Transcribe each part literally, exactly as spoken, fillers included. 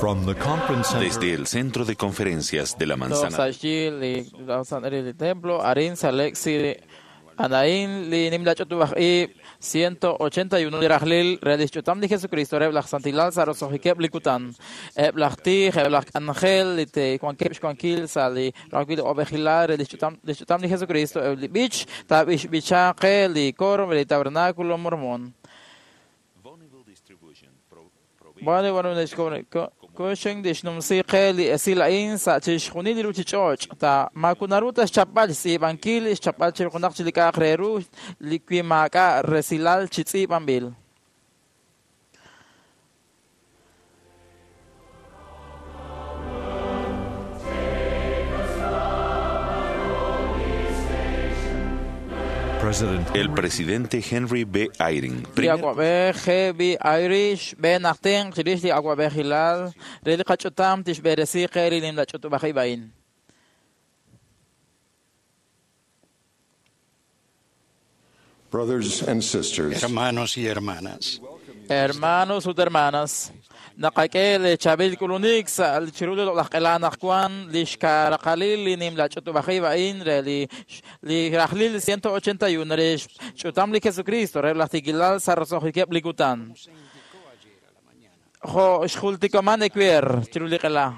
From the conference center Desde el Centro de Conferencias de la Manzana Sa xyi li li templo arin sa Lexi Anain li nimla ch'utub'aj ib' ciento ochenta y uno li rajlil re lix ch'utam li Jesucristo reb' laj Santilal sa roso'jikeb' li kutan eb' laj tij eb' laj k'anjel li te wankeb' xwankil sa li rawil ob'ejilal re lix ch'utam lix ch'utam li Jesucristo eb' li b'ich taab'ixb'icha qe li coro re li tabernáculo mormón. Bueno, bueno, kuxen dixnumsi qe li esil a'in sa' chixjunil li ruchich'och' ta makunaru ta xchapb'al xtz'iib'ankil xchapb'al chirjunaq chi li k'a'aq re ru li wi maak'a' resilal chi tz'iib'anb'il. President El presidente Henry B. Eyring, Li primer awab'ej G B. Irish b'e najten chirix li awab'ejilal re li qach'utam tixb'eresi qe li nimla ch'utub'aj ib' a'in. Brothers and sisters, Hermanos y hermanas, Hermanos ut hermanas, naqak'e li chaab'il k'ulunik sa' li chiru li loq'laj q'ela anaqwan li xkaraqalil li nimla ch'utub'aj ib' a'in re li li rajlil ciento ochenta y uno re xch'utam li Jesucristo re laj tikilal sa' roso'jikeb' li kutan. Jo' xjultikoman ewer chiru li q'ela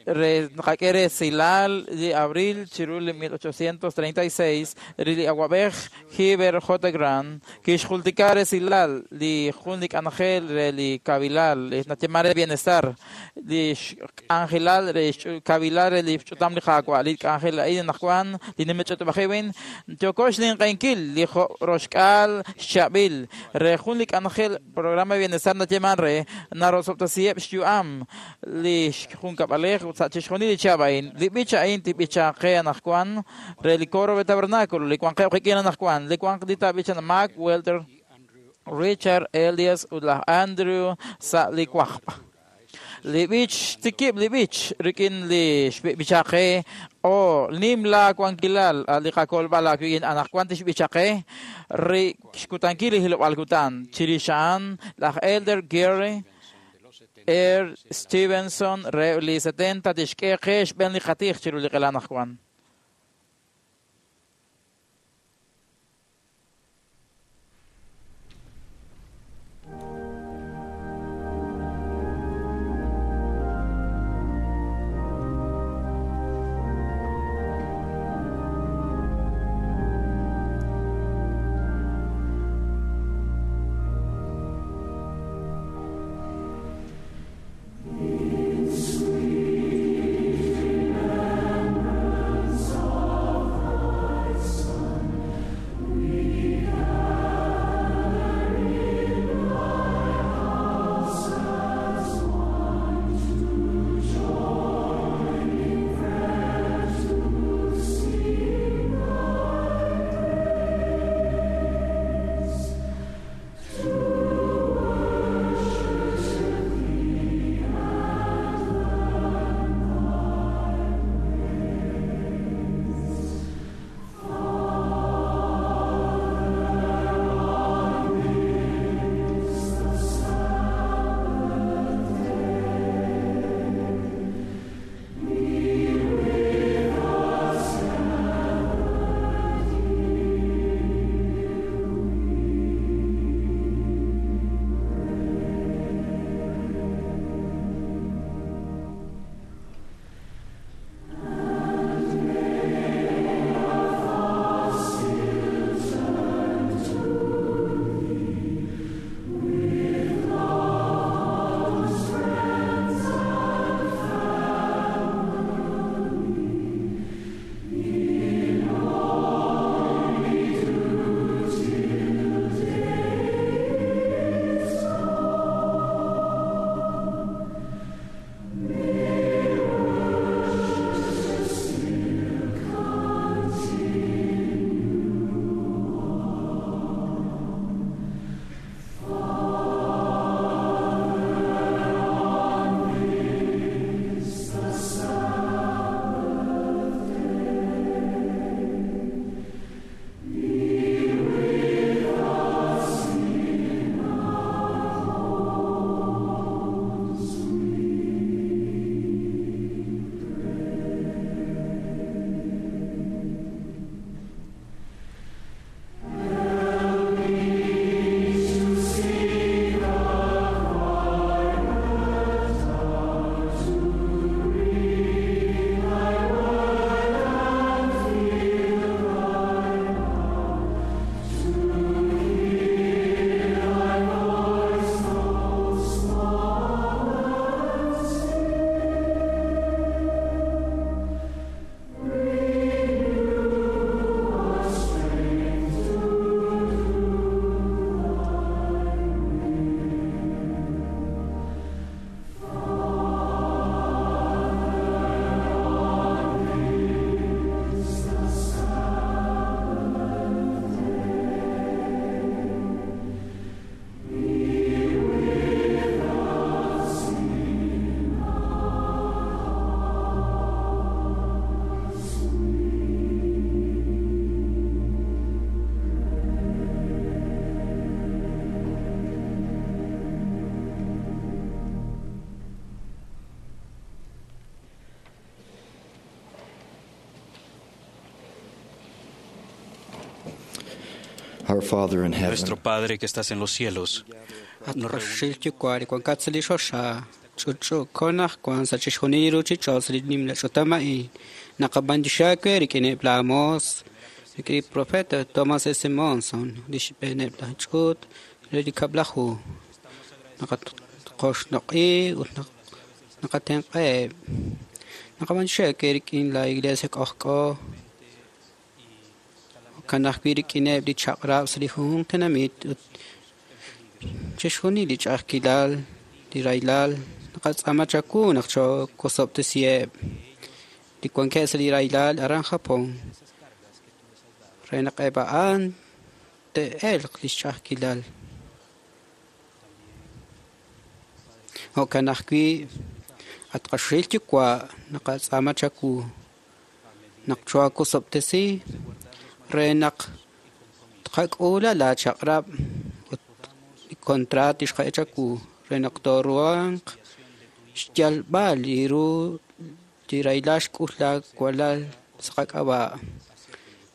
re naqak'e resilal li abril chiru li mil ochocientos treinta y seis re li awab'ej Heber J. Grant kixjultika resilal li jun li k'anjel re li kabilal li natyema re bienestar li xk'anjelal re kabilal re li xch'utam li Qaawa' li k'anjel a'in anaqwan li nimech'utub'aj ib' yoko xninq'enkil li roxk'al xchab'il re jun li k'anjel programa de bienestar natyeman re narosob'tasiheb' xyu'am li xjunkab'alej ut sa' chixjunil li chihab' a'in li b'ich a'in tib'icha qe anaqwan re li coro de tabernáculo li wanqeb' qik'in anaqwan li wanq li taab'ichan Mark Welter, Richard Elias ut laj Andrew sa' li wajb'. Li b'ich tikib' li b'ich rik'in li xb'icha qe o nimla wankilal li qakolb'al aawik'in anaqwan tixb'icha qe ri xkutankil li hilob'aal kutan chirix a'an laj Elder Gary R. Stevenson re li setenta tixk'e qe xb'een li qatij chiru li q'ela anaqwan. Sweet Our Father in heaven, Nuestro Padre que estás en los cielos, At qaxil yuwa' li wankat sa' li xoxa, ch'utch'uuko naq wan sa' chixjunil li ruchich'och' sa' li nimla ch'utam a'in. Naqab'antioxi aawe rik'ineb' laa moos, rik'in li profeta Thomas S. Monson, li xb'eeneb' laj ch'uut re li kab'laju. Naqaqoxnoq'i ut naqatenq'aheb'. Naqab'antioxi aawe rik'in la iglesia k'ojk'o, jo'kan ajwi' rik'ineb' li chaq'rab' sa' li junjunq tenamit ut chixjunil li ch'a'ajkilal, li rahilal, naqatz'aama chawu naq chokosob'tesiheb' li wankeb' sa' li rahilal aran Japón re naq eb' a'an te'elq li xch'a'ajkilal. Jo'kan ajwi' at qaxil yuwa' naqatz'aama chawu naq choakosob'tesi re naq tqak'uula laa chaq'rab' ut li contrat tixqa'e chawu re naq tooruhanq xyalb'al li ru li rahilal xk'ul laa walal sa' qak'ab'a'.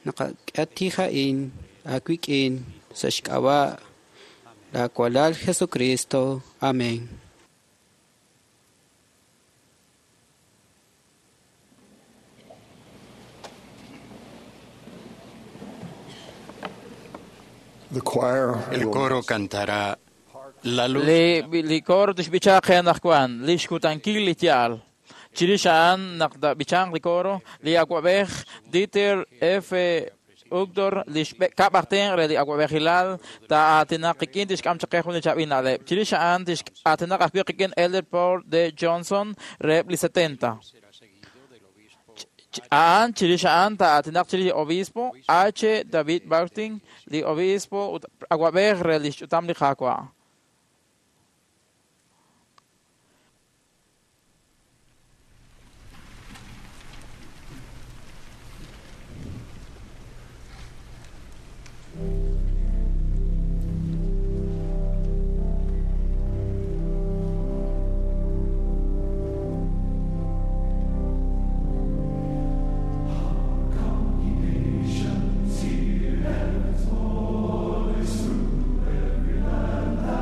Naqak'e a'in aawik'in sa' xk'ab'a' laa walal Jesucristo. Amén. The choir el will coro cantará La luz. Li, li coro tixb'icha qe anaqwan, li xkutankil li yaal. Chirix a'an naq b'ichanq li coro, li awab'ej Dieter F. Uchtdorf, li xkab' aj tenq' re li awab'ejilal taa'aatinaq qik'in tixk'am chaq qe jun li chaab'il na'leb'. Chirix a'an tix'aatinaq ajwi' qik'in Elder Paul D. Johnson reheb' li setenta. A'an chirix a'an taa'aatinaq chirix li obispo H. David Martin, li obispo ut awab'ej re li xch'utam li Qaawa'. Hear heaven's voice through every land.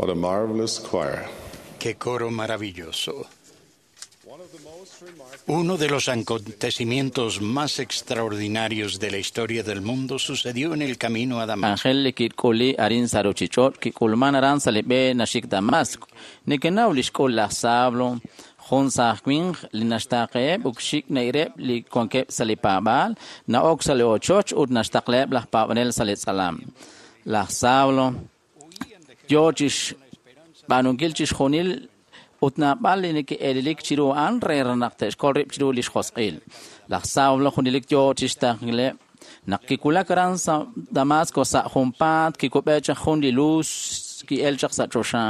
What a marvelous choir. Qué coro maravilloso. Uno de los acontecimientos más extraordinarios de la historia del mundo sucedió en el camino a Damasco. Ángel li kik'uli arin sa ruchich'och' kik'ulman aran sa li b'e naxik Damasco. Nekenaw li xk'ul laj Sablo, jun saaj winq li naxtaaqeheb' ut xik nayreb' li wankeb' sa li paab'aal, na'ok sa li ochoch ut naxtaqleheb' laj paab'anel sa li tz'alam. Laj Sablo yo chixb'aanunkil chixjunil ut naab'al li neke'eelelik chiru a'an re naq te'xkol rib' chiru li xjosq'il. Laj Saulo junelik yo chixtaqleb' naq kiwulak aran sa' Damasco sa' junpaat kikub'e chaq jun li luz ki'el chaq sa' choxa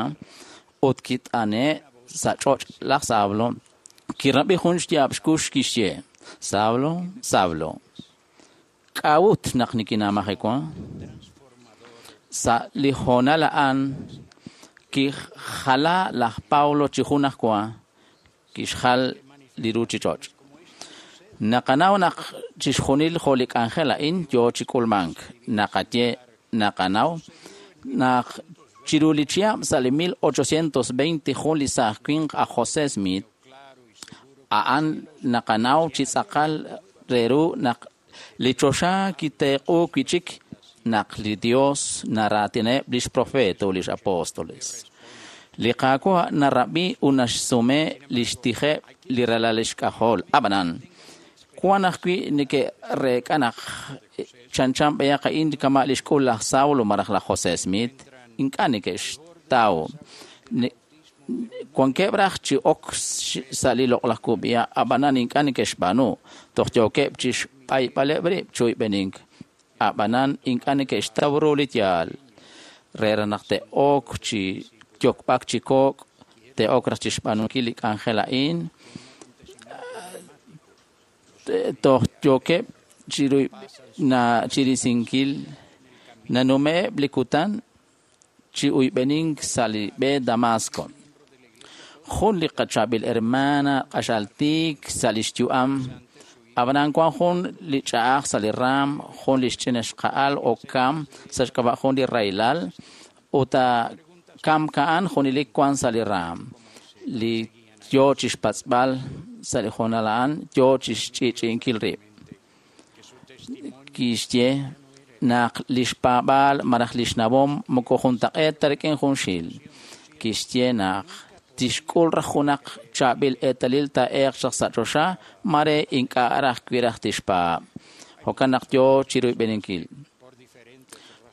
ut kit'ane' sa' ch'och' laj Saulo kirab'i jun xyaab' xkux kixye: Saulo, Saulo, k'a'ut naq nikinamajewa? Sa' li hoonal a'an kijala laj Pablo chi jun ajwa kixjal li ruchich'och'. Naqanaw naq chixjunil jo' li k'anjel a'in yo chi k'ulmank. Naqaye naqanaw naq chiru li chihab' sa' li mil ochocientos veinte jun li saaj winq aj José Smith a'an naqanaw chi tz'aqal re ru naq li choxa kiteq'u wi'chik naq li Dios naraatineb' lix profeta ut lix apóstoles. Li Qaawa' narab'i ut naxsume lix tijeb' li ralal xk'ajol. Ab'anan, wan ajwi' neke'reek'a naq chanchan b'ayaq a'in kama' li xk'ul laj Saulo malaj laj José Smith, ink'a' neke'xtaw. Wankeb' raj chi ok sa' li loq'laj kub'iha', ab'anan ink'a' neke'xb'aanu. Toj yookeb' chixb'ayb'aleb' rib' chuyb'enink. Ab'anan ink'a' neke'xtaw ru li yaal. Re naq te'ok chi yokb'ak chi kok', te'ok raj chixb'aanunkil li k'anjel a'in, toj yookeb' chirisinkil nanume'eb' li kutan chi uyb'enink sa' li b'e Damasco. Jun li qachaab'il hermana q'axal tiik sa' lix yu'am, ab'anan wan jun li ch'a'aj sa' li raam, jun li xch'ina xqa'al o kam sa' xk'ab'a' jun li raylal, ut kam ka'an junelik wan sa' li raam. Li yo chixpatz'b'al sa' li hoonal a'an yo chixch'i'ch'i'inkil rib'. Kixye naq lix paab'aal malaj lix nawom moko juntaq'eet ta rik'in junxil. Kixye naq tixk'ul raj junaq chaab'il eetalil taa'eeq chaq sa' choxa, mare ink'a' raj wi raj tixpaab'. Jo'kan naq yo chiruyb'eninkil.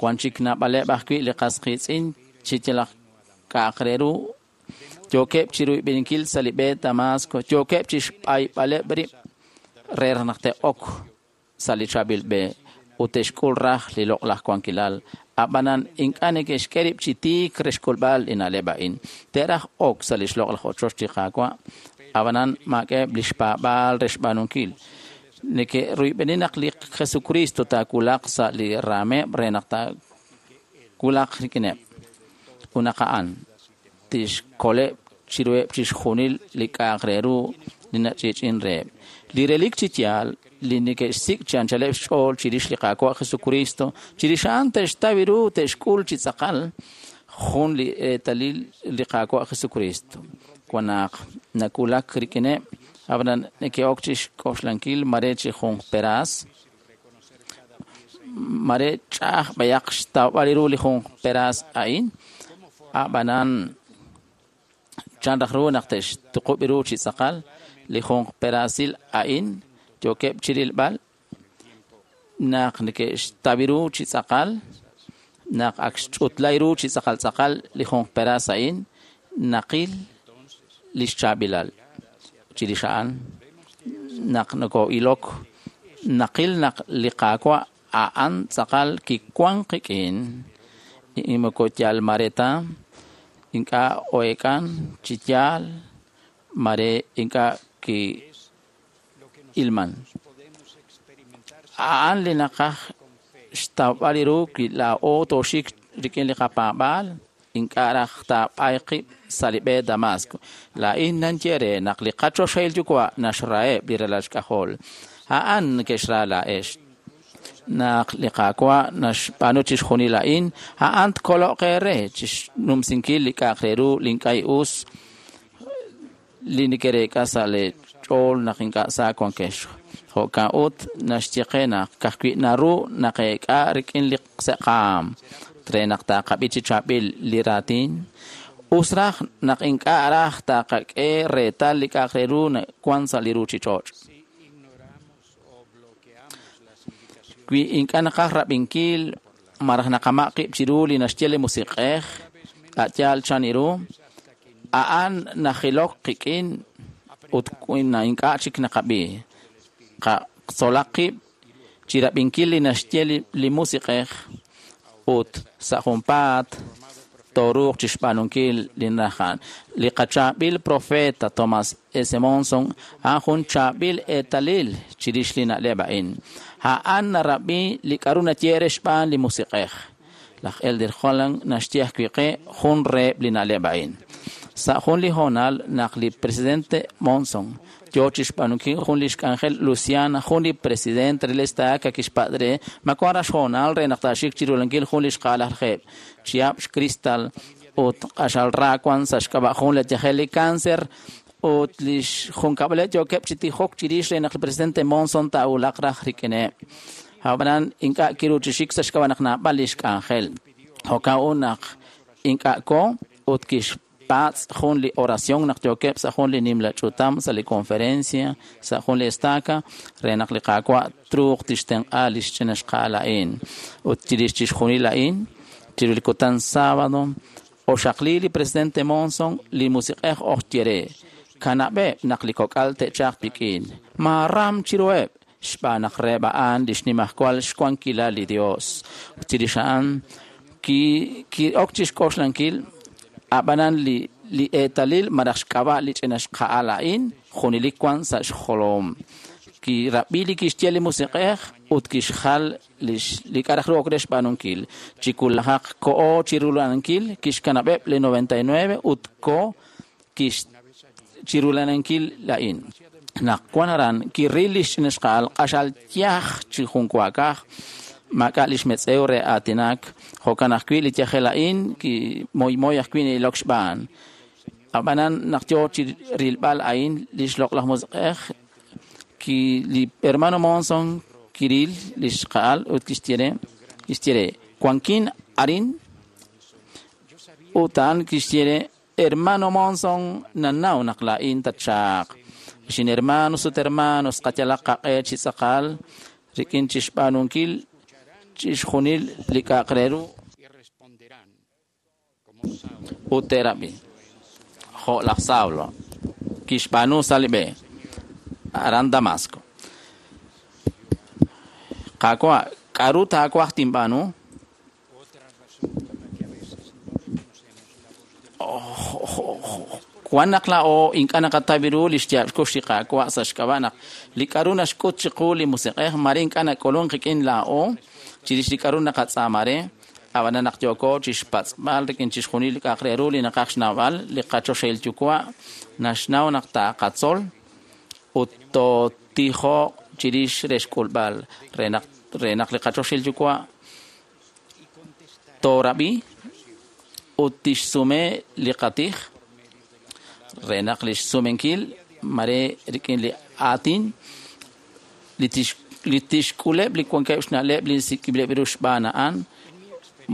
Wan chik naab'aleb' ajwi' li qas qiitz'in chi yalaq k'a'aq re ru yookeb' chiruyb'eninkil sa' li b'e Damasco, yookeb' chixb'ayb'aleb' rib' re naq te'ok sa' li chaab'il b'e ut te'xk'ul raj li loq'laj wankilal. Ab'anan ink'a' neke'xk'e rib' chi tiik re xk'ulb'al li na'leb' a'in. Te'raj ok sa' li xloq'laj ochoch li Qaawa', ab'anan maak'eb' li xpaab'aal re xb'aanunkil. Neke'ruyb'eni naq li Jesucristo taawulaq sa' li raameb' re naq taawulaq rik'ineb'. Ut naq a'an tixkoleb' chiruheb' chixjunil li k'a'aq re ru li nach'i'ch'in reheb'. Li relik chi yaal li neke'xsik' chi anchaleb' xch'ool chirix li Qaawa' Jesucristo, chirix a'an te'xtaw ru te'xk'ul chi tz'aqal jun li eetalil li Qaawa' Jesucristo. Wan naq nawulak rik'ineb', ab'anan neke'ok chixk'oxlankil mare chi jun peraas, mare ch'a'aj b'ayaq xtawb'al ru li jun peraas a'in, ab'anan chan raj ru naq te'xtuqub' ru chi tz'aqal li jun peraasil a'in yookeb' chirilb'al naq neke'xtaw ru chi tz'aqal, naq ak xch'utlay ru chi tz'aqal tz'aqal li jun peraas a'in, naqil lix chaab'ilal. Chirix a'an naq noko'ilok, naqil naq li Qaawa' a'an tz'aqal kiwan qik'in, moko yal mare ta, ink'a' o'eek'an chi yaal, mare ink'a' ki'ilman. A'an li naqaj xtawb'al ru wi laa'o tooxik rik'in li qapaab'aal, ink'a' raj taab'ay qib' sa' li b'e Damasco. Laa'in nanye re naq li qachoxahil yuwa' naxraheb' li ralal xk'ajol. A'an neke'xra laa'ex. Naq li Qaawa' naxb'aanu chixjunil a'in, a'an tkoloq eere chixnumsinkil li k'a'aq re ru li ink'a' us li nekereek'a sa' lee ch'ool naq ink'a' sa wankex. Jo'kan ut naxye qe naq ka'ajwi' naru naqeek'a rik'in li se'qaam re naq taqab'i chi chaab'il li raatin. Us raj naq ink'a' raj taqak'e reetal li k'a'aq re ru wan sa' li ruchich'och'. Wi ink'a' naqaj rab'inkil malaj naqamaq' qib' chiru li naxye li Musiq'ej, a' yaal chan ru, a'an najilok qik'in ut ink'a' chik naqab'i. Qatzolaq qib' chi rab'inkil li naxye li Musiq'ej ut sa' junpaat tooruuq chixb'aanunkil li naraj. Li qachaab'il profeta Thomas S. Monson a'an jun chaab'il eetalil chirix li na'leb' a'in. A'an narab'i li k'a'ru naye re xb'aan li Musiq'ej. Laj Elder Holland naxye ajwi' qe jun reheb' li na'leb' a'in. Sa' jun li hoonal naq li presidente Monson yo chixb'aanunkil jun li xk'anjel Luciana, jun li presidente re l'estaca kixpatz' re ma wan raj xhoonal re naq taaxik chirulankil jun li xqa'al chihab' xcristal ut q'axal ra wan sa' xk'ab'a' jun li yajel li cáncer ut li xjunkab'aleb' yookeb' chi tijok chirix re naq li presidente Monson taawulaq raj rik'ineb'. Ab'anan ink'a' kiru chi xik sa' xk'ab'a' naq naab'al li xk'anjel. Jo'kan ut naq ink'a' ko ut kixpatz' jun li oración naq yookeb' sa' jun li nimla ch'utam sa' li conferencia sa' jun li estaca re naq li Qaawa' truuq tixtenq'a li xch'ina xqa'al a'in. Ut chirix chixjunil a'in, chiru li kutan sábado, oxaqli li presidente Monson li Musiq'ej oj ye re kanab'eb' naq li kok'al te'chaq wik'in. Maaram chiruheb' xb'aan naq reheb' a'an li xnimajwal xwankilal li Dios. Ut chirix a'an ki'ok chixk'oxlankil ab'anan li li eetalil malaj xk'ab'a' li ch'ina xqa'al a'in junelik wan sa' xjolom. Kirab'i li kixye li Musiq'ej ut kixjal li k'a' raj ru ok re xb'aanunkil. Chi kulajaq ko'o chirulanankil kixkanab'eb' li noventa y nueve ut ko kix chirulanankil a'in. Naq wan aran kiril li xch'ina xqa'al q'axal yaj chi junwaakaj maak'a' li xmetz'ew re aatinak. Jo'kan ajwi' li yajel a'in kimoymoy ajwi' na'ilok xb'aan. Ab'anan naq yo chi rilb'al a'in li xloq'laj Musiq'ej ki li hermano Monson kiril li xqa'al ut kixye re kixye re wankin arin ut a'an kixye re hermano Monson nanaw naq laa'in tatchaaq. Xin hermanos ut hermanos qayalaq qaq'e chi tz'aqal rik'in chixb'aanunkil chixjunil li k'a'aq re ru ut te'rab'i. Jo' laj Saulo kixb'aanu sa' li b'e aran Damasco. Qaawa', k'a'ru taawaj tinb'aanu? Wan naq laa'o ink'a' naqataw ru li xyaab' xkux li Qaawa' sa' xk'ab'a' naq li k'a'ru naxk'ut chiqu li Musiq'ej mare ink'a' nak'ulunk qik'in laa'o chirix li k'a'ru naqatz'aama re. Ab'anan naq yooko chixpatz'b'al rik'in chixjunil li k'a'aq re ru li naqaj xnawb'al, li qachoxahil Yuwa' naxnaw naq taqatzol ut tootijoq chirix re xk'ulb'al re naq re naq li qachoxahil Yuwa' toorab'i ut tixsume li qatij re naq li xsumenkil mare rik'in li aatin li tix li tixk'uleb' li wankeb' xna'leb' li sik'ib'ileb' ru xb'aan a'an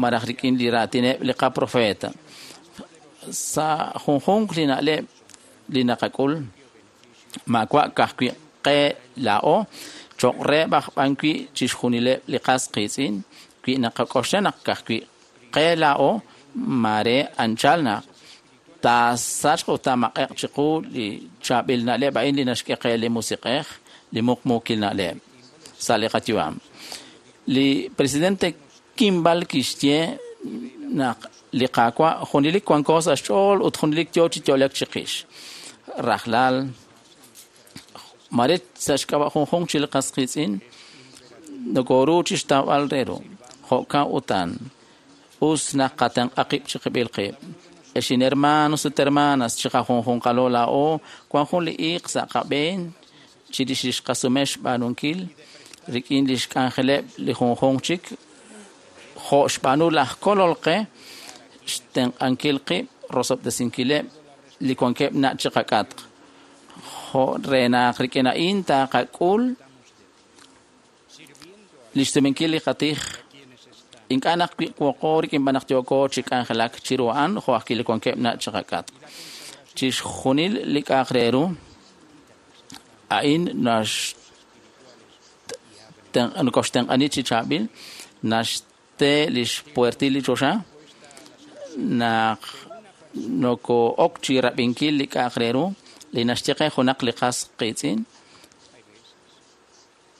malaj rik'in li raatineb' li qaprofeta. Sa' junjunq li na'leb' li naqak'ul maawa' ka'ajwi' qe laa'o cho'q reheb' aj b'an wi' chixjunileb' li qas qiitz'in wi naqak'oxla naq ka'ajwi' qe laa'o mare anchal naq taasachq ut taamaq'eq chiqu li chaab'il na'leb' a'in li naxk'e qe li Musiq'ej li muqmuukil na'leb' sa' li qayu'am. Li presidente Kimball kixye naq li Qaawa' junelik wanko sa' xch'ool ut junelik yo chi yo'lek chiqix. Rajlal mare sa' xk'ab'a' junjunq chi li qas qiitz'in nokoru chixtawb'al re ru. Jo'kan utan us naq qatenq'a qib' chiqib'il qib'. Exin hermanos ut hermanas chiqajunjunqalo laa'o wan jun li iiq sa' qab'een chirix li xqasume xb'aanunkil rik'in lix k'anjeleb' li junjunq chik jo' xb'aanu laj Kolol qe xtenq'ankil qib' rosob'tesinkileb' li wankeb' nach' chiqak'atq jo' re naq rik'in a'in taqak'ul lix sumenkil li qatij ink'a' naq wiq'woqo rik'in b'an naq yooko chi k'anjelak chiru a'an jo' ajwi' li wankeb' nach' chiqak'atq chixjunil li k'a'aq re ru a'in nax nokoxtenq'ani chi chaab'il naxte lix puertil li choxa naq noko'ok chi rab'inkil li k'a'aq re ru li naxye qe junaq li qas qiitz'in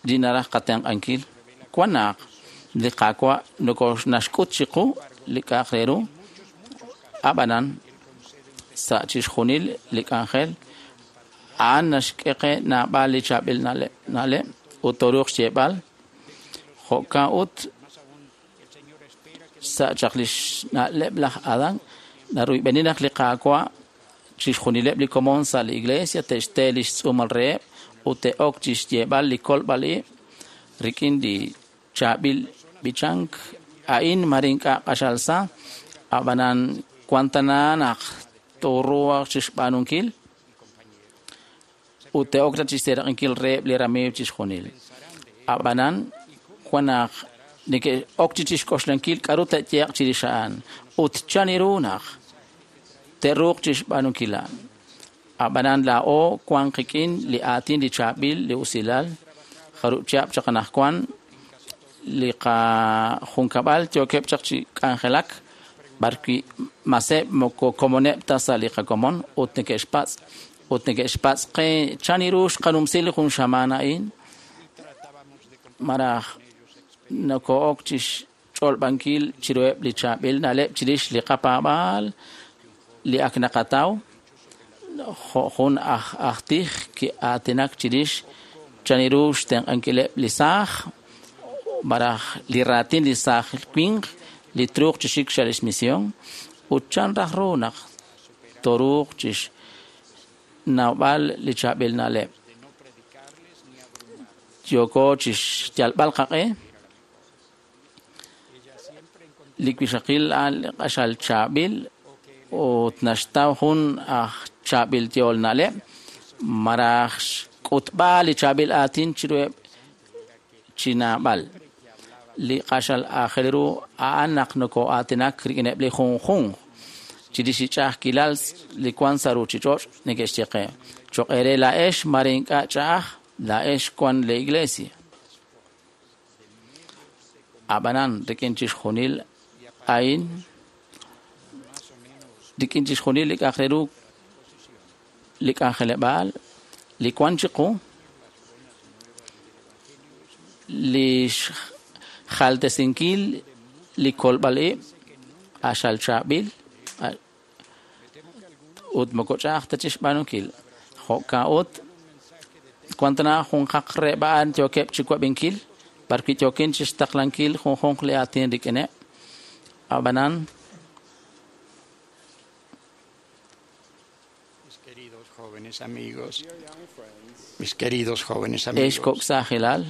li naraj qatenq'ankil wan naq li Qaawa' naxk'ut chiqu li k'a'aq re ru ab'anan sa' chixjunil li k'anjel a'an naxk'e qe naab'al li chaab'il na'leb' ut toruuq xyeeb'al jo'kan ut sa' chaq lix na'leb' laj Adán naruyb'eni naq li Qaawa' chixjunileb' li komon sa' li iglesia te'xte lix tz'uumal reheb' ut te'ok chixyeeb'al li kolb'al ib' rik'in li chaab'il b'ichank a'in mare ink'a' q'axal sa ab'anan wan tana naq toruuq chixb'aanunkil ut te'ok ta chixseeraq'inkil reheb' li ramiiw chixjunil ab'anan wan naq neke'ok chi chixk'oxlankil k'a'ru te'yeeq chirix a'an ut chan ru naq te'ruuq chixb'aanunkil a'an ab'anan laa'o wan qik'in li aatin li chaab'il li usilal jarub' chihab' chaq anaqwan li qajunkab'al yookeb' chaq chi k'anjelak b'arwi' maseb' moko komoneb' ta sa' li qakomon ut neke'xpatz' ut neke'xpatz' qe chan ru xqanumsi li jun xamaan a'in maraj noko'ok chixch'olb'ankil chiruheb' li chaab'il na'leb' chirix li qapaab'aal li ak naqataw jo' jun aj aj tij ki'aatinak chirix chan ru xtenq'ankileb' li saaj maraj li raatin li saaj winq li truuq chi xik sa' lix misión ut chan raj ru naq toruuq chixnawb'al li chaab'il na'leb' yooko chixyalb'al qaq'e li wixaqil a'an li q'axal chaab'il ut naxtaw jun aj chaab'il yool na'leb' maraj xk'utb'al li chaab'il aatin chiruheb' chi naab'al li q'axal aajel ru a'an naq noko'aatinak rik'ineb' li junjunq chirix li ch'a'ajkilal li wan sa' ruuchich'och' neke'xye qe choq' eere laa'ex mare ink'a' ch'a'aj laa'ex wan li iglesia ab'anan rik'in chixjunil a'in rik'in chixjunil li k'a'aq re ru li k'anjeleb'aal li wan chiqu li xjaltesinkil li kolb'al ib' q'axal chaab'il ut moko ch'a'aj ta chixb'aanunkil jo'kan ut wan tana junqaq reheb' a'an yookeb' chi wab'inkil b'arwi' yookin chixtaqlankil junjunq li aatin rik'ineb' ab'anan Mis queridos jóvenes amigos, mis queridos jóvenes ex amigos, kok' saajilal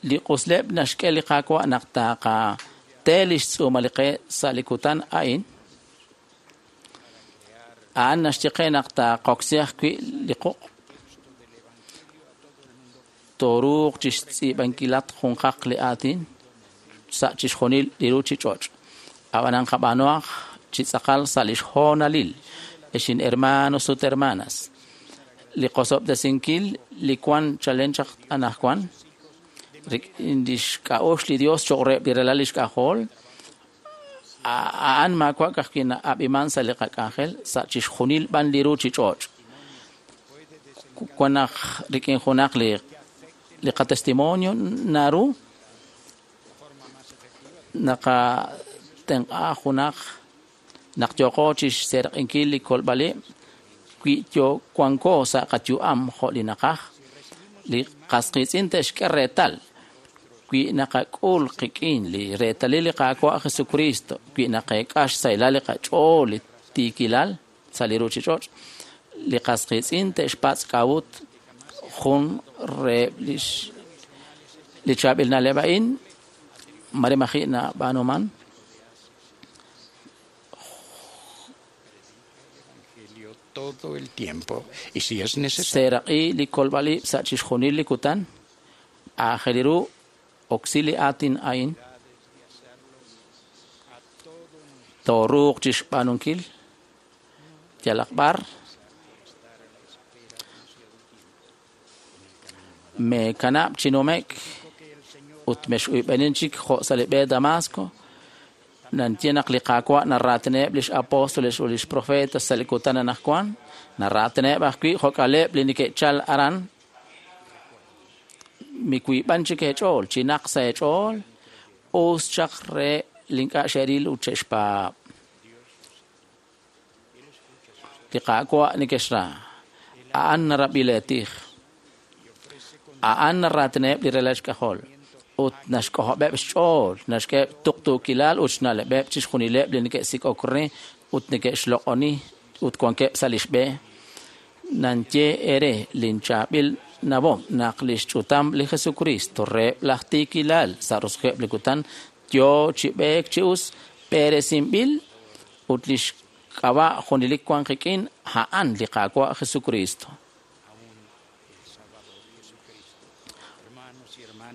li q'usleb' naxk'e li Qaawa' naq taqate lix tz'uumal li qe sa' li kutan a'in a'an naxye qe naq taqoksi ajwi' li quq' toruuq chixtz'iib'ankilat junqaq li aatin sa' chixjunil li ruuchich'och' ab'anan qab'aanuhaq chi tz'aqal sa' lix hoonalil ex in hermanos ut hermanas li qosob'tesinkil li wan chalen chaq anaqwan rik'in lix k'a'uxl li Dios choq' reheb' li ralal lix k'ajol a'an maawa' ka'ajwi' na'ab'iman sa' li qak'anjel sa' chixjunil b'an li ruuchich'och' wan naq rik'in junaq li li qatestimonio naru naqatenq'a junaq naq yooqo chixseeraq'inkil li kolb'al ib' wi yo wanko sa' qayu'am jo' li naqaj li qas qiitz'in te'xk'e reetal wi naqak'ul qik'in li reetalil li Qaawa' Jesucristo wi naqeek'a xsahilal li qach'ool li tiikilal sa' li ruuchich'och' li qas qiitz'in te'xpatz' k'a'ut Jun reheb' lix li chaab'il na'leb' a'in mare maji' nab'aanuman. Todo el tiempo y si es necesario Seeraq'i li kolb'al ib' sa' chixjunil li kutan. Aajel ru oksi li aatin a'in. Tooruuq chixb'aanunkil yalaq b'ar. Meekanab' chi numek ut mex'uyb'enin chik jo' sa' li b'e Damasco. Nantie naq li Qaawa' naraatineb' lix apóstoles ut lix profetas sa' li kutan anaqwan. Naraatineb' ajwi' jo'k'aleb' li neke'chal aran. Miwiib'an chik eech'ool, chinaq sa' eech'ool, us chaq re li ink'a' xe'ril ut xe'xpaab'. Li Qaawa' nekexra. A'an narab'i leetij. A'an naraatineb' li ralal xk'ajol. Ut naxk'ojob'eb' xch'ool, naxk'eheb' tuqtuukilal ut xna'leb'eb' chixjunileb' li neke'sik'ok re ut neke'xloq'oni ut wankeb' sa' lix b'e. Nanye ere linchaab'il nawom naq lix ch'utam li Jesucristo reheb' laj tiikilal sa' roso'jikeb' li kutan yoo chi b'eek chi us b'eresinb'il ut lix k'ab'a' junelik wan qik'in a'an li Qaawa' Jesucristo.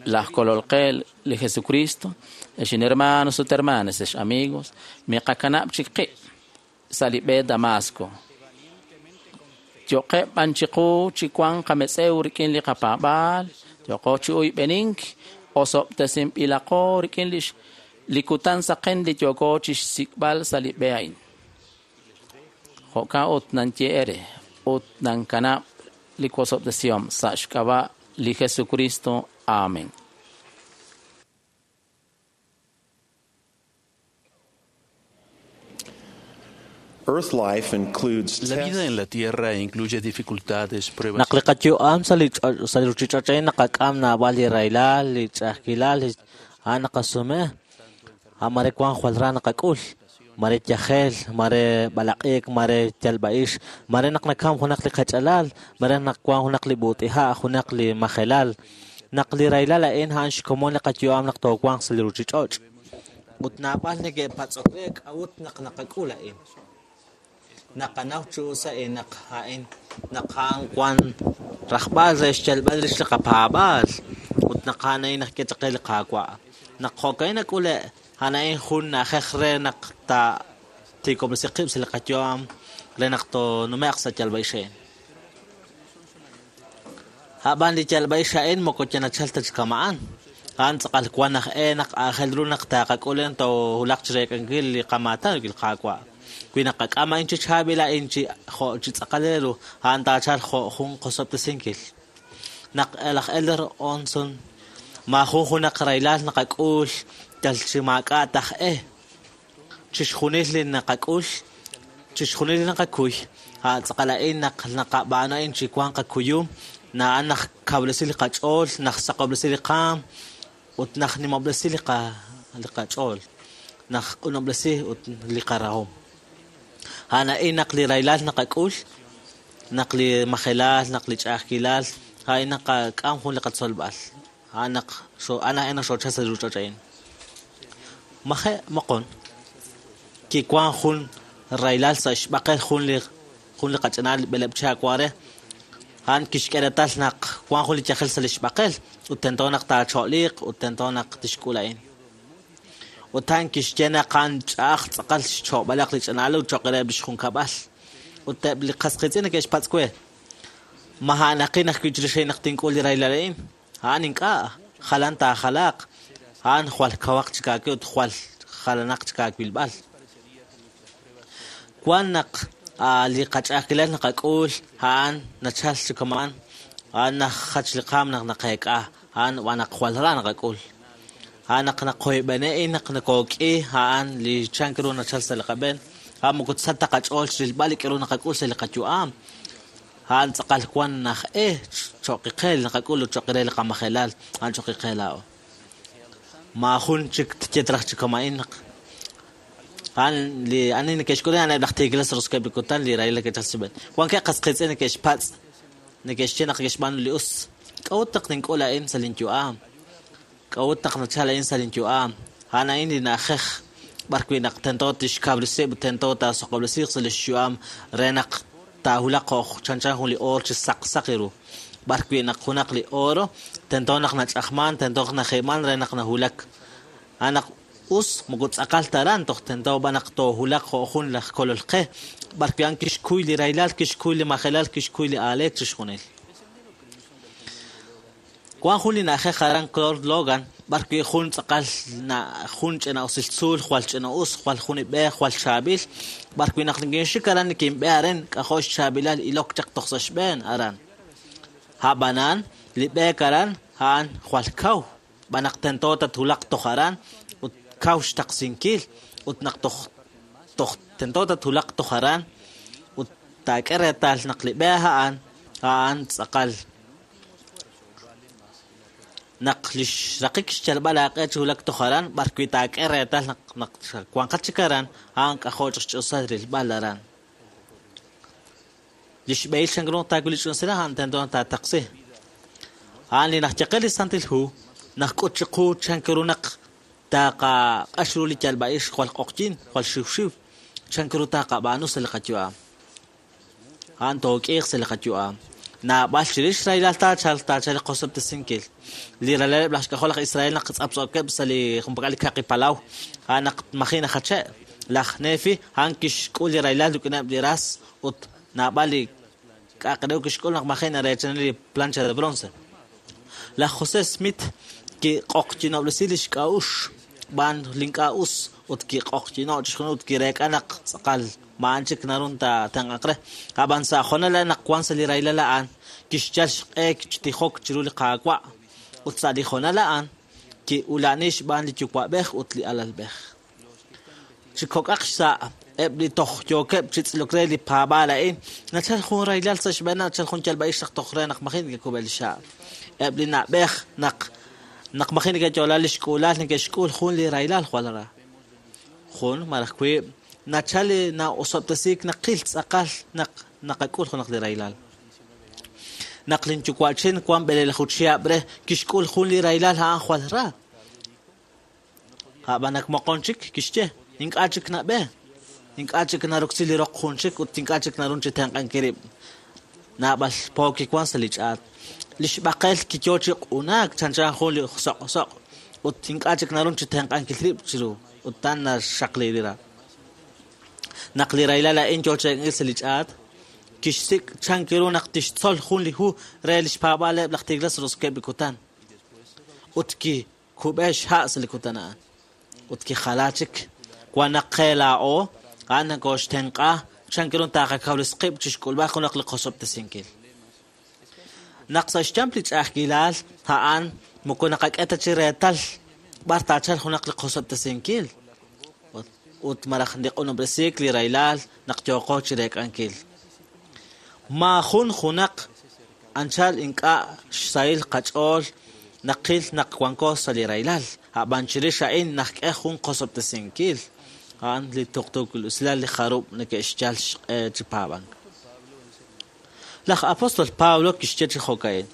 Laj kolol qe li Jesucristo, ex hermanos ut hermanas, ex amigos, miqakanab' chik qib' sa' li b'e Damasco. Yo'qeb' b'an chiqu chi wan qametz'ew rik'in li qapaab'aal, yo'qo chi uyb'enink, osob'tesinb'ilaqo rik'in lix li kutan saqen li yooko chixsik'b'al sa' li b'e a'in. Jo'kan ut nanye ere ut nankanab' li wosob'tesihom sa' xk'ab'a' li Jesucristo. Amén. Earth life includes La vida tests en la Tierra incluye dificultades, pruebas Naq li qayu'am sa' li ch'och' sa' li ruchich'och' a'in naqak'am naab'al li rahilal, li ch'a'ajkilal, li a'an naqasume. A' mare wan jwal ra naqak'ul, mare yajel, mare b'alaq'iik, mare yalb'a'ix, mare naq nakam junaq li qach'alal, mare naq wan junaq li b'ut'iha', junaq li majelal. Naq li rahilal a'in a'an xkomon li qayu'am naq toowanq sa' li ruchich'och'. Ut naab'al neke'patz'ok re k'a'ut naq naqak'ul a'in. Naqanaw chi us a'in naq a'in naq a'an wan rajb'al re xyalb'al rix li qapaab'aal ut naq a'an a'in naq k'e li Qaawa'. Naq jo'ka'in nak'ule' a'an a'in jun na'ajej re naq ta tiikob'resi qib' sa' li qayu'am re naq toonume'q sa' yalb'a'ix a'in. A'b'an li yalb'a'ix a'in moko yanachal ta chi kama'an. A'an tz'aqal wan aj e naq aajel ru naq taaqak'ul a'in toowulaq chireek'ankil li qamaatan rik'in li Qaawa'. Wi naqak'am a'in chi chaab'il a'in chi jo' chi tz'aqal re ru, a'an taachal jo' jun qosob'tesinkil. Naq laj Elder Onson maajun junaq rahilal naqak'ul yal chi maak'a' taj e. Chixjunil li naqak'ul, chixjunil li naqakuy, a' tz'aqal a'in naq naqab'aanu a'in chi wan qakuyum, na'an naq kawresi li qach'ool, naq saqob'resi li qaam, ut naq nimob'resi li qa li qach'ool, naq q'unob'resi ut li qarahom. A'an a'in naq li rahilal naqak'ul, naq li majelal, naq li ch'a'ajkilal, a'in naqak'am jun li qatzolb'al. A'an naq xo a'an a'in naq xoochal sa' li ruchich'och' a'in. Maje' moqon kiwan jun rahilal sa' xb'aqel jun li jun li qach'anal b'eleb' chihab' wan re. A'an kixk'e reetal naq wan jun li yajel sa' li xb'aqel ut tento naq taacho'liiq ut tento naq tixk'ul a'in. Ut a'an kixye naq a'an ch'a'aj tz'aqal xcho'b'alaq li ch'anal ut cho'q reheb' lix junkab'al. Ut eb' li qasqiitz'in neke'xpatz' we, ma a'anaqin ajwi' chirix a'in naq tink'ul li rahilal a'in? A'an ink'a', jalan taajalaaq. A'an jwal kawaq chik aawe ut jwal jalanaq chik aawilb'al. Wan naq li qach'a'ajkilal naqak'ul a'an nachal chi kama'an, a'an najach li qaam naq naqeek'a, a'an wan naq jwal ra naqak'ul. A'an naq naqoyb'ene'in naq nakook'i, a'an li chank ru nachal sa' li qab'een, a'an moko sa ta qach'ool chirilb'al li k'aru naqak'ul sa' li qayu'am. A'an tz'aqal wan naj e cho'qiqe li naqak'ul ut cho'qi re li qamajelal, a'an cho'qiqe laa'o. Maajun chik tyetraj chi kama'in naq a'an li ani neke'xk'ul a'an eb' laj tiikilal sa' roso'jikeb' li kutan li rahilal neke'chal sa' xb'een. Wankeb' qasqiitz'in neke'xpatz' Neke'xye naq ke'xb'aanu li us. K'a'ut naq nink'ul a'in sa' linyu'am? K'a'ut naq nachal a'in sa' linyu'am? A'an a'in li na'ajej b'ar wi' naq tento tixkawresi ut tento taasoq'ob'resiiq sa' lix yu'am re naq taahulaq jo' chanchan jun li oor chi saqsaq ru. B'ar wi' naq junaq li oro tento naq nach'ajman, tento naq naji'man re naq nahulak. A'an naq us moko tz'aqal ta aran toj tento b'an naq toohulaq jo' jun laj kolol qe. B'ar wi' a'an kixkuy li rahilal, kixkuy li majelal, kixkuy li aaleek chixjunil. Wan jun li na'ajej aran Claude Logan, b'ar wi' jun tz'aqal jun ch'ina usil tzuul, jwal ch'ina us, jwal jun ib'e, jwal chaab'il. B'ar wi' naq nikinxik aran nikinb'e aren, k'ajo' xchaab'ilal ilok chaq toj sa' xb'een aran. A'b'anan, li b'eek aran, a'an jwal kaw. B'an naq tento tathulaq toj aran, ut kaw xtaqsinkil, ut naq toj toj tento tathulaq toj aran, ut taak'e reetal naq li b'e a'an, a'an tz'aqal. Naq lix raqik xyalb'al aaq'e chi hulak toj aran, b'ar wi' taak'e reetal naq naq wanqat chik aran, a'an k'ajo' chaq xch'usal rilb'al aran. Lix b'ehil chank ru taawil li ch'usila, a'an tento taataqsi. A'an li najyaqe li Santil Hu, naq k'ut chiqu chank ru naq taaqaq'ax ru li yalb'a'ix jwal q'oqyin, jwal xiwxiw, chank ru taaqab'aanu sa' li qayu'am. A'an took'iiq sa' li qayu'am. Naab'al chirix rahilal taachal taachal li qosob'tesinkil. Li ralaleb' laj xk'ajol laj Israel naq tz'aptz'ookeb' sa' li junpak'al li kaqi palaw, a'an naq maji najache'. Laj Nefi a'an kixk'ul li rahilal rik'ineb' li ras ut naab'al li k'aqrew kixk'ul naq maji nareechani li plancha de bronce. Laj José Smith kiq'oqyinob'resi li xk'a'ux b'an link'a' us ut kiq'oqyino' chixjunil ut kireek'a naq tz'aqal ma'an chik narun ta tenq'aq re. A'b'an sa' jonal naq wan sa' li rahilal a'an kixyal xq'e xtijok chiru li Qaawa' ut sa' li jonal a'an ki'ula'ni xb'aan li yuwa'b'ej ut li alalb'ej. Chi kok'aq xsa' eb' li toj yookeb' chi tz'ilok re li paab'aal a'in, nachal jun rahilal sa' xb'een, nachal jun yalb'a'ix naq toj re naq maji neke'kub'el li xha'. Eb' li na'b'ej naq naq maji neke'yo'la li xk'uulal neke'xk'ul jun li rahilal jwal ra. Jun malaj wiib' nachal li na'osob'tesiik naqil tz'aqal naq naqak'ul junaq li rahilal. Naq linyuwa'chin wan b'eleelaju chihab' re kixk'ul jun li rahilal a'an jwal ra. A'b'an naq moqon chik kixye, ink'a' chik nab'e, ink'a' chik naroksi li roq jun chik ut ink'a' chik narun chi tenq'ankil rib'. Naab'al po kiwan sa' li ch'aat. Li xb'aqel kiyo chi q'unaak chanchan jun li soq' soq' ut ink'a' chik narun chi tenq'ankil rib' chiru ut tan naxaqli li ra. Naq li rahilal a'in yo chi sa' li ch'aat, kixsik' chank ru naq tixtzol jun li hu re li xpaab'aaleb' laj tigres roskeb' li kutan. Ut kikub'e xha' sa' li kutan a'an. Ut kijala chik. Wan naq qe laa'o, a'an nakoxtenq'a chank ru taaqakawresqib' chixk'ulb'al junaq li qosob'tesinkil. Naq sa' xyamp li ch'a'ajkilal a'an moko naqak'e ta chi reetal b'ar taachal junaq li qosob'tesinkil. Ut malaj li q'unob'resiik li rahilal naq yooqo chi reek'ankil. Ma jun junaq anchal ink'a' xsahil qach'ool naqil naq wanko sa' li rahilal. A'b'an chirix a'in naqk'e jun qosob'tesinkil. A'an li tuqtuukil usilal li jarub' neke'xyal xq'e chi paab'ank. Laj apóstol Pablo kixye chi jo'ka'in.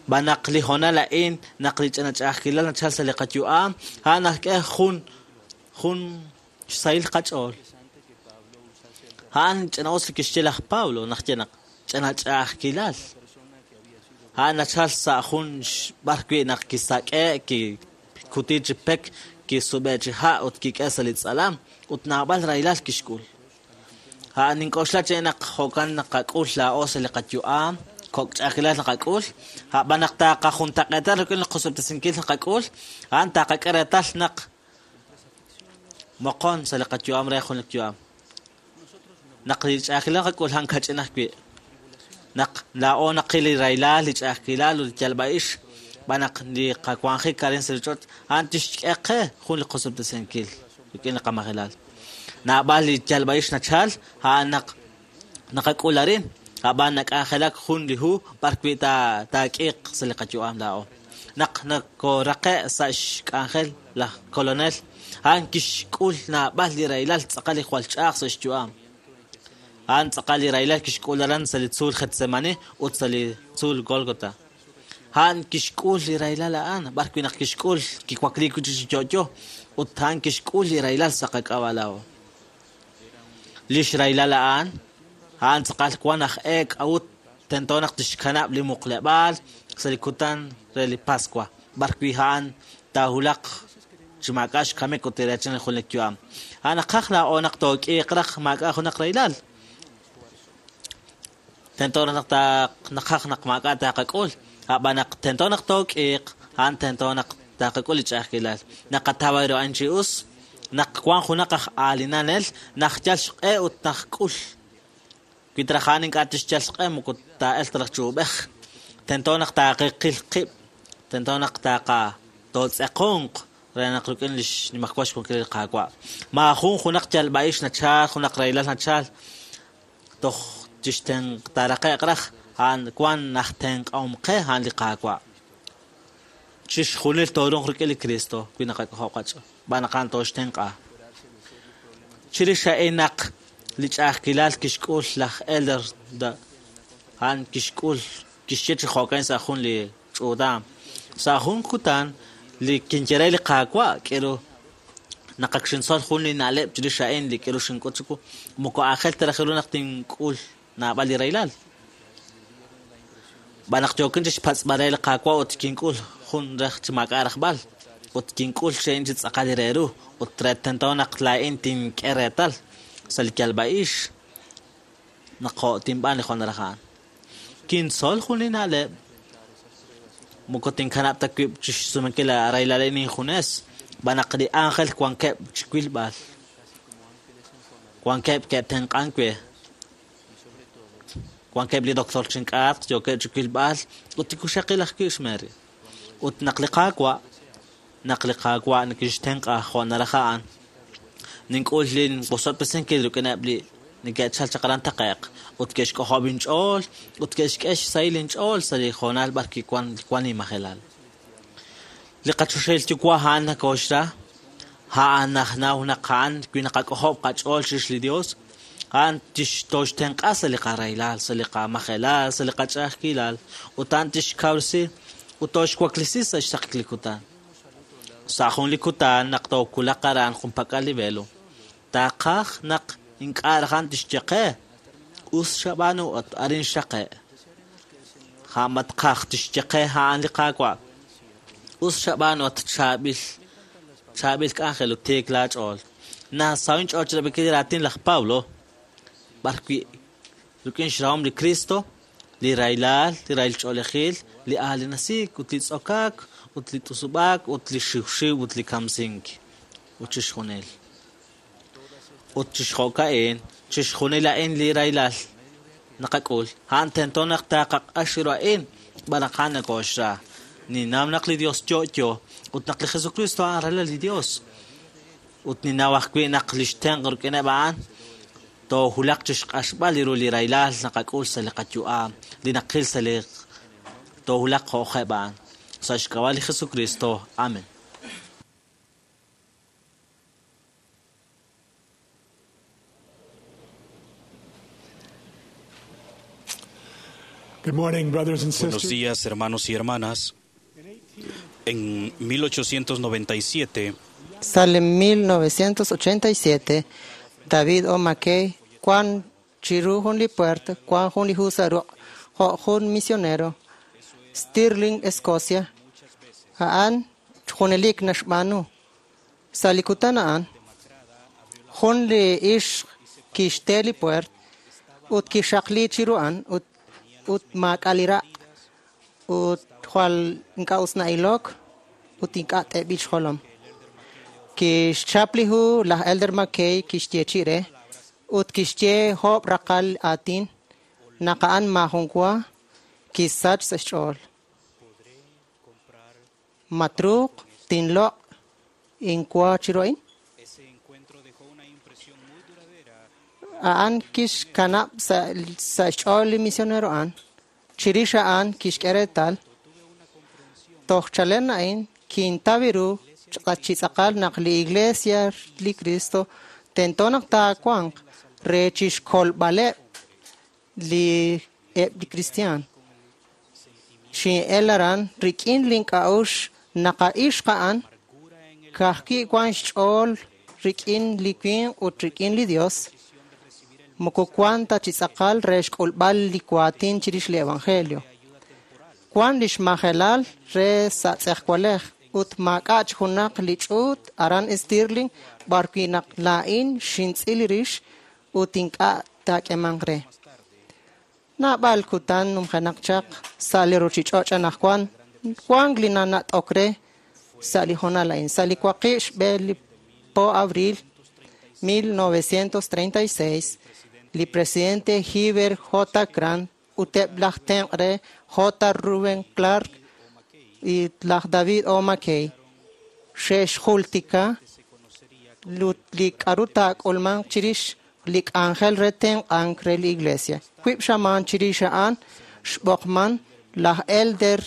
B'an naq li honal a'in naq li ch'ina ch'a'ajkilal nachal sa' li qayu'am, a'an naqk'e jun jun xsahil qach'ool. A'an ch'ina us li kixye laj Pablo naq ye naq ch'ina ch'a'ajkilal. A'an nachal sa' jun b'ar wi' naq kisak'e, kikuti chi pek, kisub'e chi ha' ut kik'e sa' li tz'alam ut naab'al rahilal kixk'ul. A'an nink'oxla chi naq jo'kan naqak'ul laa'o sa' li qayu'am, kok' ch'a'ajkilal naqak'ul, a'b'an naq taaqajuntaq'eetal rik'in li qosob'tesinkil naqak'ul, a'an taaqak'e reetal naq moqon sa' li qayu'am re jun li yu'am. Naq li ch'a'ajkilal naqak'ul a'an kach'in ajwi'. Naq laa'o naqil li rahilal, li ch'a'ajkilal ut li yalb'a'ix, b'an naq li qawanjik arin sa' li ch'och', a'an tixk'e qe jun li qosob'tesinkil rik'in li qamajelal. Naab'al li yalb'a'ix nachal, a'an naq naqak'ul arin, a'b'an nak'anjelak jun li hu b'ar wi' ta taak'iiq sa' li qayu'am laa'o. Naq nakoraqe' sa' xk'anjel laj kolonel, a'an kixk'ul naab'al li rahilal tz'aqal li jwal ch'a'aj sa' xyu'am. A'an tz'aqal li rahilal kixk'ul aran sa' li tzuul Getsemani ut sa' li tzuul Golgota. A'an kixk'ul li rahilal a'an, b'ar wi' naq kixk'ul kiwakliik wi' chi yo'yo ut a'an kixk'ul li rahilal sa' qak'ab'a' laa'o. Lix rahilal a'an, a'an tz'aqal wan aj e k'a'ut tento naq tixkanab' li muqleb'aal sa' li kutan re li Pascua, b'ar wi' a'an taahulaq chi maak'a' xkamik ut tireechan li junelik yu'am. A'an naqaj laa'o naq took'iiq raj maak'a' junaq rahilal. Tento naq naqaj naq maak'a' taqak'ul, ab'an naq tento naq took'iiq, a'an tento naq taqak'ul li ch'a'ajkilal. Naqataw ru a'an chi us, naq wan junaq aj aalinanel, naq yal xq'e ut naq k'ul. Wi traj a'an ink'a' tixyal xq'e moko taa'el ta raj chi ub'ej. Tento naq taaqiqil qib', tento naq taaqa tootz'eqonq re naq rik'in li xnimajwal xwankil li Qaawa'. Maajun junaq yalb'a'ix nachal, junaq rahilal nachal, toj tixtenq taaraqe'q raj, a'an wan naj tenq'ahom qe a'an li Qaawa'. Chixjunil toorunq rik'in li Cristo wi naqak'ojob' qach'ool, b'an naq a'an tooxtenq'a. Chirix a'in naq li ch'a'ajkilal kixk'ul laj Elder a'an kixk'ul kixye chi jo'kan sa' jun li ch'uutam. Sa' jun kutan li kinye re li Qaawa' k'iru naq ak xintzol jun li na'leb' chirix a'in li k'iru xink'ut chiwu, moko aajel ta raj ru naq tink'ul naab'al li rahilal. B'an naq yookin chi xpatz'b'al re li Qaawa' ut kink'ul jun raj chi maak'a' rajb'al, ut kink'ul xe'in chi tz'aqal re ru, ut re tento naq laa'in tink'e reetal sa' li yalb'a'ix naq jo' tinb'aan li jun raj a'an. Kintzol jun li na'leb' moko tinkanab' ta wib' chi xsumenkil rahilal a'in injunes, b'an naq li ángel wankeb' chi wilb'al, wankeb' ke'tenq'ank we, wankeb' li doctor chink'atq yookeb' chi wilb'al ut tikuxaqil ajwi' xMary. Ut naq li Qaawa', naq li Qaawa' nikixtenq'a jo' naraj a'an, nink'ul linwosob'tesinkil rik'ineb' li neke'chal chaq aran taqe'q ut ke'xk'ojob' inch'ool ut ke'xk'e xsahil inch'ool sa' li hoonal b'ar wi' wan wan inmajelal. Li qachoxahil yuwa' a'an nakooxra, a'an najnaw naq a'an wi naqak'ojob' qach'ool chirix li Dios, a'an tixtoxtenq'a sa' li qarahilal, sa' li qamajelal, sa' li qach'a'ajkilal, ut a'an tixkawresi ut toxwaklisi sa' xsaqik li kutan. Sa' jun li kutan naq tookulaq aran junpak'al li velo, taqaj naq ink'a' raj a'an tixye qe, us xab'aanu ut arin xaqe'. Ja'matqaj tixye qe a'an li Qaawa', us xab'aanu ut chaab'il chaab'il k'anjel ut tiik laach'ool. Nasaw inch'ool chirab'inkil li raatin laj Pablo, b'ar wi' rik'in xrahom li Cristo, li rahilal, li rahil ch'oolejil, li aalinasiik ut li tz'okaak ut li t'usub'aak ut li xiwxiw ut li kamsink ut chixjunil. Ut chixjo'ka'in, chixjunil a'in li rahilal naqak'ul, a'an tento naq taqaq'ax ru a'in, b'an naq a'an nakooxra. Ninnaw naq li Dios yo'yo ut naq li Jesucristo a'an ralal li Dios. Ut ninnaw ajwi' naq lix tenq' rik'ineb' a'an toohulaq chixq'axb'al li ru li rahilal naqak'ul sa' li qayu'am, li naqil sa' li toohulaq jo'jeb' a'an. Sa' xk'ab'a' li Jesucristo. Amen. Good morning, brothers and Buenos sisters. días, hermanos y hermanas. En mil ochocientos noventa y siete, Sale en mil novecientos ochenta y siete, David O. McKay, Juan Chiru Jun li Puerta, Juan Jun li Husaru, Jo Jun Misionero, Stirling, Escocia, A'an Junelik Naxb'aanu, Salikutan A'an, Jun li Ix Kixte li Puert, ut Kixaqli Chiruan, ut ut maak'alira, ut jwal ink'a' us na'ilok, ut ink'a' t'eb'il xjolom. Kixchap li hu laj Elder McKay kixye chire, ut kixye job' raqal aatin, naq a'an maajun wa kisach sa' xch'ool. Matruuq tinloq' inwa chiru a'in? A'an kixkanab' sa' sa' xch'ool li misionero a'an. Chirix a'an kixk'e reetal. Toj chalen a'in kintaw ru chi tz'aqal naq li Iglesia li Cristo tento naq taawanq re chixkolb'aleb' li eb' li kristiaan. Xin'el aran rik'in link'a'uxl naq a ixq a'an ka'ajwi' wan xch'ool rik'in li winq ut rik'in li Dios, moko wan ta chi tz'aqal re xk'ulb'al li waatin chirix li evangelio. Wan lix majelal re sa' tz'ejwalej ut maak'a' chi junaq li ch'uut aran Stirling b'arwi' naq laa'in xintz'il rix ut ink'a' taak'emanq re. Naab'al kutan numjenaq chaq sa' li ruchich'och' anaqwan wank li nanat'ok re sa' li hoonal a'in. Sa' li waqib' xb'e li po abril mil novecientos treinta y seis, li presidente Heber J. Grant ut eb' laj tenq' re J. Reuben Clark y laj David O. McKay xe'xjultika li k'a'ru taak'ulmanq chirix li k'anjel re tenq'ank re li iglesia. Wib' xamaan chirix a'an xb'oqman laj Elder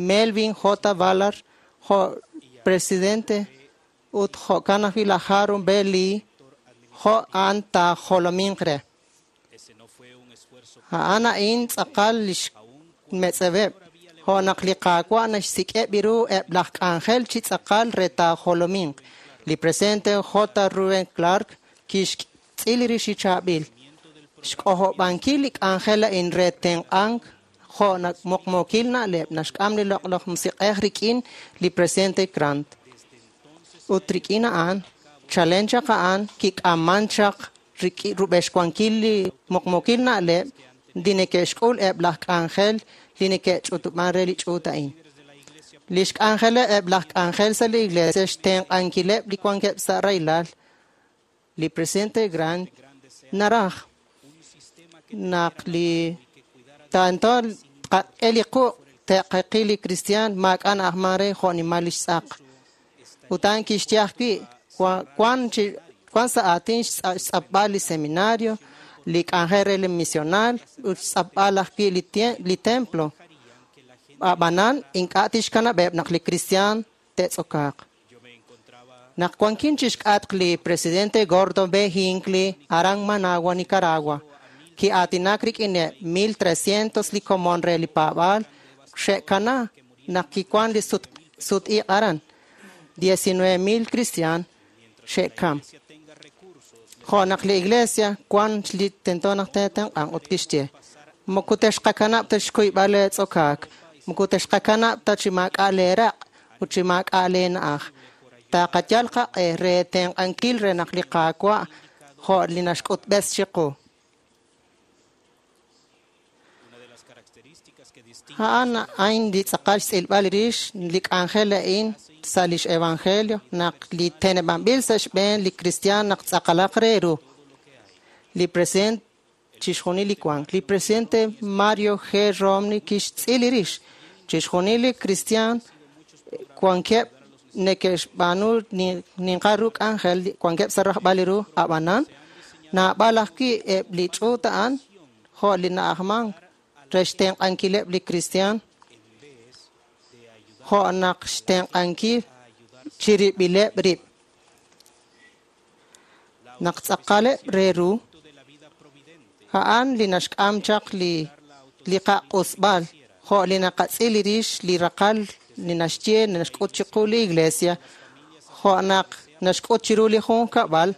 Melvin J. Ballard jo' presidente ut jo'kan ajwi' laj Harold B. Lee jo' a'an taajolominq re. A'an a'in tz'aqal lix metz'ebeb', jo' naq li Qaawa' naxsik'eb' ru eb' laj k'anjel chi tz'aqal re taajolominq. Li presidente J. Reuben Clark kixtz'il rix chi chaab'il xk'ojob'ankil li k'anjel a'in re tenq'ank jo' muqmuukil na'leb' naxk'am li loq'laj musiq'ej rik'in li presidente Grant. Ut rik'in a'an, chalen chaq a'an kik'aman chaq rub'exwankil li muqmuukil na'leb' li neke'xk'ul eb' laj k'anjel li neke'ch'utub'an re li ch'uut a'in. Lix k'anjeleb' eb' laj k'anjel sa' li iglesia xtenq'ankileb' li wankeb' sa' rahilal. Li presidente Grant naraj naq li tanto tqak'e li quq' te'qaqi li kristiaan maak'a' na'ajman re jo' nimal lix tz'aq. Ut a'an kixye ajwi' wan chi wan sa' aatin xtz'apb'al li seminario, li k'anjel re li misional ut xtz'apb'al ajwi' li li templo. Ab'anan ink'a' tixkanab'eb' naq li kristiaan te'tz'okaaq. Naq wankin chixk'atq li presidente Gordon B. Hinckley aran Managua, Nicaragua, ki'aatinak rik'ineb' mil trescientos li komon re li paab'aal xe'kana naq kiwan li sut sut-iq' aran. diecinueve mil kristiaan xe'kam. Jo' naq li iglesia wan li tento naq te'tenq'anq ut kixye, moko texqakanab' ta xkuyb'al leetz'okaak, moko texqakanab' ta chi maak'a' leeraq' ut chi maak'a' leena'aj. Taqayal qaq'e re tenq'ankil re naq li Qaawa' jo' li naxk'utb'es chiqu. A'an a'in li tz'aqal xtz'ilb'al rix li k'anjel a'in sa' lix evangelio naq li teneb'anb'il sa' xb'een li kristiaan naq tz'aqalaq re ru. Li president chixjunil li wank. Li presidente Mario G. Romney kixtz'il rix chixjunil li kristiaan wankeb' neke'xb'aanu ninqa ru k'anjel wankeb' sa' rajb'al li ru ab'anan naab'al ajwi' eb' li ch'uut a'an jo' li na'ajmank re xtenq'ankileb' li kristiaan jo' naq xtenq'ankil chirib'ileb' rib'. Naq tz'aqaleb' re ru, a'an li naxk'am chaq li li qaq'usb'al jo' li naqatz'il rix li raqal li naxye naxk'ut chiqu li iglesia jo' naq naxk'ut chiru li junkab'al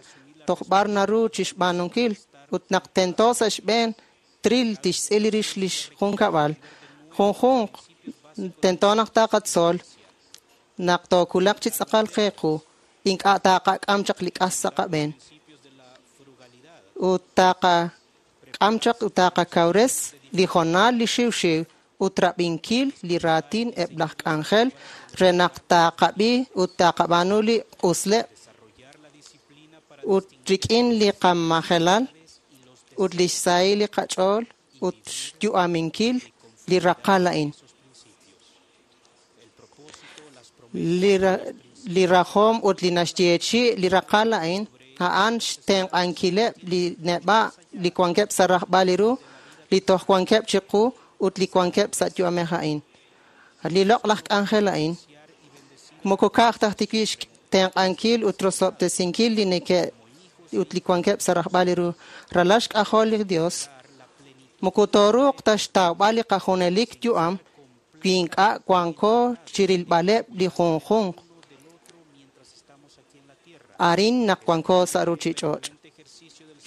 toj b'ar naru chixb'aanunkil ut naq tento sa' xb'een tril tixtz'il rix lix junkab'al. Junjunq tento naq taqatzol naq tookulaq chi tz'aqal qeequ ink'a' taqak'am chaq li k'as sa' qab'een ut taqak'am chaq ut taqakawres li jonal li xiwxiw ut rab'inkil li raatin eb' laj k'anjel re naq taqab'i ut taqab'aanu li q'usleb' ut rik'in li qamajelal ut lix sahil li qach'ool ut xyu'aminkil li raqal a'in. Li, li rajom ut li naxyeechi li raqal a'in a'an xtenq'ankileb' li neb'a' li wankeb' sa' rajb'al li ru, li toj wankeb' chiqu ut li wankeb' sa' yu'amej a'in. Li loq'laj k'anjel a'in moko ka'aj taj tiwi' xtenq'ankil ut rosob'tesinkil li neke' ut li wankeb' sa' rajb'al li ru ralal xk'ajol li Dios moko tooruuq ta xtawb'al li qajunelik yu'am wi ink'a' wanko chirilb'aleb' li junjunq arin naq wanko sa' ruchich'och'.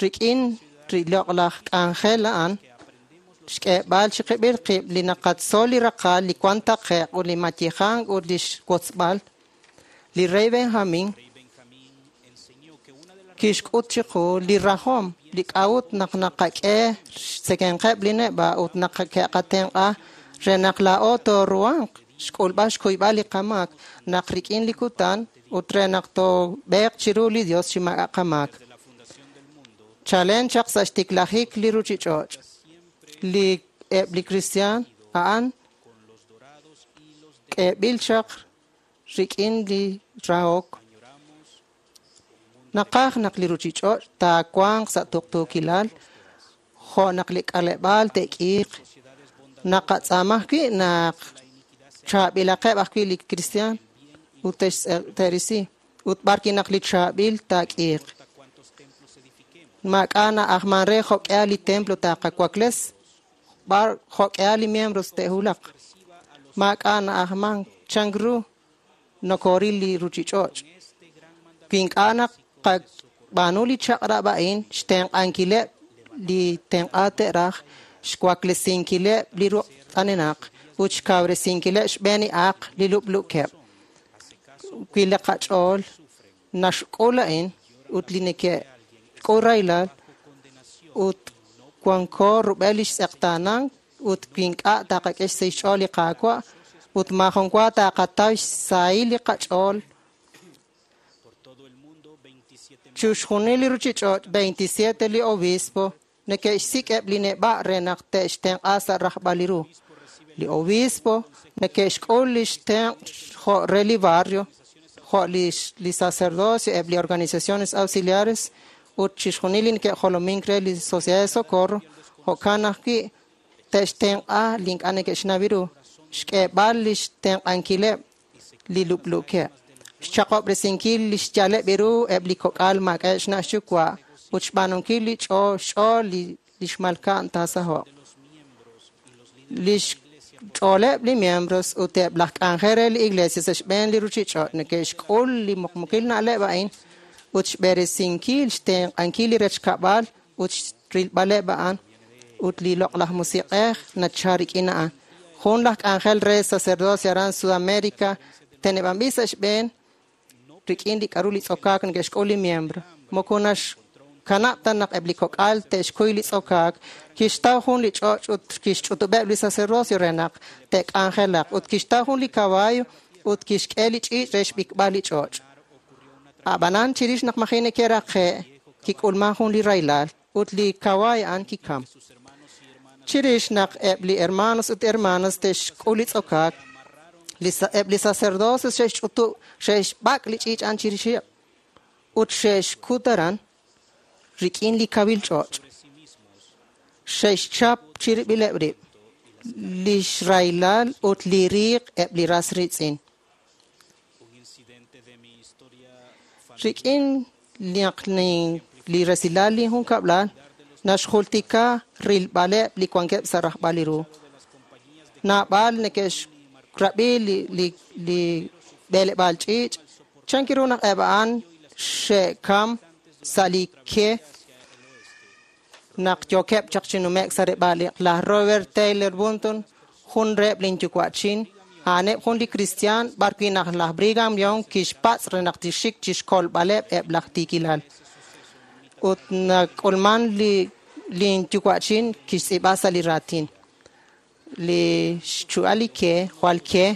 Rik'in riloq'laj k'anjel a'an xk'eeb'al chiqib'il qib' li naqatzol li raqal li wan taqe'q ut li mayejank ut li xwotzb'al li rey Benjamin kixk'ut chiqu li rajom li k'a'ut naq naqak'e xtzekenqeb' li neb'a' ut naq ke'qatenq'a re naq laa'o tooruhanq xk'ulb'al xkuyb'al li qamaak naq rik'in li kutan ut re naq toob'eeq chiru li Dios chi maak'a' qamaak. Chalen chaq sa' xtiklajik li ruchich'och' li eb' li kristiaan a'an k'eeb'il chaq rik'in li rahok. Naqaj naq li ruchich'och' taawanq sa' tuqtuukilal jo' naq li k'aleb'aal te'k'iiq. Naqatz'aama ajwi' naq chaab'ilaqeb' ajwi' li kristiaan ut te'risi ut b'arwi' naq li chaab'il taak'iiq. Maak'a' na'ajman re jo'k'ihal li templo taaqawakles b'ar jo'k'ihal li miembros te'wulaq. Maak'a' na'ajman chan ru nokoril li ruchich'och'. Wi ink'a' naqab'aanu li chaq'rab' a'in xtenq'ankileb' li tenq'a te'raj xwaklesinkileb' li ruq' t'anenaq ut xkawresinkileb' xb'een li aaq li lub'lukeb'. Wi li qach'ool naxk'ul a'in ut li neke'k'ul rahilal ut wanko rub'el li xtz'eqtaanank ut wi ink'a' taqak'e xsahil xch'ool li Qaawa' ut maajun wa taqataw xsahil li qach'ool. Chixjunil li ruchich'och' veintisiete li obispo neke'xsik'eb' li neb'a' re naq te'xtenq'a sa' rajb'al li ru. Li obispo neke'xk'ul li xtenq' jo' re li barrio, jo' li, li sacerdocio, eb' li organizaciones auxiliares ut chixjunil li neke'jolomink re li Sociedad de Socorro, jo'kan ajwi' te'xtenq'a li ink'a' neke'xnaw ru, xk'eeb'al li xtenq'ankileb' li lub'lukeb', xchaqob'resinkil li xyaleb' ru eb' li kok'al maak'a'eb' xna' xyuwa' ut xb'aanunkil li ch'ool xch'ool li, li xmalka'n taasaho'q. Li xch'ooleb' li miembros ut eb' laj k'anjel re li iglesia sa' xb'een li ruchich'och' neke'xk'ul li muqmuqil na'leb' a'in ut xb'eresinkil xtenq'ankil li rechkab'al ut rilb'aleb' a'an ut li loq'laj musiq'ej nachal rik'in a'an. Jun laj k'anjel re sacerdocio aran Sudamérica teneb'anb'il sa' xb'een rik'in li k'a'ru li tz'okaak neke'xk'ul li miembro. Moko naxkanab' ta naq eb' li kok'al te'xkuy li tz'okaak, kixtaw jun li ch'och' ut kixch'utub'eb' li sacerdocio re naq te'k'anjelaq ut kixtaw jun li caballo ut kixk'e li ch'iich' re xb'ikb'al li ch'och'. Ab'anan chirix naq maji neke'raqe' kik'ulman jun li rahilal ut li kawaay a'an kikam. Chirix naq eb' li hermanos ut hermanas te'xk'ul li tz'okaak, li eb' li sacerdocio xe'xch'utub' xe'xb'ak' li ch'iich' a'an chirixeb' ut xe'xkut aran rik'in li kawil ch'och'. Xe'xchap chirib'ileb' rib' li xrahilal ut li riiq eb' li ras riitz'in. Rik'in naq li resilal li junkab'lal naxjultika rilb'aleb' li wankeb' sa' rajb'al li ru. Naab'al neke'xrab'i li, li, li b'eleb'aal ch'iich' chan ru naq eb' a'an xe'kam sa' li ke naq yookeb' chaq chi nume'k sa' reb'aal. Laj Robert Taylor Bunton jun reheb' linyuwa'chin a'aneb' jun li kristiaan b'arwi' naq laj Brigham Young kixpatz' re naq tixik chixkolb'aleb' eb' laj tiikilal. Ut nak'ulman li linyuwa'chin kixtz'iib'a sa' li raatin. Li xchu'al li ke, jwal ke,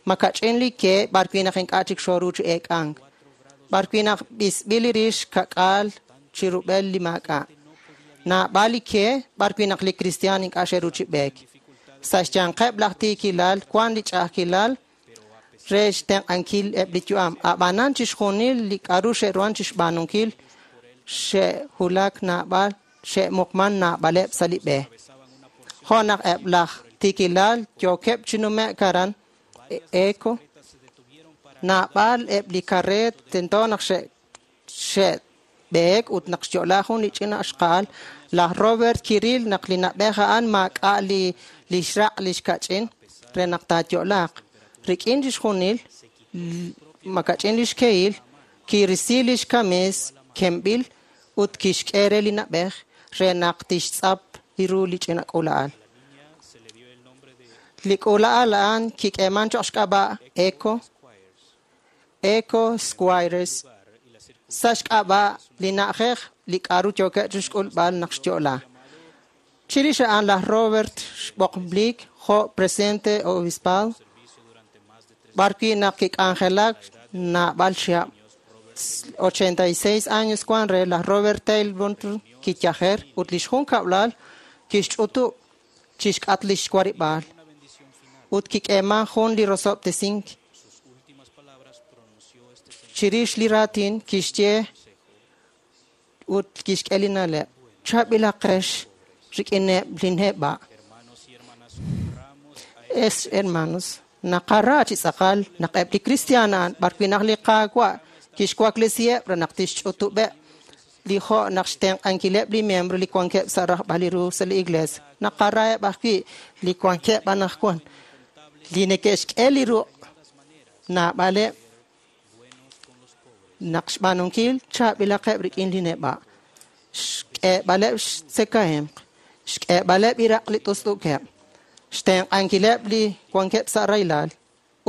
makach'in li ke b'arwi' naq ink'a' chik xooru chi eek'ank. B'arwi' naq b'isb'il li rix kak'al chi rub'el li maak'a'. Naab'al li ke b'arwi' naq li kristiaan ink'a' xe'ru chi b'eek. Sa' xyanqeb' laj tiikilal wan li ch'a'ajkilal re xtenq'ankil eb' li yu'am. Ab'anan chixjunil li k'a'ru xe'ruhan chixb'aanunkil xe'wulak naab'al xe'muqman naab'aleb' sa' li b'e. Jo' naq eb' laj tiikilal yookeb' chi nume'k aran Eco, naab'al eb' li karreet tento naq xe't'ane' b'eek ut naq xyo'la jun li ch'ina xqa'al, laj Robert kiril naq li na'b'ej a'an maak'a' li lix raq' lix kach'in re naq taayo'laaq. Rik'in chixjunil makach'in lix kehil, kirisi lix kamis kemb'il ut kixk'e re li na'b'ej re naq tixtz'ap li ru li ch'ina k'uula'al. Li k'uula'al a'an kik'eeman choq' xk'ab'a' Echo, Echo Squires, sa' xk'ab'a' li na'ajej li k'a'ru yookeb' chixk'ulb'al naq xyo'la. Chirix a'an laj Robert xb'oqb'lik jo' presidente obispal, b'ar wi' naq kik'anjelak naab'al chihab'. ochenta y seis años wan re laj Robert Taylor kiyajer ut lix junkab'lal kixch'utub' chixk'at lix warib'aal ut kik'eeman jun li rosob'tesink. Chirix li raatin kixye ut kixk'e li na'leb'. Chaab'ilaqex rik'ineb' li neb'a'. Es hermanos, naqara chi tz'aqal naq eb' li kristiaan a'an b'ar wi' naq li Qaawa' kixwaklesiheb' re naq tixch'utub'eb' li jo' naq xtenq'ankileb' li miembro li wankeb' sa' rajb'al li ru sa' li iglesia. Naqaraheb' ajwi' li wankeb' anaqwan li neke'xk'e li ruq' naab'aleb' naq xb'aanunkil chaab'ilaqeb' rik'in li neb'a', xk'eeb'aleb' xtzekahemq, xk'eeb'aleb' iraq' li t'ust'ukeb', xtenq'ankileb' li wankeb' sa' rahilal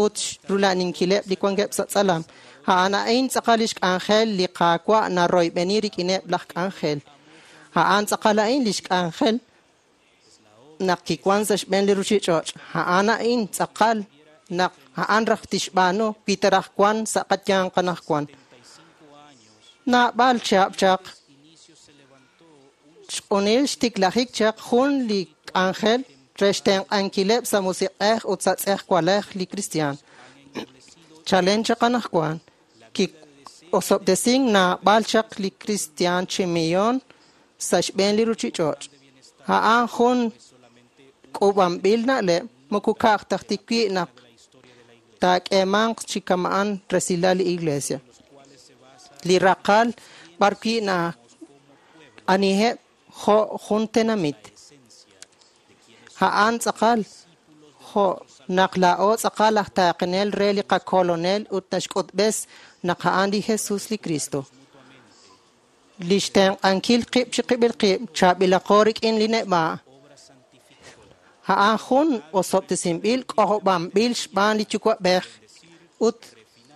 ut rula'ninkileb' li wankeb' sa' tz'alam. A'an a'in tz'aqal lix k'anjel li Qaawa' naroyb'eni rik'ineb' laj k'anjel. A'an tz'aqal a'in lix k'anjel naq kiwan sa' xb'een li ruchich'och'. A'an a'in tz'aqal naq a'an raj tixb'aanu wi ta raj wan sa' qayanq anaqwan. Naab'al chihab' chaq xq'unil xtiklajik chaq jun li k'anjel re xtenq'ankileb' sa' musiq'ej ut sa' tz'ejwalej li kristiaan. Chalen chaq anaqwan ki'osob'tesink naab'al chaq li kristiaan chi millon sa' xb'een li ruchich'och'. A'an jun k'uub'anb'il na'leb' moko ka'aj taj wi' naq taak'eemanq chi kama'an resilal li iglesia. Li raqal b'ar wi' na aniheb' jo' jun tenamit. A'an tz'aqal jo' naq laa'o tz'aqal aj taaqenel re li qakolonel ut naxk'utb'es naq a'an li Jesus li Cristo. Li xtenq'ankil qib' chi qib'il qib' chaab'ilaqo rik'in li neb'a'. A'an jun osob'tesinb'il k'ojob'anb'il xb'aan li Yuwa'b'ej ut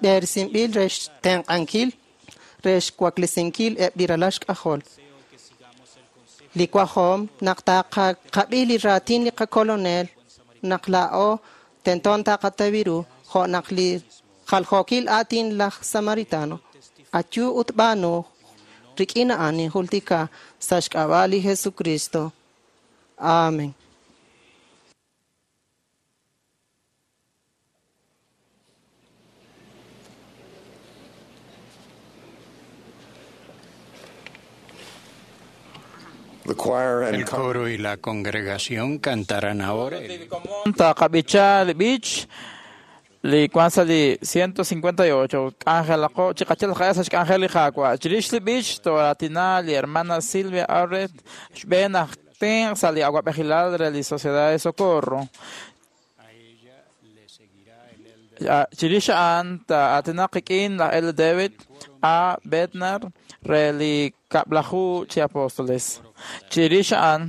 b'eresinb'il re xtenq'ankil re xwaklesinkil eb' li ralal xk'ajol. Li wajom naq taqaqab'i li raatin li qakolonel naq laa'o tenton taqatawiru jo' naq li jaljookil aatin laj Samaritano. Ayu ut b'aanu rik'in a'an ninjultika sa' xk'ab'a' li Jesucristo. Amén. The choir and El coro y la congregación cantarán ahora el Taqab'icha li b'ich li wan sa' li ciento cincuenta y ocho k'anjelaqo chiqachal qa'e sa' xk'anjel li Qaawa'. Chirix li b'ich toratina li hermana Silvia Arret xb'een aj tenq sa' li awab'ejilal re li Sociedad de Socorro. Chirix a'an ta'aatinaq qik'in laj L. David A. Bednar re li kab'laju chi apóstoles. Chirix a'an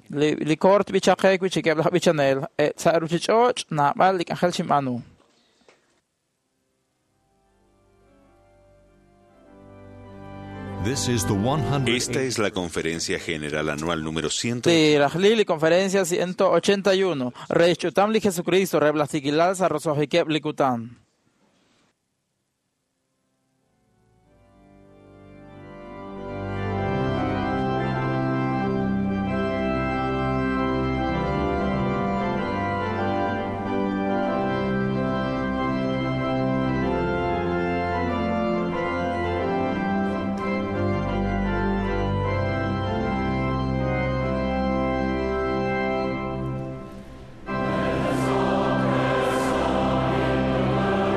li, li koor tb'ichaqe wi' chikeb' laj b'ichanel e sa' ruchich'och' naab'al li k'anjel xinb'aanu. This is the one hundred Esta es la conferencia general anual número ciento Li rajli li conferencia ciento ochenta y uno. Re xch'utam li Jesucristo re blastikilal sa' rosojikeb' li kutan. Let us all press on in the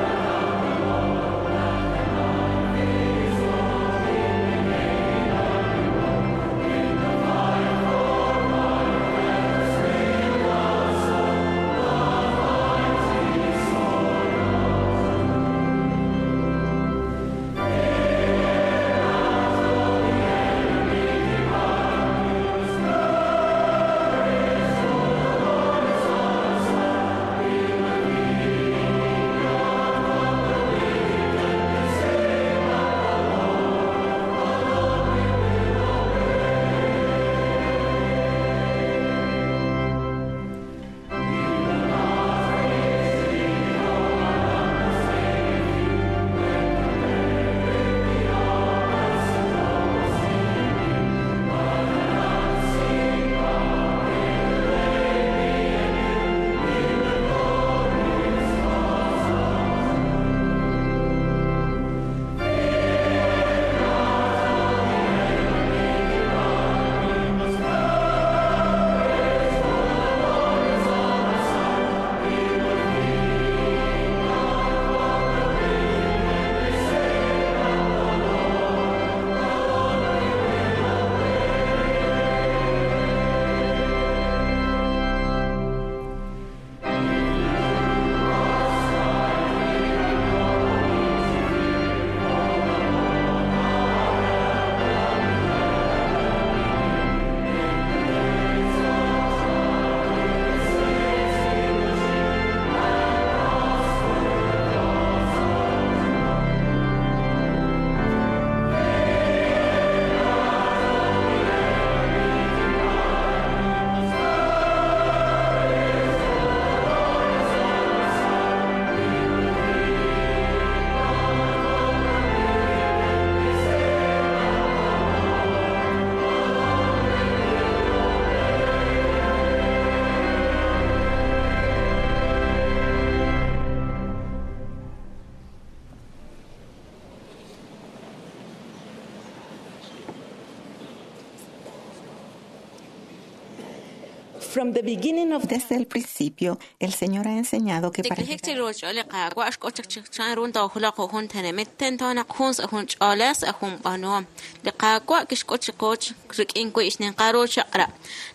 Desde el principio, el Señor ha enseñado que para Tiklijik chiru ch'ool li Qaawa' xk'ut chaq chan ru toojulaq jun tenamit tento naq jun sa' jun ch'oolej sa' jun b'aanuhom. Li Qaawa' kixk'ut chiqu rik'in wi' xninqal ru chaq'rab'.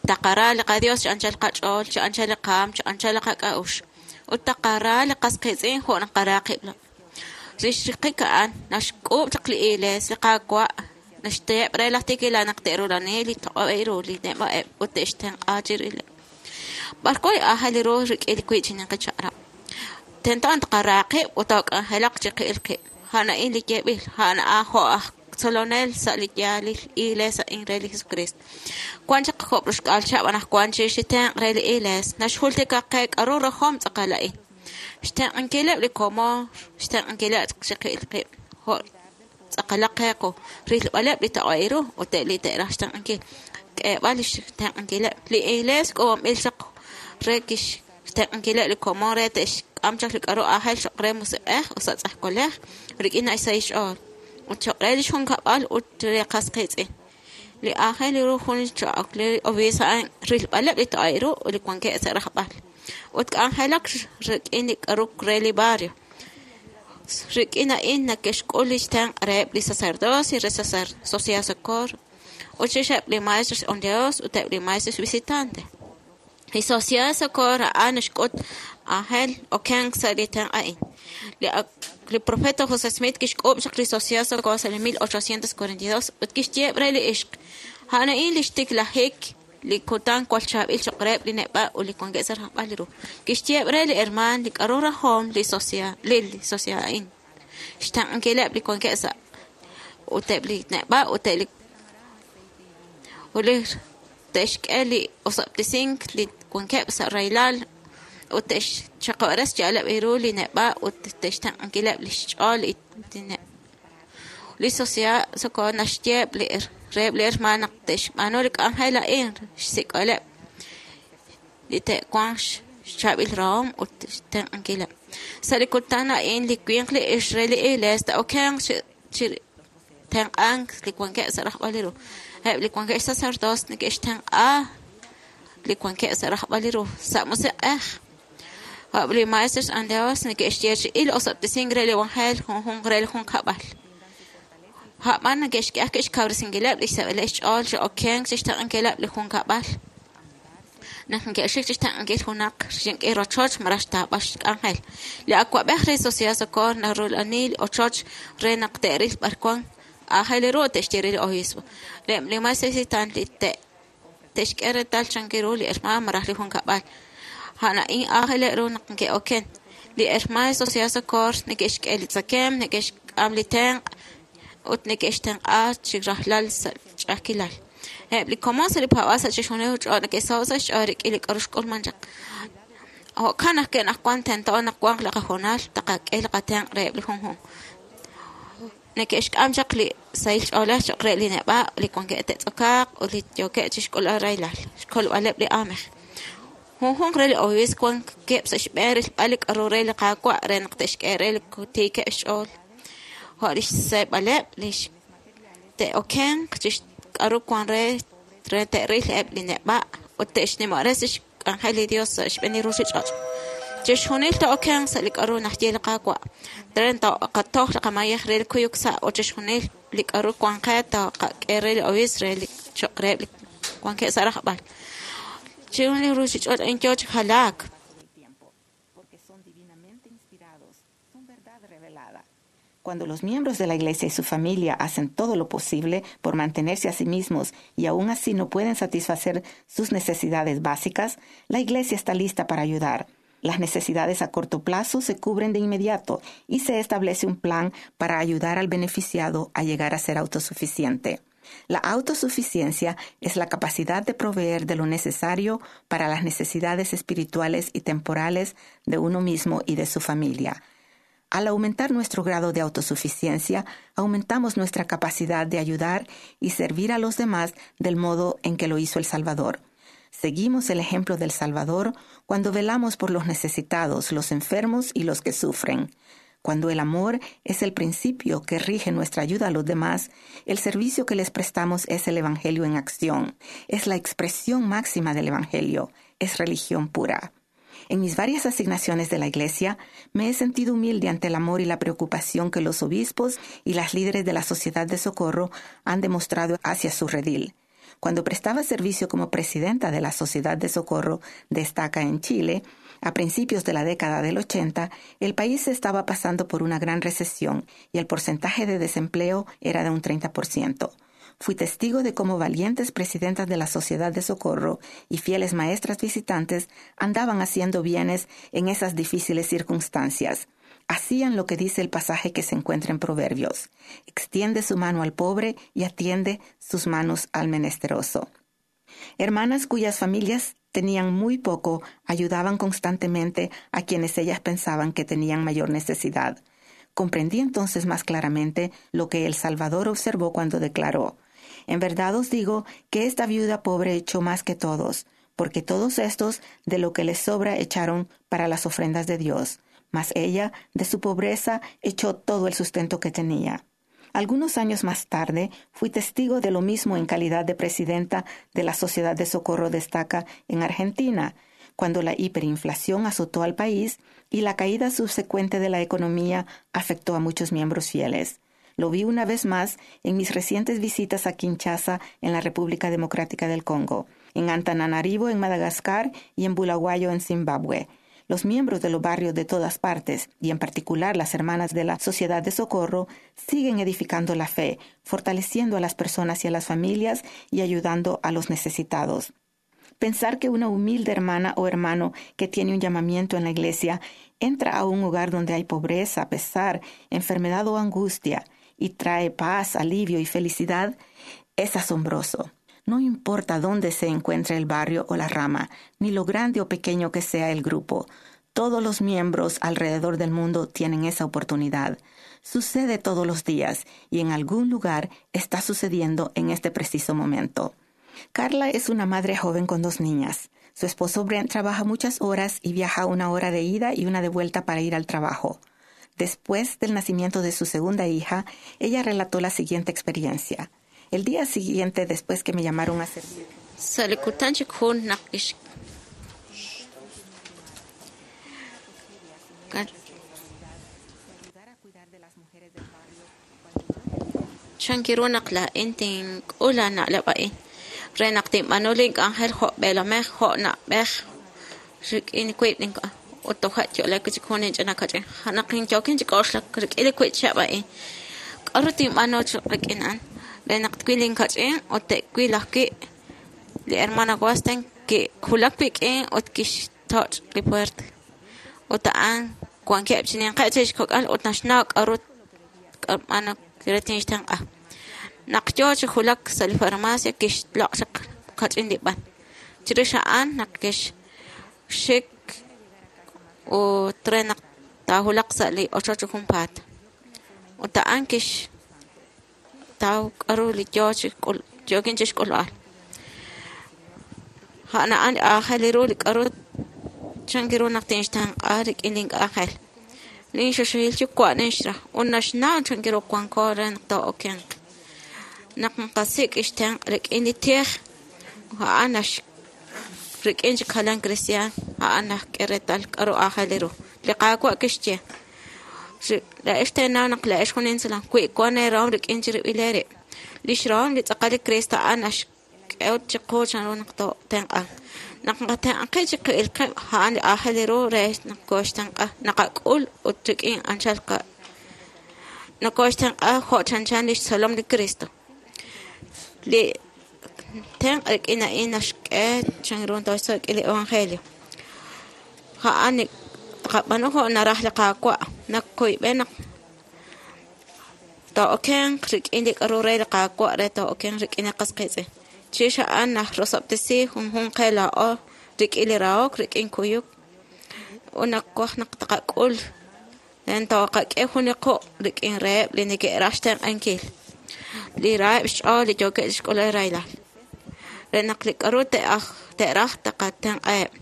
Taqara li qaDios chi anchal qach'ool, chi anchal li qaam, chi anchal li qak'a'uxl. Ut taqara li qas qiitz'in jo' naqara qib'. Rix riqik a'an naxk'uub' chaq li Iglees li Qaawa' naxteheb' re laj tikilal naq te'rulani li toq'ob'ej ru li neb'a'eb' ut te'xtenq'a chirileb'. B'arwan aajel ru rik'in li wi' chi ninqi chaq'rab'. Tento taqara qib' ut took'anjelaq chiqil qib'. A'an a'in li yeeb'il, a'an a'an jo' aj tzolonel sa' li yaalil Iglees a'in re li Jesucristo. Wan chaq job' roxk'aal chihab' anaqwan chirix li tenq' re li Iglees naxjultika qe k'a'ru rajom tz'aqal a'in. Xtenq'ankileb' li komon, xtenq'ankileb' chiqil qib' jo' tz'aqalaq qe qu, rilb'aleb' li toq'ob'ej ru ut eb' li te'raj xtenq'ankil. K'eeb'al li xtenq'ankileb'. Li Iglees k'uub'anb'il chaq re kixtenq'ankileb' li komon re te'xk'am chaq li k'a'ru aajel cho'q re musiq'ej ut sa' tz'ejwalej rik'in xsahil xch'ool. Ut cho'q re li xjunkab'al ut re qas qiitz'in. Li aajel ru jun cho'q li obiisp a'an rilb'aleb' li toq'ob'ej ru ut li wankeb' sa' rajb'al. Ut k'anjelak rik'in li k'a'ru re li barrio. Rik'in a'in neke'xk'ul li xtenq' reheb' li sacerdocio re Sociedad Socorro, ut chirixeb' li maestros ondeos ut eb' li maestros visitante. Li Sociedad Socorro a'an naxk'ut aajel okenk sa' li tenq' a'in. Li profeta José Smith kixk'uub' chaq li Sociedad Socorro sa' li mil ochocientos cuarenta y dos ut kixyeeb' re li ixq. A'an a'in li xtiklajik li kutan cual chaab'il cho'q reheb' li neb'a' ut li wankeb' sa' rajb'al li ru. Kixyeeb' re li hermaan li k'a'ru rajom li sociedad li sociedad a'in. Xtenq'ankileb' li wankeb' sa' ut eb' li neb'a' ut eb' li ut li te'xk'e li osob'tesink li wankeb' sa' rahilal ut te'xchaqob'res xyaaleb' ru li neb'a' ut te'xtenq'ankileb' li xch'ool li li Sociedad Socorro naxyeeb' li reheb' li hermaan naq te'xb'aanu li k'anjel a'in xsik'oleb' li te'wanq xchaab'il rahom ut xtenq'ankileb'. Sa' li kutan a'in li winq li ixq re li Iglees ta'okenq chi tenq'ank li wankeb' sa' rajb'al li ru. Eb' li wankeb' sacerdotes neke'xtenq'a li wankeb' sa' rajb'al li ru sa' musiq'ej. Eb' li maestros andeos neke'xyeechi'i li osob'tesink re li evangelio junjunq re li junkab'al. A'b'an neke'xk'e xkawresinkileb' li xseb'eleb' xch'ool chi okenk chi xtenq'ankileb' li junkab'al. Naq neke'xik chi xtenq'ankil junaq xink'i rochoch malaj xtaab'al xk'anjel. Li awa'b'ej re Sociedad Socorro narulani li ochoch re naq te'ril b'arwan aajel ru te'xye re li obispo. Li maestro visitante li te'xk'e reetal chan ru li hermaan malaj li junkab'al. A'an a'in aajel ru naq neke'oken. Li hermaan Sociedad Socorro neke'xk'e li tzakem, neke'xk'am li tenq' ut neke'xtenq'a chi rajlal sa' ch'a'ajkilal. Eb' li komon sa' li paab'aal sa' chixjunil ch'ool neke'saho' sa' xch'ool rik'in li k'a'ru xk'ulman chaq. Jo'kan naq ke'naqwan tento naq wanq li qahoonal taqak'e li qatenq' reheb' li junjunq. Neke'xk'am chaq li sahil ch'oolej cho'q re li neb'a' li wankeb' te'tz'okaaq ut li yookeb' chixk'ulb'al rahilal, xkolb'aleb' li aamej. Junjunq re li obiisp wankeb' sa' xb'een rilb'al li k'a'ru re li Qaawa' re naq te'xk'e re li tiikeb' xch'ool. Jo' li xseeb'aleb' li te'okenq chi k'a'ru wan re re te'ril eb' li neb'a' ut te'xnimob'resi xk'anjel li Dios sa' xb'een li ruchich'och'. Chixjunil te'okenq sa' li k'a'ru naxye li Qaawa'. Re taqatoj li qamayej re li kuyuk sa' ut chixjunil li k'a'ru wan qe taqak'e re li obiisp re li cho'q reheb' li wankeb' sa' rajb'al. Chiru li ruchich'och' a'in yoo chi jalaak. Cuando los miembros de la iglesia y su familia hacen todo lo posible por mantenerse a sí mismos y aún así no pueden satisfacer sus necesidades básicas, la iglesia está lista para ayudar. Las necesidades a corto plazo se cubren de inmediato y se establece un plan para ayudar al beneficiado a llegar a ser autosuficiente. La autosuficiencia es la capacidad de proveer de lo necesario para las necesidades espirituales y temporales de uno mismo y de su familia. Al aumentar nuestro grado de autosuficiencia, aumentamos nuestra capacidad de ayudar y servir a los demás del modo en que lo hizo el Salvador. Seguimos el ejemplo del Salvador cuando velamos por los necesitados, los enfermos y los que sufren. Cuando el amor es el principio que rige nuestra ayuda a los demás, el servicio que les prestamos es el Evangelio en acción. Es la expresión máxima del Evangelio. es religión pura. En mis varias asignaciones de la Iglesia, me he sentido humilde ante el amor y la preocupación que los obispos y las líderes de la Sociedad de Socorro han demostrado hacia su redil. Cuando prestaba servicio como presidenta de la Sociedad de Socorro de Estaca en Chile, a principios de la década del ochenta, el país estaba pasando por una gran recesión y el porcentaje de desempleo era de un treinta por ciento. Fui testigo de cómo valientes presidentas de la Sociedad de Socorro y fieles maestras visitantes andaban haciendo bienes en esas difíciles circunstancias. Hacían lo que dice el pasaje que se encuentra en Proverbios. Extiende su mano al pobre y atiende sus manos al menesteroso. Hermanas cuyas familias tenían muy poco ayudaban constantemente a quienes ellas pensaban que tenían mayor necesidad. Comprendí entonces más claramente lo que el Salvador observó cuando declaró: En verdad os digo que esta viuda pobre echó más que todos, porque todos estos de lo que les sobra echaron para las ofrendas de Dios, mas ella de su pobreza echó todo el sustento que tenía. Algunos años más tarde, fui testigo de lo mismo en calidad de presidenta de la Sociedad de Socorro de Estaca en Argentina, cuando la hiperinflación azotó al país y la caída subsecuente de la economía afectó a muchos miembros fieles. Lo vi una vez más en mis recientes visitas a Kinshasa, en la República Democrática del Congo, en Antananarivo, en Madagascar, y en Bulawayo, en Zimbabue. Los miembros de los barrios de todas partes, y en particular las hermanas de la Sociedad de Socorro, siguen edificando la fe, fortaleciendo a las personas y a las familias y ayudando a los necesitados. Pensar que una humilde hermana o hermano que tiene un llamamiento en la iglesia entra a un hogar donde hay pobreza, pesar, enfermedad o angustia y trae paz, alivio y felicidad es asombroso. No importa dónde se encuentre el barrio o la rama, ni lo grande o pequeño que sea el grupo, todos los miembros alrededor del mundo tienen esa oportunidad. Sucede todos los días y en algún lugar está sucediendo en este preciso momento. Carla es una madre joven con dos niñas. Su esposo Brent trabaja muchas horas y viaja una hora de ida y una de vuelta para ir al trabajo. Después del nacimiento de su segunda hija, ella relató la siguiente experiencia. El día siguiente, después que me llamaron a servir. Renaqtwilin kach'in o te'wil ajwi' li hermana Wasten ki'julak wik'in ut kixtoch' li puerta ut a'an wankeb' chi ninqeb' chirix xkok'al ut naxnaw k'a'ru k'ab'ano re tinxtenq'a. Naq yoo chi julak sa' li farmacia kixloq' chaq kach'in li b'an. Chirix a'an naq kixxik ut re naq taajulaq sa' li ochoch junpaat. Ut a'an kix taw k'aru li yoo chi k'ul yookin chi xk'ulb'al. A'an a'an li aajel ru li k'aru chan ru naq tinxtenq'a rik'in link'anjel. Linxuxuhil yuwa' ninxra ut naxnaw chan ru wanko re naq too'okenq. Naq nqasik' ixtenq' rik'in li tij a'an nax rik'in chik jalan cristian a'an najk'e reetal k'aru aajel ru. Li Qaawa' kixye la'ex teenaw naq la'ex jun insulam wi wan eerahom rik'in chirib'il eerib'. Lix rahom li tz'aqal li Cristo a'an naxk'e chiqu chan ru naq tootenq'an. Naq nqatenq'i chiqib'il qib' a'an li aajel ru re naq kooxtenq'a naqak'ul ut rik'in anchal qa nakooxtenq'a jo' chanchan lix tzolom li Cristo. Li tenq' rik'in a'in naxk'e chan ru tooxtzol li evangelio. A'an tqab'anu jo' naraj li Qaawa' naq kuyb'e naq too'okenq rik'in li k'aru re li Qaawa' re too'okenq rik'in li qas qiitz'in. Chirix a'an najrosob'tesi junjunq qe laa'o rik'in li rahok rik'in kuyuk ut nawaj naq tqak'ul ren tooqak'e jun li quq' rik'in reheb' li neke'raj xtenq'ankil li raheb' xch'ool li yookeb' chixk'ulb'al rahilal re naq li k'aru te'aj te'raj taqatenq'aheb'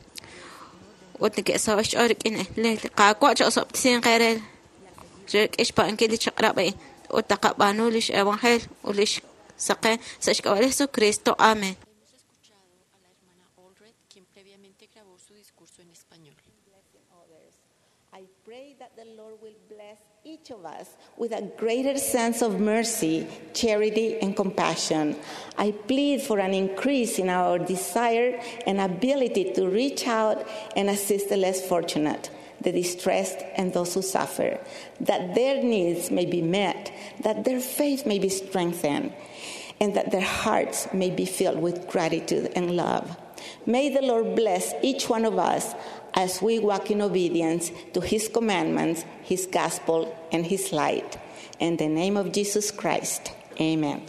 ut neke'saho' xch'ool rik'in li Qaawa' cha'osob'tesinq eere rik'in xpa'ankil li chaq'rab' a'in ut taqab'aanu lix evangelio ut lix saqen sa' xk'ab'a' li Jesucristo. Amén. Each of us with a greater sense of mercy, charity, and compassion. I plead for an increase in our desire and ability to reach out and assist the less fortunate, the distressed, and those who suffer, that their needs may be met, that their faith may be strengthened, and that their hearts may be filled with gratitude and love. May the Lord bless each one of us as we walk in obedience to His commandments, His gospel, and His light. In the name of Jesus Christ, amen.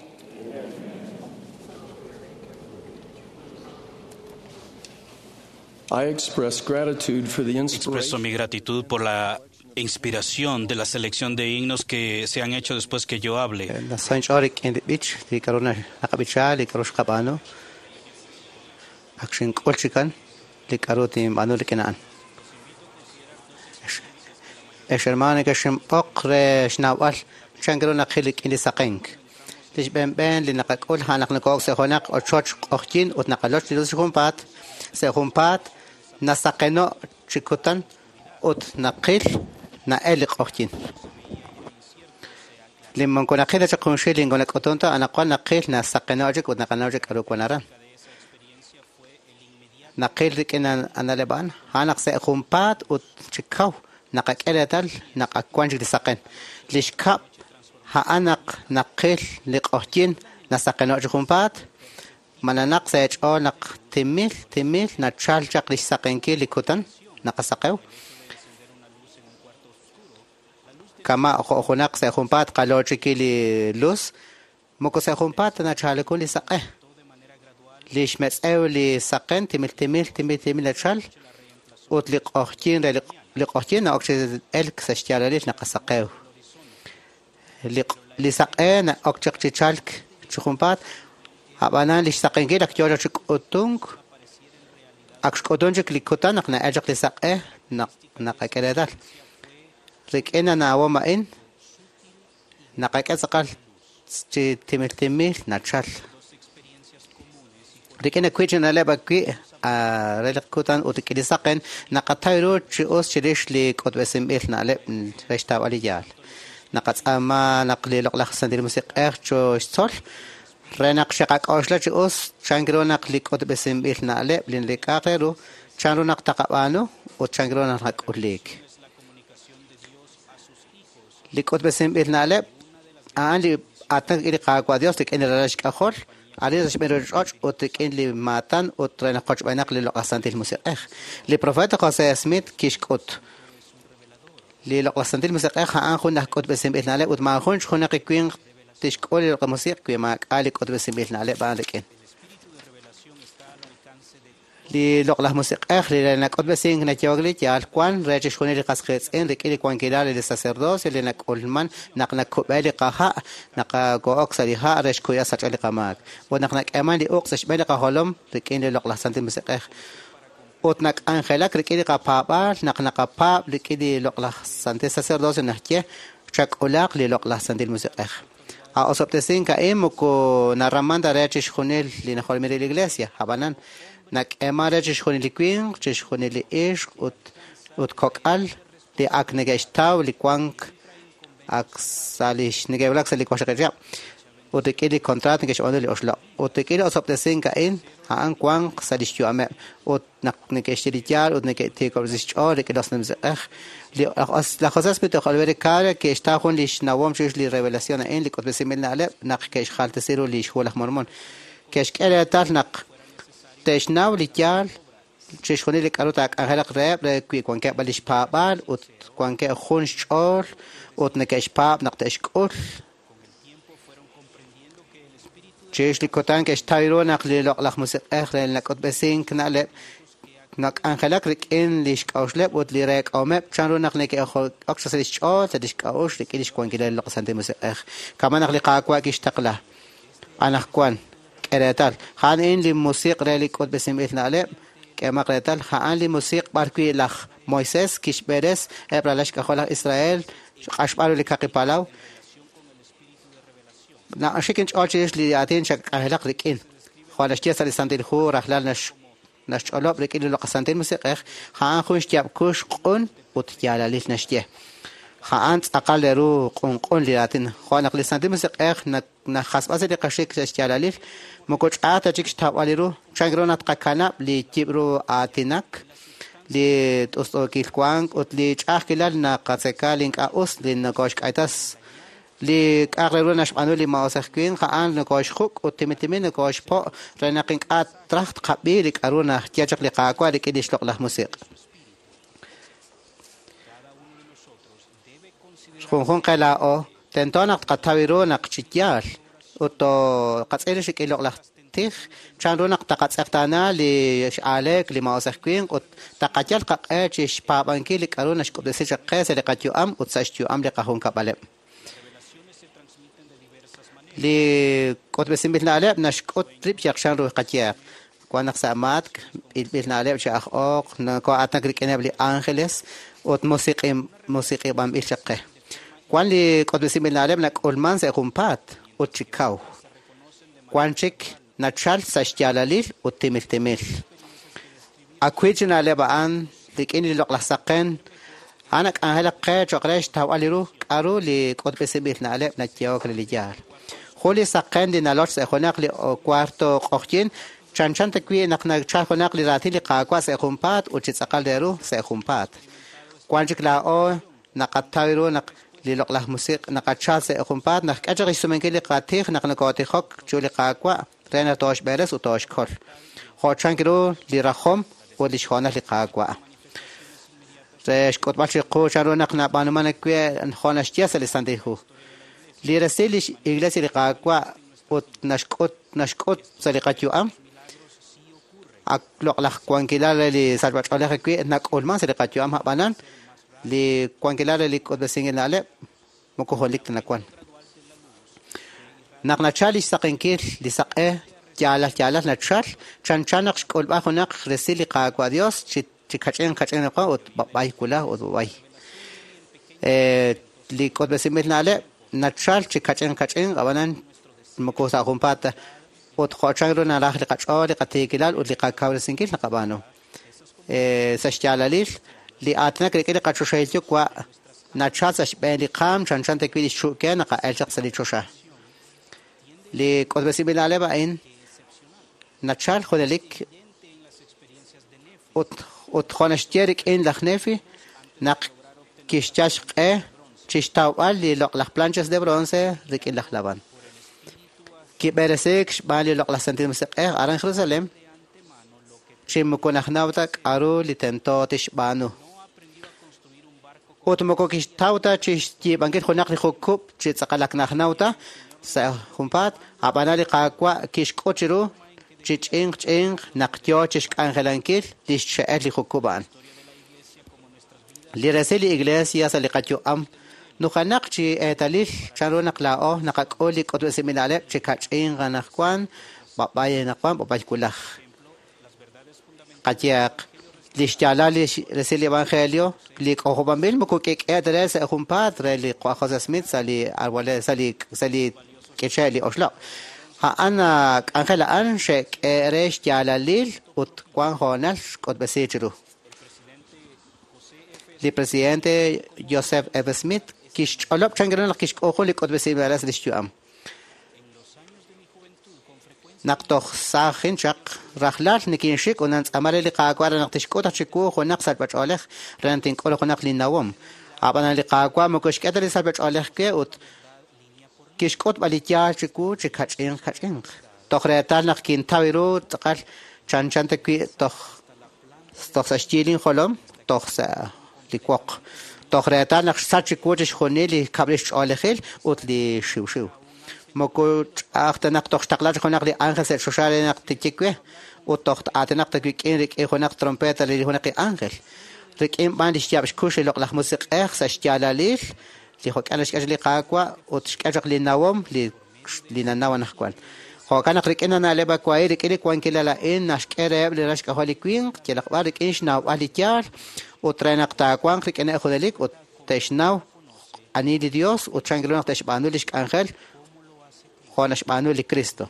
I express gratitude for the Expreso mi gratitud por la inspiración de la selección de himnos que se han hecho después que yo hable. Nasanch'orik in the beach, li k'aru naqab'icha, li k'aru xqab'aanu. Ak xink'ul chikan, li k'aru tinb'aanu rik'in a'an. Ex hermano que xinb'oq re xnawb'al chan k'aru naqil rik'in li saqenk. Li xb'enb'en li naqak'ul a'an naq nokoo'ok sa' junaq ochoch q'oqyin ut naqaloch li luz junpaat, sa' junpaat nasaqeno' chi kutan ut naqil na'el li q'oqyin. Li moko naqil ta chaq junxil li nkonak'utunta anaqwan naqil nasaqeno' chik ut naqanaw chik k'aru wan aran. Naqil rik'in analeb' a'an a'an naq sa' junpaat ut chi kaw naqak'e reetal naq ak wan chik li saqen. Li xkab' a'an naq naqil li q'oqyin nasaqeno' chi junpaat mananaq sa' ch'ool naq timil timil nachal chaq li xsaqenkil li kutan naqasaqew. Kama jo' junaq sa' junpaat qalochiki li luz moko sa' junpaat nachalekun li saq'e. Li xmetz'ew li saqen timil timil timil timil nachal ut li q'oqyin re li q'oqyin na'ok chi elk sa' xyaalalil naqasaqew. Li li saq'e na'ok chaq chi chalk chi junpaat ab'anan li xsaqenkil ak yoo chi k'utunk ak xk'utun chik li kutan naq na'el chaq li saq'e naq naqak'e reetal. Rik'in anawom a'in naqak'e tz'aqal chi timil timil nachal. Rik'in akwi' chi na'leb' akwi' re li kutan ut rik'in li saqen naqataw ru chi us chirix li k'utb'esinb'il na'leb' re xtawb'al li yaal. Naqatz'aama naq li loq'laj Santil Musiq'ej cho xtzol re naq xeqak'oxla chi us chan ru naq li k'utb'esinb'il na'leb' li nlik'aq re ru chan ru naq taqab'aanu ut chan ru naq nak'uliik. Li k'utb'esinb'il na'leb' a'an li aatin rik'in li Qaawa' Dios rik'in li ralal xk'ajol arin sa' xb'een ruchich'och' ut rik'in li maatan ut re naq qochb'eenaq li loq'laj Santil Musiq'ej. Li profeta José Smith kixk'ut li loq'laj Santil Musiq'ej a'an jun aj k'utb'esinb'il na'leb' ut maajun junaq winq tixk'ul li loq'laj musiq' wi maak'a' li k'utb'esinb'il na'leb' a'an rik'in. Li loq'laj musiq'ej li nak'utb'esink nayehok li yaal wan re chixjunil li qas qiitz'in rik'in li wankilal li sacerdocio li nak'ulman naq nakub'e li qaha' naqako'ok sa' li ha' re xkuya sach'al li qamaak. Ut naq nak'eeman li uq' sa' xb'een li qajolom rik'in li loq'laj Santil Musiq'ej. Ut nak'anjelak rik'in li qapaab'aal naq naqapaab' rik'in li loq'laj Santil Sacerdocio naxye chak'ulaq li loq'laj Santil Musiq'ej. A osob'tesink a'in moko naraman ta re chixjunil li najolomil li iglesia ab'anan nak'eeman re chixjunil li winq, chixjunil li ixq ut ut kok'al li ak neke'xtaw li wank ak sa' li neke'wulak sa' li waqxaqib' chihab' ut rik'in li contrato neke'xb'aanu li oxloq'. Ut rik'in li osob'tesink a'in a'an wanq sa' li xyu'ameb' ut naq neke'xye li yaal ut neke'tiikob'resi xch'ool rik'in li Santil Musiq'ej. Li laj José Smith ut Oliver Cowdery ke'xtaw jun li xnawom chirix li revelación a'in li k'utb'esinb'il na'leb' naq ke'xjaltesi ru li xhu laj Mormon. Ke'xk'e reetal naq te'xnaw li yaal chixjunil li k'aru taak'anjelaq reheb' re wi wankeb' li xpaab'aal ut wankeb' jun xch'ool ut neke'xpaab' naq te'xk'ul. Chirix li kutan ke'xtaw ru naq li loq'laj musiq'ej re nak'utb'esink na'leb' nak'anjelak rik'in li xk'a'uxleb' ut li reek'ahomeb' chan ru naq neke'ok sa' li xch'ool sa' li xk'a'uxl rik'in li xwankilal li loq'laj Santil Musiq'ej. Kama naq li Qaawa' kixtaqla anaqwan k'e reetal a'an in li musiq' re li k'utb'esinb'il na'leb' k'eemaq reetal a'an li musiq' b'arwi' laj Moisés kixb'eres eb' ralal xk'ajol laj Israel xq'axb'al ru li kaqi palaw. Na'xik inch'ool chirix li aatin chak'anjelaq rik'in. Jo' naxye sa' li Santil Hu rajlal nax naxch'olob' rik'in li Loq'laj Santil Musiq'ej, a'an jun xyaab' kuux q'un ut yaalalil naxye. A'an tz'aqal re ru q'unq'un li raatin. Jo' naq li Santil Musiq'ej najasb'a sa' li qaxik sa' xyaalalil, moko ch'a'aj ta chik xtawb'al li ru. Chan ru naq tqakanab' li yib' ru aatinak, li t'ust'uukil wank ut li ch'a'ajkilal naqatzeka li ink'a' us li nokoxk'aytas li k'a'aq re ru naxb'aanu li maa'us aj winq, a'an nokoxjuk' ut timil timil nokoxpo' re naq ink'a' traj tqab'i li k'a'ru naxye chaq li Qaawa' rik'in li xloq'laj musiq'. Junjunq qe laa'o tento naq tqataw ru naq chi yaal ut qatz'il rik'in loq'laj tij, chan ru naq taqatz'eqtaana li x'aleek li maa'us aj winq ut taqayal qaq'e chi xpaab'ankil li k'a'ru naxk'ub'tesi chaq qe sa' li qayu'am ut sa' xyu'am li qajunkab'aleb'. Li k'utb'esinb'il na'leb' naxk'ut rib' yaq chan ru qayeeq. Wan naq sa' matk b'ilb'il na'leb' chi aj ooq noko'aatinak rik'ineb' li ángeles ut musiq'i musiq'ib'anb'il chaq qe. Wan li k'utb'esinb'il na'leb' nak'ulman sa' junpaat ut chi kaw. Wan chik nachal sa' xyaalalil ut timil timil. Akwi chi na'leb' a'an rik'in li loq'laj saqen, a'an nak'anjelaq qe cho'q re xtawb'al li ru k'a'ru li k'utb'esinb'il na'leb' nayehok re li yaal. Jun li saqen li naloch sa' junaq li cuarto q'oqyin, chanchan ta wi' naq nachal junaq li raatin li Qaawa' sa' junpaat ut chi tz'aqal re ru sa' junpaat. Wan chik laa'o naqataw ru naq li loq'laj musiq' naqachal sa' junpaat naq k'e chaq xsumenkil li qatij naq nokotijok chiru li Qaawa' re naq tooxb'eres ut tooxkol. Jo' chank ru li rajom ut li xhoonal li Qaawa'. Re xk'utb'al chiqu chan ru naq nab'aanuman wi' jo' naxye sa' li Santil Hu. Li resil li Iglesia li Qaawa' ut naxk'ut naxk'ut sa' li qayu'am ak loq'laj wankilal re li sachb'ach'oolej wi' nak'ulman sa' li qayu'am ab'anan li wankilal re li k'utb'esinb'il na'leb' moko junelik ta nawan. Naq nachal li xsaqenkil li saq'e yaalal yaalal nachal chanchan naq xk'ulb'al junaq resil li Qaawa' Dios chi chi kach'in kach'in ut b'ab'ay wulaj ut b'ab'ay. Eh, li k'utb'esinb'il na'leb' nachal chi kach'in kach'in ab'anan moko sa' junpaat ta ut jo' chan ru naraj li qach'ool li qatiikilal ut li qakawresinkil naqab'aanu. Eh, sa' xyaalalil li aatinak rik'in li qachoxahil yuwa' nachal sa' xb'een li qaam chanchan ta wi' li xchu'ke naqa'el chaq sa' li choxa. Li k'utb'esinb'il na'leb' a'in nachal junelik ut ut jo' naxye rik'in laj Nefi naq kixyal xq'e chi xtawb'al li loq'laj planchas de bronce rik'in laj Labán. Kib'eresik xb'aan li loq'laj Santil Musiq'ej aran Jerusalem chi moko najnaw ta k'a'ru li tento tixb'aanu. Ut moko kixtaw ta chi xyiib'ankil junaq li jukub' chi tz'aqal ak najnaw ta sa' junpaat, ab'anan li Qaawa' kixk'ut chiru chi ch'inq ch'inq naq yoo chi xk'anjelankil li xche'el li jukub' a'an. Li resil li Iglesia sa' li qayu'am nujanaq chi eetalil chan ru naq laa'o naqak'ul li k'utb'esinb'il na'leb' chi kach'inq anaqwan, b'ab'ay anaqwan, b'ab'ay wulaj. Qayeeq li xyaalal li resil li Evangelio li k'ojob'anb'il moko k'ik'e ta re sa' junpaat re li José Smith sa' li arwale sa' li sa' li k'iche' li oxloq'. A'an k'anjel a'an xe'k'e re xyaalalil ut wan hoonal xk'utb'esi chiru. Li presidente Joseph F. Smith kixch'olob' chan ru naq kixk'uju li k'utb'esinb'il na'leb' sa' li xyu'am. Naq toj saajin chaq rajlal nikinxik ut nantz'aama re li Qaawa' re naq tixk'ut chiwu junaq sachb'ach'oolej re naq tink'ul junaq li nawom. Ab'anan li Qaawa' moko xk'e ta li sachb'ach'oolej we ut kixk'ut b'al li yaal chiwu chi kach'inq kach'inq. Toj reetal naq kintaw ru tz'aqal chanchan ta wi' toj toj sa' xyiil injolom toj sa' li woq. Toj reetal naq xsach chiwu chixjunil li kab'li xch'oolejil ut li xiwxiw. Moko ch'a'aj ta naq toj xtaqla chi junaq li ángel sa' choxa re naq tiyik we ut toj aatinaq ta wik'in rik'in junaq trompeta re li junaq li ángel. Rik'in b'an li xyaab' xkux li loq'laj musiq'ej sa' xyaalalil li jok'an xk'e li Qaawa' ut xk'e chaq li nawom li li nanaw anaqwan. Jo'kan naq rik'in na'leb' awa'in rik'in li wankilal a'in naxk'e reheb' li ral xk'ajol li winq yalaq b'ar rik'in xnawb'al li yaal ut re naq taawanq rik'ineb' junelik ut te'xnaw ani li Dios ut chan ru naq te'xb'aanu li xk'anjel jo' naxb'aanu li Cristo.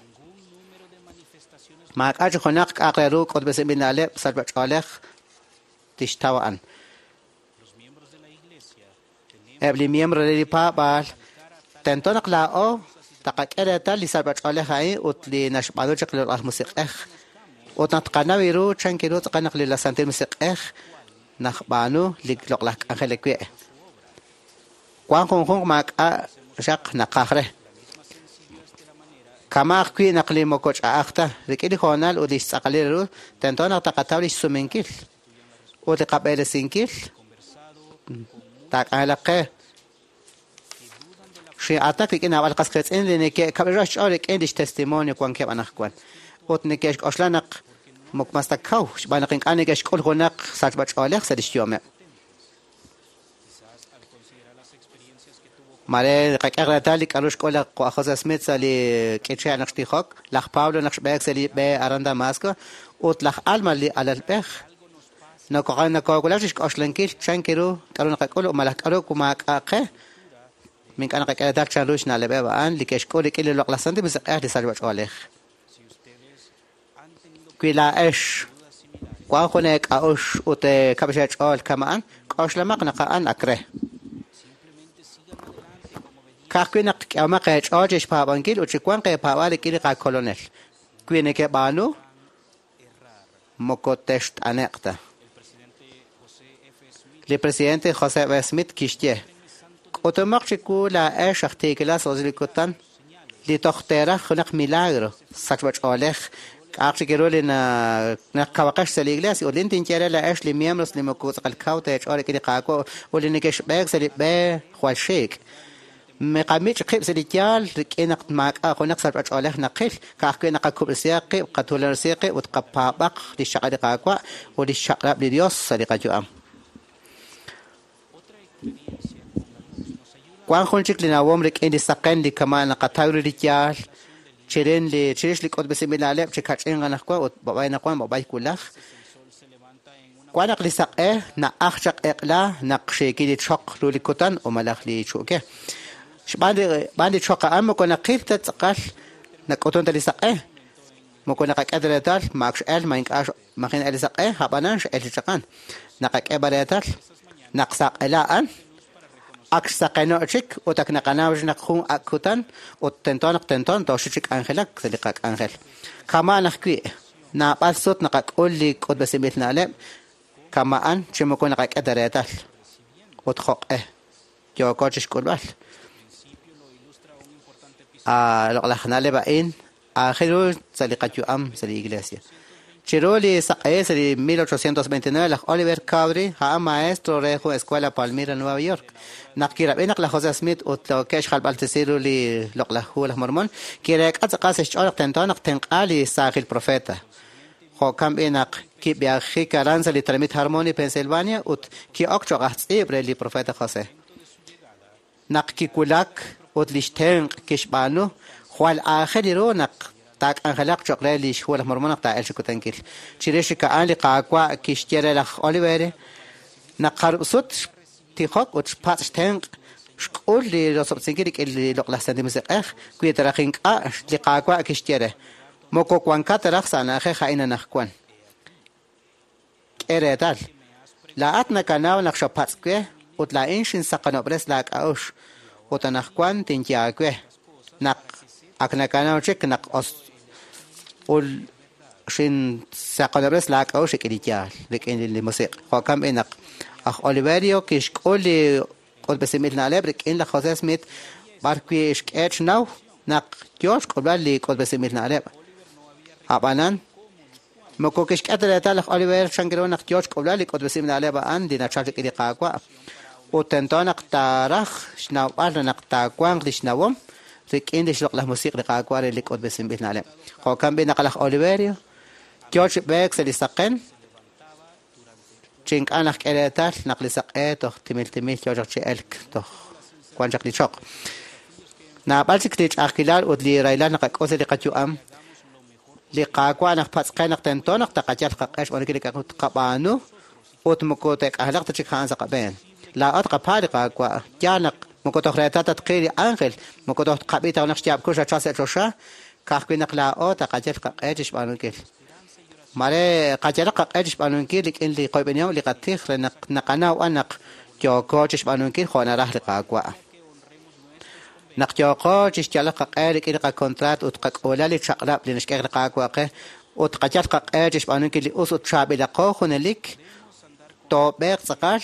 Maak'a' chi junaq k'a'aq re ru k'utb'esinb'il na'leb' sachb'ach'oolej tixtaw a'an. Eb' li miembro re li paab'aal tento naq laa'o taqak'e reetal li sachb'ach'oolej a'in ut li naxb'aanu chaq li Loq'laj Musiq'ej. Ut naq tqanaw ru chan ru tz'aqal naq li Santil Musiq'ej najb'aanu li loq'laj k'anjel we'. Wan junjunq maak'a' xaq naqaj re. Kama ajwi' naq li moko ch'a'aj ta rik'in li hoonal ut li xtz'aqalil ru tento naq taqataw li xsumenkil ut li qab'eresinkil taak'anjelaq qe. Xin'atak rik'in naab'al qas qiitz'in li neke'kab'ilro xch'ool rik'in lix testimonio wankeb' anaqwan ut neke'xk'oxla naq moko mas ta kaw xb'aan naq ink'a' neke'xk'ul junaq sachb'ach'oolej sa' lix yu'ameb'. Mare qak'e reetal li k'a'ru xk'ul laj José Smith sa' li k'iche' naq xtijok, laj Pablo naq xb'eek sa' li b'e aran Damasco ut laj Alma li alalb'ej. Noko nakowulak chixk'oxlankil chan ru k'a'ru naqak'ul malaj k'a'ru maak'a' qe. Mink'a' naqak'e reetal chan ru xna'leb'eb' a'an li ke'xk'ul rik'in li Loq'laj Santil Musiq'ej li sachb'ach'oolej. Wi laa'ex wan jun eek'a'ux ut kab'xe'ch'ool kama'an, k'oxlamaq naq a'an ak re. Ka'ajwi' naq k'ehomaq eech'ool chixpaab'ankil ut chiwanq eepaab'aal rik'in li qakolonel. Wi neke'b'aanu, moko text'ane'q ta. Li presidente José F. Smith kixye, k'utumaq chiwu laa'ex aj tiikilal sa' li kutan li toj teeraj junaq milagro sachb'ach'oolej k'a'aq chik ru li naq kawaqex sa' li iglesia ut lin tinye re laa'ex li miembros li moko tz'aqal kaw teech'ool rik'in li Qaawa' ut li neke'xb'eek sa' li b'e jwal xiik'. Miqamich' qib' sa' li yaal rik'in naq maak'a' junaq sachb'ach'oolej naqil ka'ajwi' naqakub'sihaq qib' qatuulanrisi qib' ut qapaab'aq li xchaq'rab' li Qaawa' ut li xchaq'rab' li Dios sa' li qayu'am. Wan jun chik li nawom rik'in li saqen li kama' naqataw ru li yaal chirin li chirix li k'utb'esinb'il na'leb' chi kach'in anaqwan ut b'ab'ay naqwan b'ab'ay wulaj. Wan naq li saq'e na'aj chaq eq'la naq xiikil li choq ru li kutan o malaj li chu'ke. Xb'aan li b'aan li choq a'an moko naqil ta tz'aqal nak'utun ta li saq'e. Moko naqak'e ta reetal maak x'el ma ink'a' majin el li saq'e ab'anan x'el li chaqan. Naqak'e b'a reetal naq saq'ela a'an ak xsaqeno' chik ut ak naqanaw naq jun ak kutan ut tento naq tento toxi chik k'anjelak sa' li qak'anjel. Kama'an ajwi' naab'al sut naqak'ul li k'utb'esinb'il na'leb' kama'an chi moko naqak'e ta reetal ut jo'q'e yooko chixk'ulb'al. Loq'laj na'leb' a'in aajel ru sa' li qayu'am sa' li iglesia. Chiru li saq'e sa' li mil ochocientos veintinueve laj Oliver Cowdery a'an maestro re jun escuela Palmyra, Nueva York. Naq kirab'i naq laj José Smith ut ke'x xjalb'altesi ru li loq'laj hu laj Mormon, kireek'a tz'aqal sa' xch'ool naq tento naq tenq'a li saajil profeta. Jo'kan b'i naq kib'eajik aran sa' li tenamit Harmony, Pennsylvania ut ki'ok cho'q aj tz'iib' re li profeta José. Naq kiwulak ut lix tenq' kixb'aanu, jwal aajel ru naq taak'anjelaq cho'q re li xhu laj Mormon naq taa'el chi kutankil. Chirix chik a'an li Qaawa' kixye re laj Oliver naq jarub' sut xtijok ut xpatz' xtenq' xk'ul li rosob'sinkil rik'in li Loq'laj Santil Musiq'ej wi taraj ink'a' li Qaawa' kixye re moko wankat taraj sa' na'ajej a'in anaqwan. K'e reetal laa'at nakanaw naq xapatz' we ut laa'in xinsaqanob'res laak'a'uxl ut anaqwan tinye aawe naq ak nakanaw chik naq os ul xinsaqanob'res laak'a'uxl rik'in li yaal rik'in li musiq'. Jo'kan b'i naq aj Oliverio kixk'ul li k'utb'esinb'il na'leb' rik'in laj José Smith b'ar wi' xk'e xnaw naq yo xk'ulb'al li k'utb'esinb'il na'leb'. Ab'anan moko kixk'e ta reetal laj Oliver chan ru naq yo xk'ulb'al li k'utb'esinb'il na'leb' a'an li nachal rik'in li Qaawa' ut tento naq taaraj xnawb'al naq taawanq li xnawom rik'in li xloq'laj musiq' li Qaawa' re li k'utb'esinb'il na'leb'. Jo'kan b'i naq laj Oliverio yo chi b'eek sa' li saqen chi ink'a' naq k'e reetal naq li saq'e toj timil timil yo chaq chi elk toj wan chaq li choq. Naab'al chik li ch'a'ajkilal ut li rahilal naqak'ul sa' li qayu'am li Qaawa' naq patz'qe naq tento naq taqayal qaq'e xb'aanunkil li k'a'ru tqab'aanu ut moko te'k'anjelaq ta chik a'an sa' qab'een. Laa'at qapaa li Qaawa' yaal naq moko toj reetal tatqil li ángel moko toj tqab'i ta naq xyaab' kux rachal sa' choxa Ka'ajwi' naq laa'o taqayal qaq'e chixb'aanunkil. Mare qayalaq qaq'e chixb'aanunkil rik'in li qoyb'enihom li qatij re naq naqanaw an naq yooko chixb'aanunkil jo' naraj li Qaawa'. Naq yooko chixyalaq qaq'e rik'in li qakontraat ut qak'uula li chaq'rab' li naxk'e li Qaawa' qe ut qayal qaq'e chixb'aanunkil li us ut chaab'ilaqo junelik toob'eeq tz'aqal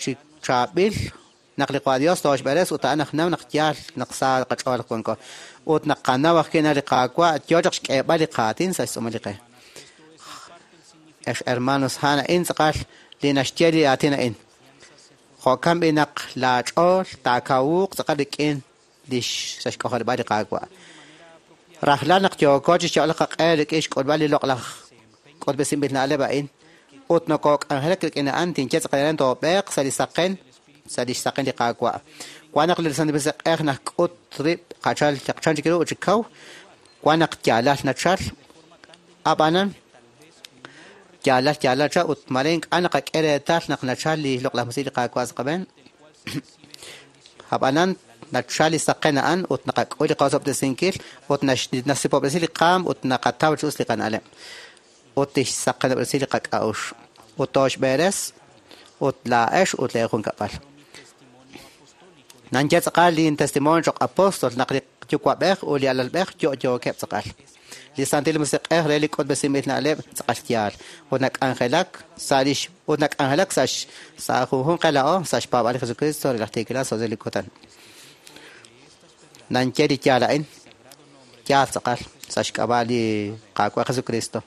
chi chaab'il naq li Qaawa' Dios tooxb'eres ut a'an aj naw naq yaal naq sa qach'ool wanko ut naq qanaw ajwi' naq li Qaawa' yoo chaq xk'eeb'al li qaatin sa' xtz'uumal li qe. Ex hermanos, a'an a'in tz'aqal li naxye li aatin a'in. Jo'kan b'i naq laach'ool taakawuuq tz'aqal rik'in lix sa' xk'ojarib'al li Qaawa'. Rajlal naq yooko chixyalaq qaq'e rik'in xk'ulb'al li loq'laj k'utb'esinb'il na'leb' a'in ut nokok'anjelak rik'in a'an tinye tz'aqal a'in toob'eeq sa' li saqen sa' lix saqen li Qaawa'. Wan naq li Santil Musiq'ej najk'ut rib' qachal chaqchan chik ru ut chi kaw, wan naq yaalal nachal, ab'anan yaalal yaalal cha ut mare ink'a' naqak'e reetal naq nachal li loq'laj musiq li Qaawa' sa' qab'een. Ab'anan nachal li saqen a'an ut naqak'ul li qosob'tesinkil ut nasipob'resi li qaam ut naqataw chi us li qana'leb' ut tixsaqenob'resi li qak'a'uxl ut tooxb'eres ut laa'ex ut lee junkab'al. Nanye tz'aqal li testimonio choq' apóstol naq li yuwa'b'ej ut li alalb'ej yo'yookeb' tz'aqal. Li Santil Musiq'ej re li k'utb'esinb'il na'leb' tz'aqal yaal ut nak'anjelak sa' lix ut nak'anjelak sa' sa' junjunq qela'o sa' xpaab'al li Jesucristo re laj tiikilal sa' li kutan. Nanye li yaal a'in yaal tz'aqal sa' xk'ab'a' li Qaawa' Jesucristo.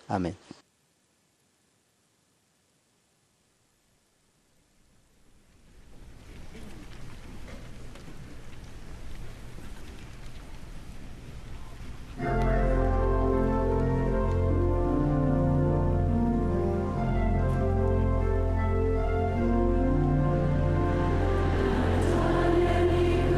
Amén. Anyone in need?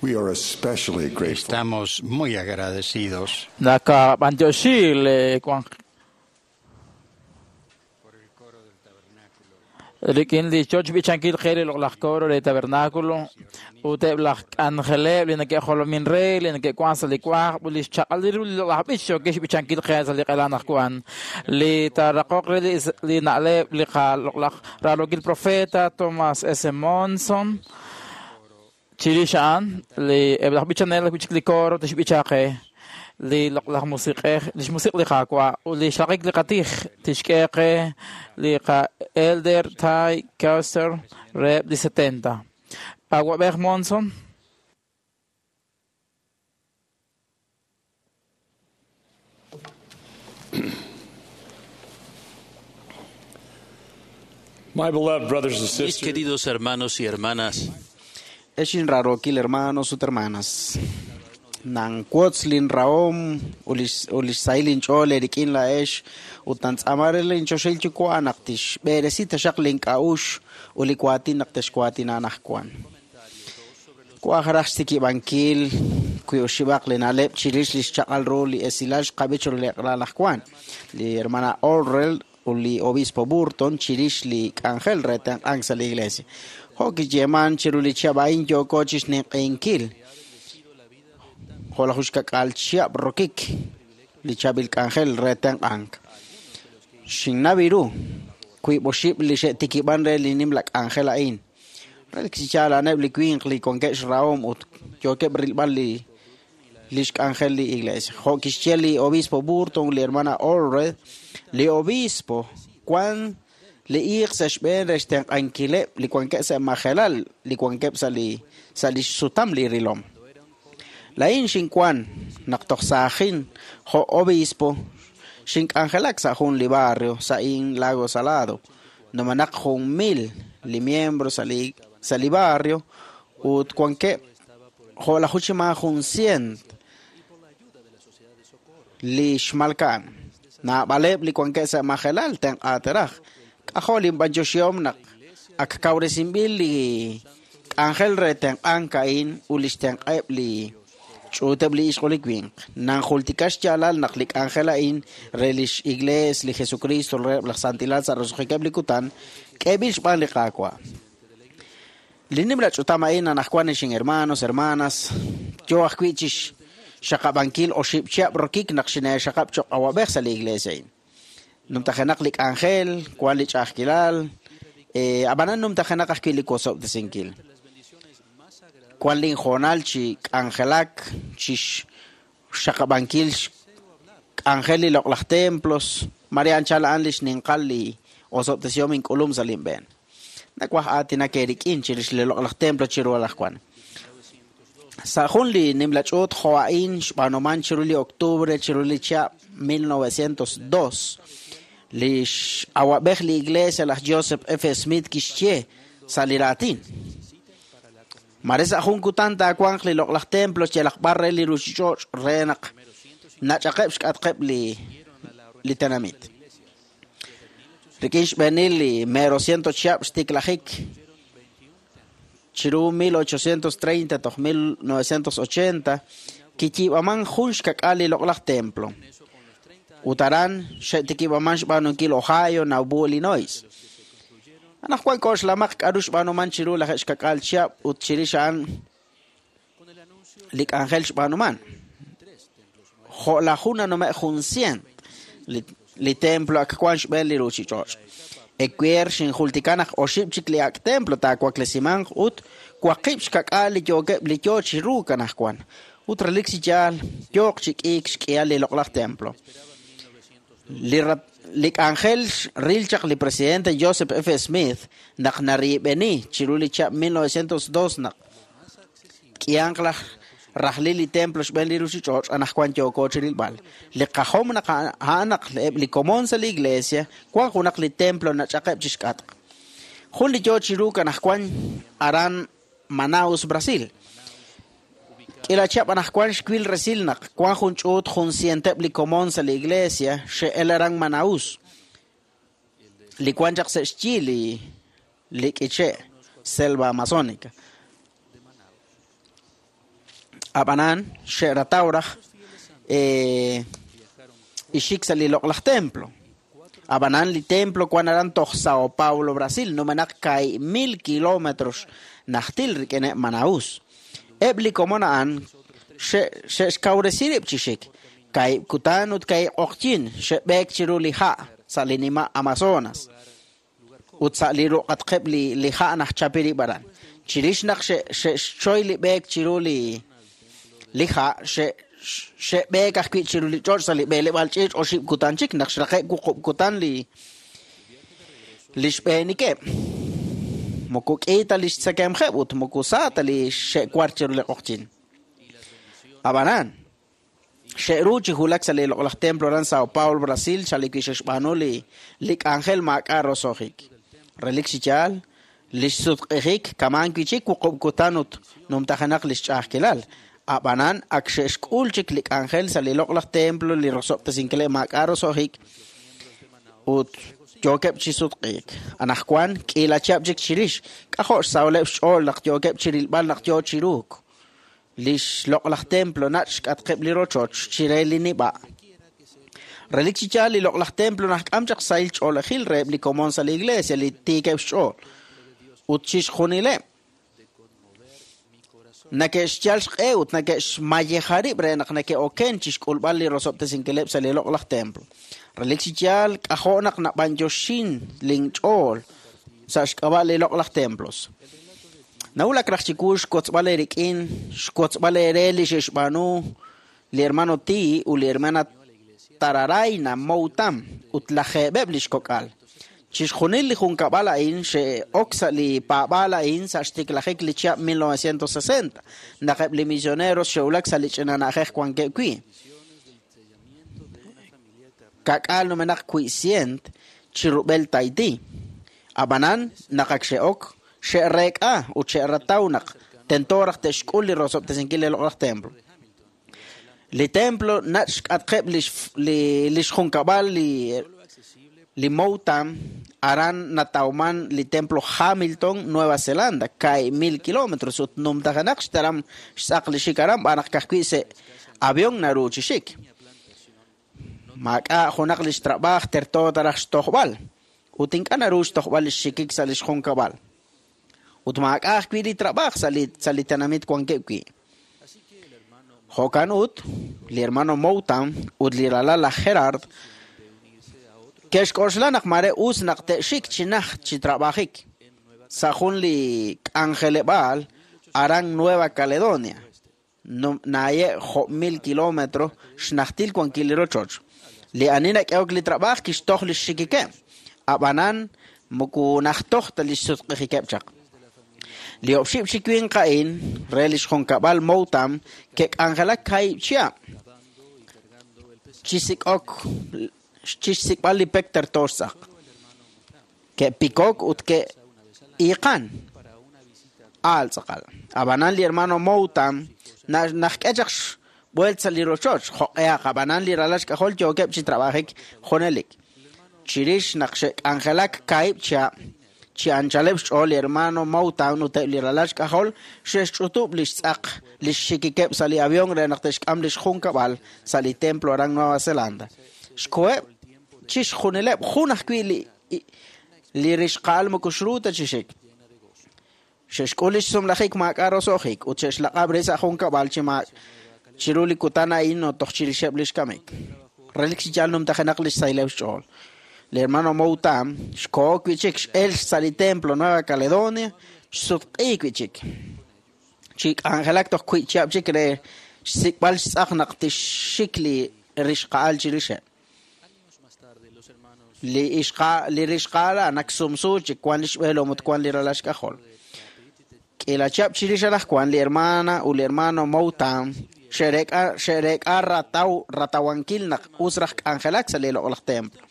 We are especially grateful. Estamos muy agradecidos Nakab'antioxi le kuan rik'in li choch b'ichankil qe li loq'laj coro re tabernáculo ut eb' laj k'anjeleb' li neke'jolomin re li neke'kuan sa' li kuaj ut li xchaq'al ru li loq'laj b'ich yookeb' xb'ichankil qe sa' li q'elan aj kuan li taaraqoq re li, li na'leb' li qaloq'laj raalokil profeta Thomas S. Monson chirix a'an li eb' laj b'ichanel b'ich li coro tixb'icha qe li loq'laj musiq'ej li xmusiq' li Qaawa' ut li xraqik li qatij tixk'e qe li qa-elder Ty Custer reheb' li setenta. Awab'ej Monson. My beloved brothers and Mis sisters, queridos hermanos y hermanas, Exin rarokil hermanos ut hermanas. Nankuotz lin raom ulis ulis sailin ch'ool rik'in la'ex ut nantz'amar lin choxil yuwa' naq tixb'eresi taxaq link'a'ux ut li kuatin naq texkuatina anajkuan. Kuaj raj xtikib'ankil wi oxib'aq li na'leb' chirix li xchaq'al ru li esilal xqab'ich li q'alal ajkuan. Li hermana Orrell ut li obispo Burton chirix li k'anjel re tenq'ank sa' li iglesia. Jo' kiyeeman chiru li chihab' a'in yooko chixninq'ehinkil jo' laj uxkak'al chihab' rokik li chaab'il k'anjel re tenq'ank. Xinnaw ru wiib' oxib' li xe'tikib'an re li nimla k'anjel a'in. Relik chi yaal a'aneb' li winq li wankeb' xrahom ut yookeb' rilb'al li lix k'anjel li iglesia. Jo' kixye li obispo Burton, li hermana Allred, li obispo wan li iiq sa' xb'een re xtenq'ankileb' li wankeb' sa' majelal, li wankeb' sa' li sa' lix sutam li rilom. La'in xinkuan naq toj saajin jo' obispo xink'anjelak sa' jun li barrio sa' in Lago Salado. Numenaq jun mil li miembro sa' li sa' li barrio ut wankeb' jo' laj juchima jun cient li xmalka'an. Naab'aleb' li wankeb' sa' majelal tenq'aateraj. K'ajo' linb'anyoxihom naq ak kawresinb'il li k'anjel re tenq'ank a'in ut li xtenq'eb' li ch'uuteb' li ixq ut li winq. Nanjultika xyaalal naq li k'anjel a'in re lix iglees li Jesucristo reheb' laj santilal sa' roso'jikeb' li kutan k'eeb'il xb'aan li Qaawa'. Li nimla ch'utam a'in anajwan ixin hermanos, hermanas, yo ajwi' chix xaqab'ankil oxib' chihab' rokik naq xineexaqab' choq' awab'ej sa' li iglesia a'in. Numtajenaq li k'anjel, wan li ch'a'ajkilal, eh, ab'anan numtajenaq ajwi' li wosob'tesinkil. Wan linjoonal chi k'anjelak, chi xaqab'ankil k'anjel li loq'laj templos, Maria anchal a'an li xninqal li osob'tesihom ink'ulum sa' linb'een. Nakuaj aatinak eerik'in chirix li loq'laj templo chiru alajwan. Sa' jun li nimla ch'uut jo' a'in xb'aanuman chiru li octubre chiru li chihab' mil novecientos dos. Li x'awab'ej li iglesia laj Joseph F. Smith kixye sa' li raatin. Mare sa' jun kutan taawanq li loq'laj templo yalaq b'ar re li ruuchich'och' re naq nach'aqeb' xk'atqeb' li li tenamit. Rik'in xb'eenil li mero ciento chihab' xtiklajik chiru mil ochocientos treinta toj mil novecientos ochenta kiyiib'aman jun xkak'al li loq'laj templo. Ut aran xe'tikib'aman xb'aanunkil Ohio, Nauvoo, Illinois. Anajwan k'oxlamaq k'aru xb'aanuman chiru laj xkak'al chihab' ut chirix a'an li k'anjel xb'aanuman. Jo' laj jun nanume' jun cient li, li templo ak wan xb'een li ruuchich'och'. Ecuer xinjultika naq oxib' chik li ak' templo taawaklesimanq ut waqib' xkak'al li yookeb' li yoo chiru kanajwan. Ut relik chi yaal yooq chi k'iik xk'ihal li loq'laj templo. Li rat- li k'anjel ril chaq li presidente Joseph F. Smith naq nariib'eni chiru li chihab' mil novecientos dos naq k'ihanq laj rajlil li templo xb'een li ruuchich'och' anajwan yooko chirilb'al. Li qajom naq a'an naq eb' li komon sa' li iglesia wan junaq li templo nach'aqeb' chixk'atq. Jun li yoo chiru kanajwan aran Manaus, Brasil. K'ila chihab' anajwan xwil resil naq wan jun ch'uut jun cienteb' li komon sa' li iglesia xe'el aran Manaus. Li wan chaq sa' xyi li li k'iche' selva amazónica. Ab'anan xe'rataw raj eh, ixik sa' li loq'laj templo. Ab'anan li templo wan aran toj Sao Paulo, Brasil, numenaq kay mil kilómetros najtil rik'ineb' Manaus. Eb' li komon a'an xe'xkawresi rib' chi xik. Kay kutan ut kay q'oqyin xe'b'eek chiru li ha' sa' li nima' Amazonas. Ut sa' li ruq'atqeb' li li ha' najchapi rib' aran. Chirix naq xe'xchoy li b'eek chiru li li ha' xe'b'eek ajwi' chiru li ch'och' sa' li b'eeleb'aal ch'iich' oxib' kutan chik naq xraqe' wuqub' kutan li li xb'eenikeb'. Moko k'i ta li xtzekemjeb' ut moko sa ta li xe'war chiru li q'oqyin. Ab'anan xe'ru chi wulak sa' li loq'laj templo aran Sao Paulo, Brasil, sa' li xe'xb'aanu li li k'anjel maak'a' roso'jik. Relik chi yaal li xsutq'ijik kaman wi' chik wuqub' kutan ut numtajenaq li xch'a'ajkilal. Ab'anan ak xe'xk'ul chik li k'anjel sa' li loq'laj templo li rosob'tesinkileb' maak'a' roso'jik ut yookeb' chi sutq'iik. Anaqwan k'iila chihab' chik chirix k'ajo' xsawleb' xch'ool naq yookeb' chi rilb'al naq yoo chi ruuk. Li xloq'laj templo nach' xk'atqeb' li rochoch chire li nib'a'. Relik chi yaal li loq'laj templo najk'am chaq sahil ch'oolejil reheb' li komon sa' li iglesia li tiikeb' xch'ool. Ut chixjunileb' nake'xyal xq'e ut nake'xmayeja rib' re naq nake'oken chi xk'ulb'al li rosob'tesinkileb' sa' li loq'laj templo. Relik chi yaal k'ajo' naq nab'anyoxin linch'ool sa' xk'ab'a' li loq'laj templos. Nawulak raj chiwu xkotzb'al eerik'in, xkotzb'al eere li xe'xb'aanu li hermano Ti ut li hermana Tararayna Moutam ut lajeeb'eb' li xkok'al. Chixjunil li junkab'al a'in xe'ok sa' li paab'aal a'in sa' xtiklajik li chihab' mil novecientos sesenta naq eb' li misioneros xe'wulak sa' li ch'ina na'ajej wankeb' wi'. Kak'aal numenaq wi'cient chi rub'el Tahití. Ab'anan naq ak xe'ok xe'reek'a ut xe'rataw naq tento raj te'xk'ul li rosob'tesinkil li loq'laj templo. Li templo nach' xk'atqeb' li li li xjunkab'al li li Moutam aran natawman li templo Hamilton, Nueva Zelanda, kay mil kilómetros ut numtajenaq xtaram xtz'aq li xik aran b'anaq kajwi' se avión naru chi xik. Maak'a' junaq li xtrab'aaj terto taraj xtojb'al ut ink'a' naru xtojb'al li xxikik sa' li xjunkab'al. Ut maak'a' ajwi' li trab'aaj sa' li sa' li tenamit wankeb' wi'. Jo'kan ut li hermano Moutam ut li ralal laj Gerard ke'xk'oxla naq mare us naq te'xik chi najt chi trab'ajik sa' jun li k'anjeleb'aal aran Nueva Caledonia, naye' jo' mil kilómetro xnajtil wankil li rochoch. Li ani nak'ehok li trab'aaj kixtoj li xxikikeb', ab'anan moko najtoj ta li xsutq'ijikeb' chaq. Li oxib' chi winq a'in re li xjunkab'al Moutam ke'k'anjelak kaahib' chihab' chi sik'ok chi xsik'b'al li pek terto xtz'aq. Ke'pikok ut ke'iiqan aal tz'aqal. Ab'anan li hermano Moutam najk'e chaq xb'uelt sa' li rochoch jo'q'ehaq ab'anan li ralal xk'ajol yookeb' chi trab'ajik junelik. Chirix naq xe'k'anjelak kaahib' chihab' chi anchaleb' xch'ool li hermano Moutam ut eb' li ralal xk'ajol xe'xch'utub' li xtz'aq li xxikikeb' sa' li avión re naq te'xk'am li xjunkab'al sa' li templo aran Nueva Zelanda. Xkoheb' chixjunileb' jun ajwi' li li rixqa'al moko xru ta chi xik. Xe'xk'ul li xsumlajik maak'a' roso'jik ut xe'xlaq'ab' re sa' junkab'al chi ma chiru li kutan a'in toj chirixeb' li xkamik. Relik chi yaal numtajenaq li xsayleb' xch'ool. Li hermano Moutam xkoho wi' chik x'el sa' li templo Nueva Caledonia xsutq'iik wi' chik. Chi k'anjelak toj wi' chihab' chik re xsik'b'al xtz'aq naq tixxik li rixqa'al chirixeb'. Li ixqa li rixqa'al naq sumsu chik wan li xb'eelom ut wan li ralal xk'ajol. K'iila chihab' chirix anaqwan li hermana ut li hermano Moutam xe'reek'a xe'reek'a rataw ratawankil naq us raj k'anjelak sa' li loq'laj templo.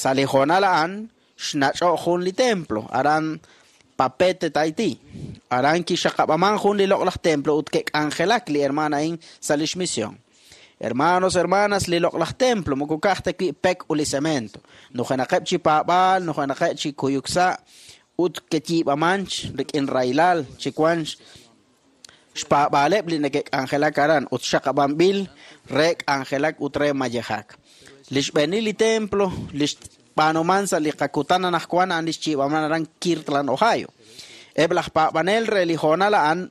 Sa' li hoonal a'an xnach'o' jun li templo aran Papete, Tahití. Aran kixaqab'aman jun li loq'laj templo ut ke'k'anjelak li hermana a'in sa' li xmisión. Hermanos, hermanas, li loq'laj templo moko ka'aj ta wi' pek ut li cemento. Nujenaqeb' chi paab'aal, nujenaqeb' chi kuyuk sa' ut keyiib'aman rik'in raylal chi wan xpaab'aaleb' li neke'k'anjelak aran ut xaqab'anb'il re k'anjelak ut re mayejak. Li xb'eenil li templo li xb'aanuman sa' li qakutan anaqwan a'an li xchiib'aman aran Kirtland, Ohio. Eb' laj paab'anel re li hoonal a'an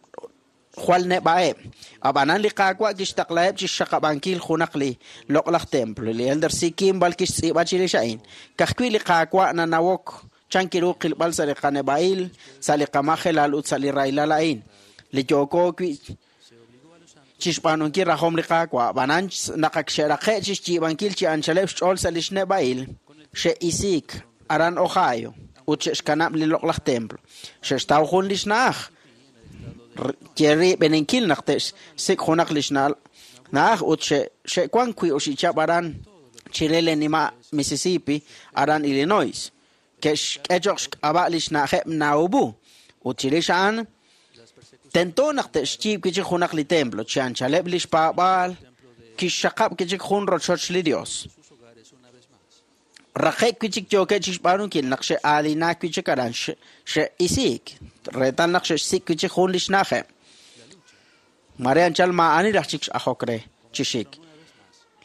jwal neb'a'eb'. Ab'anan li Qaawa' kixtaqlaheb' chixxaqab'ankil junaq li loq'laj templo. Li Elder C. Kimball kixtz'iib'a chirix a'in. Ka'ajwi' li Qaawa' nanawok chan kiru qilb'al sa' li qaneb'a'il, sa' li qamajelal ut sa' li rahilal a'in. Li yooko wi' chixb'aanunkil rajom li Qaawa'. Ab'anan naq ak xe'raqe' chixyiib'ankil chi anchaleb' xch'ool sa' li xneb'a'il, xe'isiik aran Ohio ut xe'xkanab' li loq'laj templo. Xe'xtaw jun li xna'aj. Yerib'eninkil naq te'xsik' junaq li xna'aj ut xe'wan wi' oxichab' aran chire li nima' Mississippi, aran Illinois. Ke'xk'e cho'q xk'ab'a' li xna'ajeb' Nauvoo. Ut chirix a'an tento naq te'xyiib' wi' chik junaq li templo, chi anchaleb' li xpaab'aal kixxaqab' wi' chik jun rochoch li Dios. Raqe' wi' chik yookeb' chixb'aanunkil naq xe'aalinaak wi' chik aran xe'isiik, reetal naq xe'xsik' wi' chik jun li xna'ajeb'. Mare anchal maa'ani raj chik x'ajok re chi xik.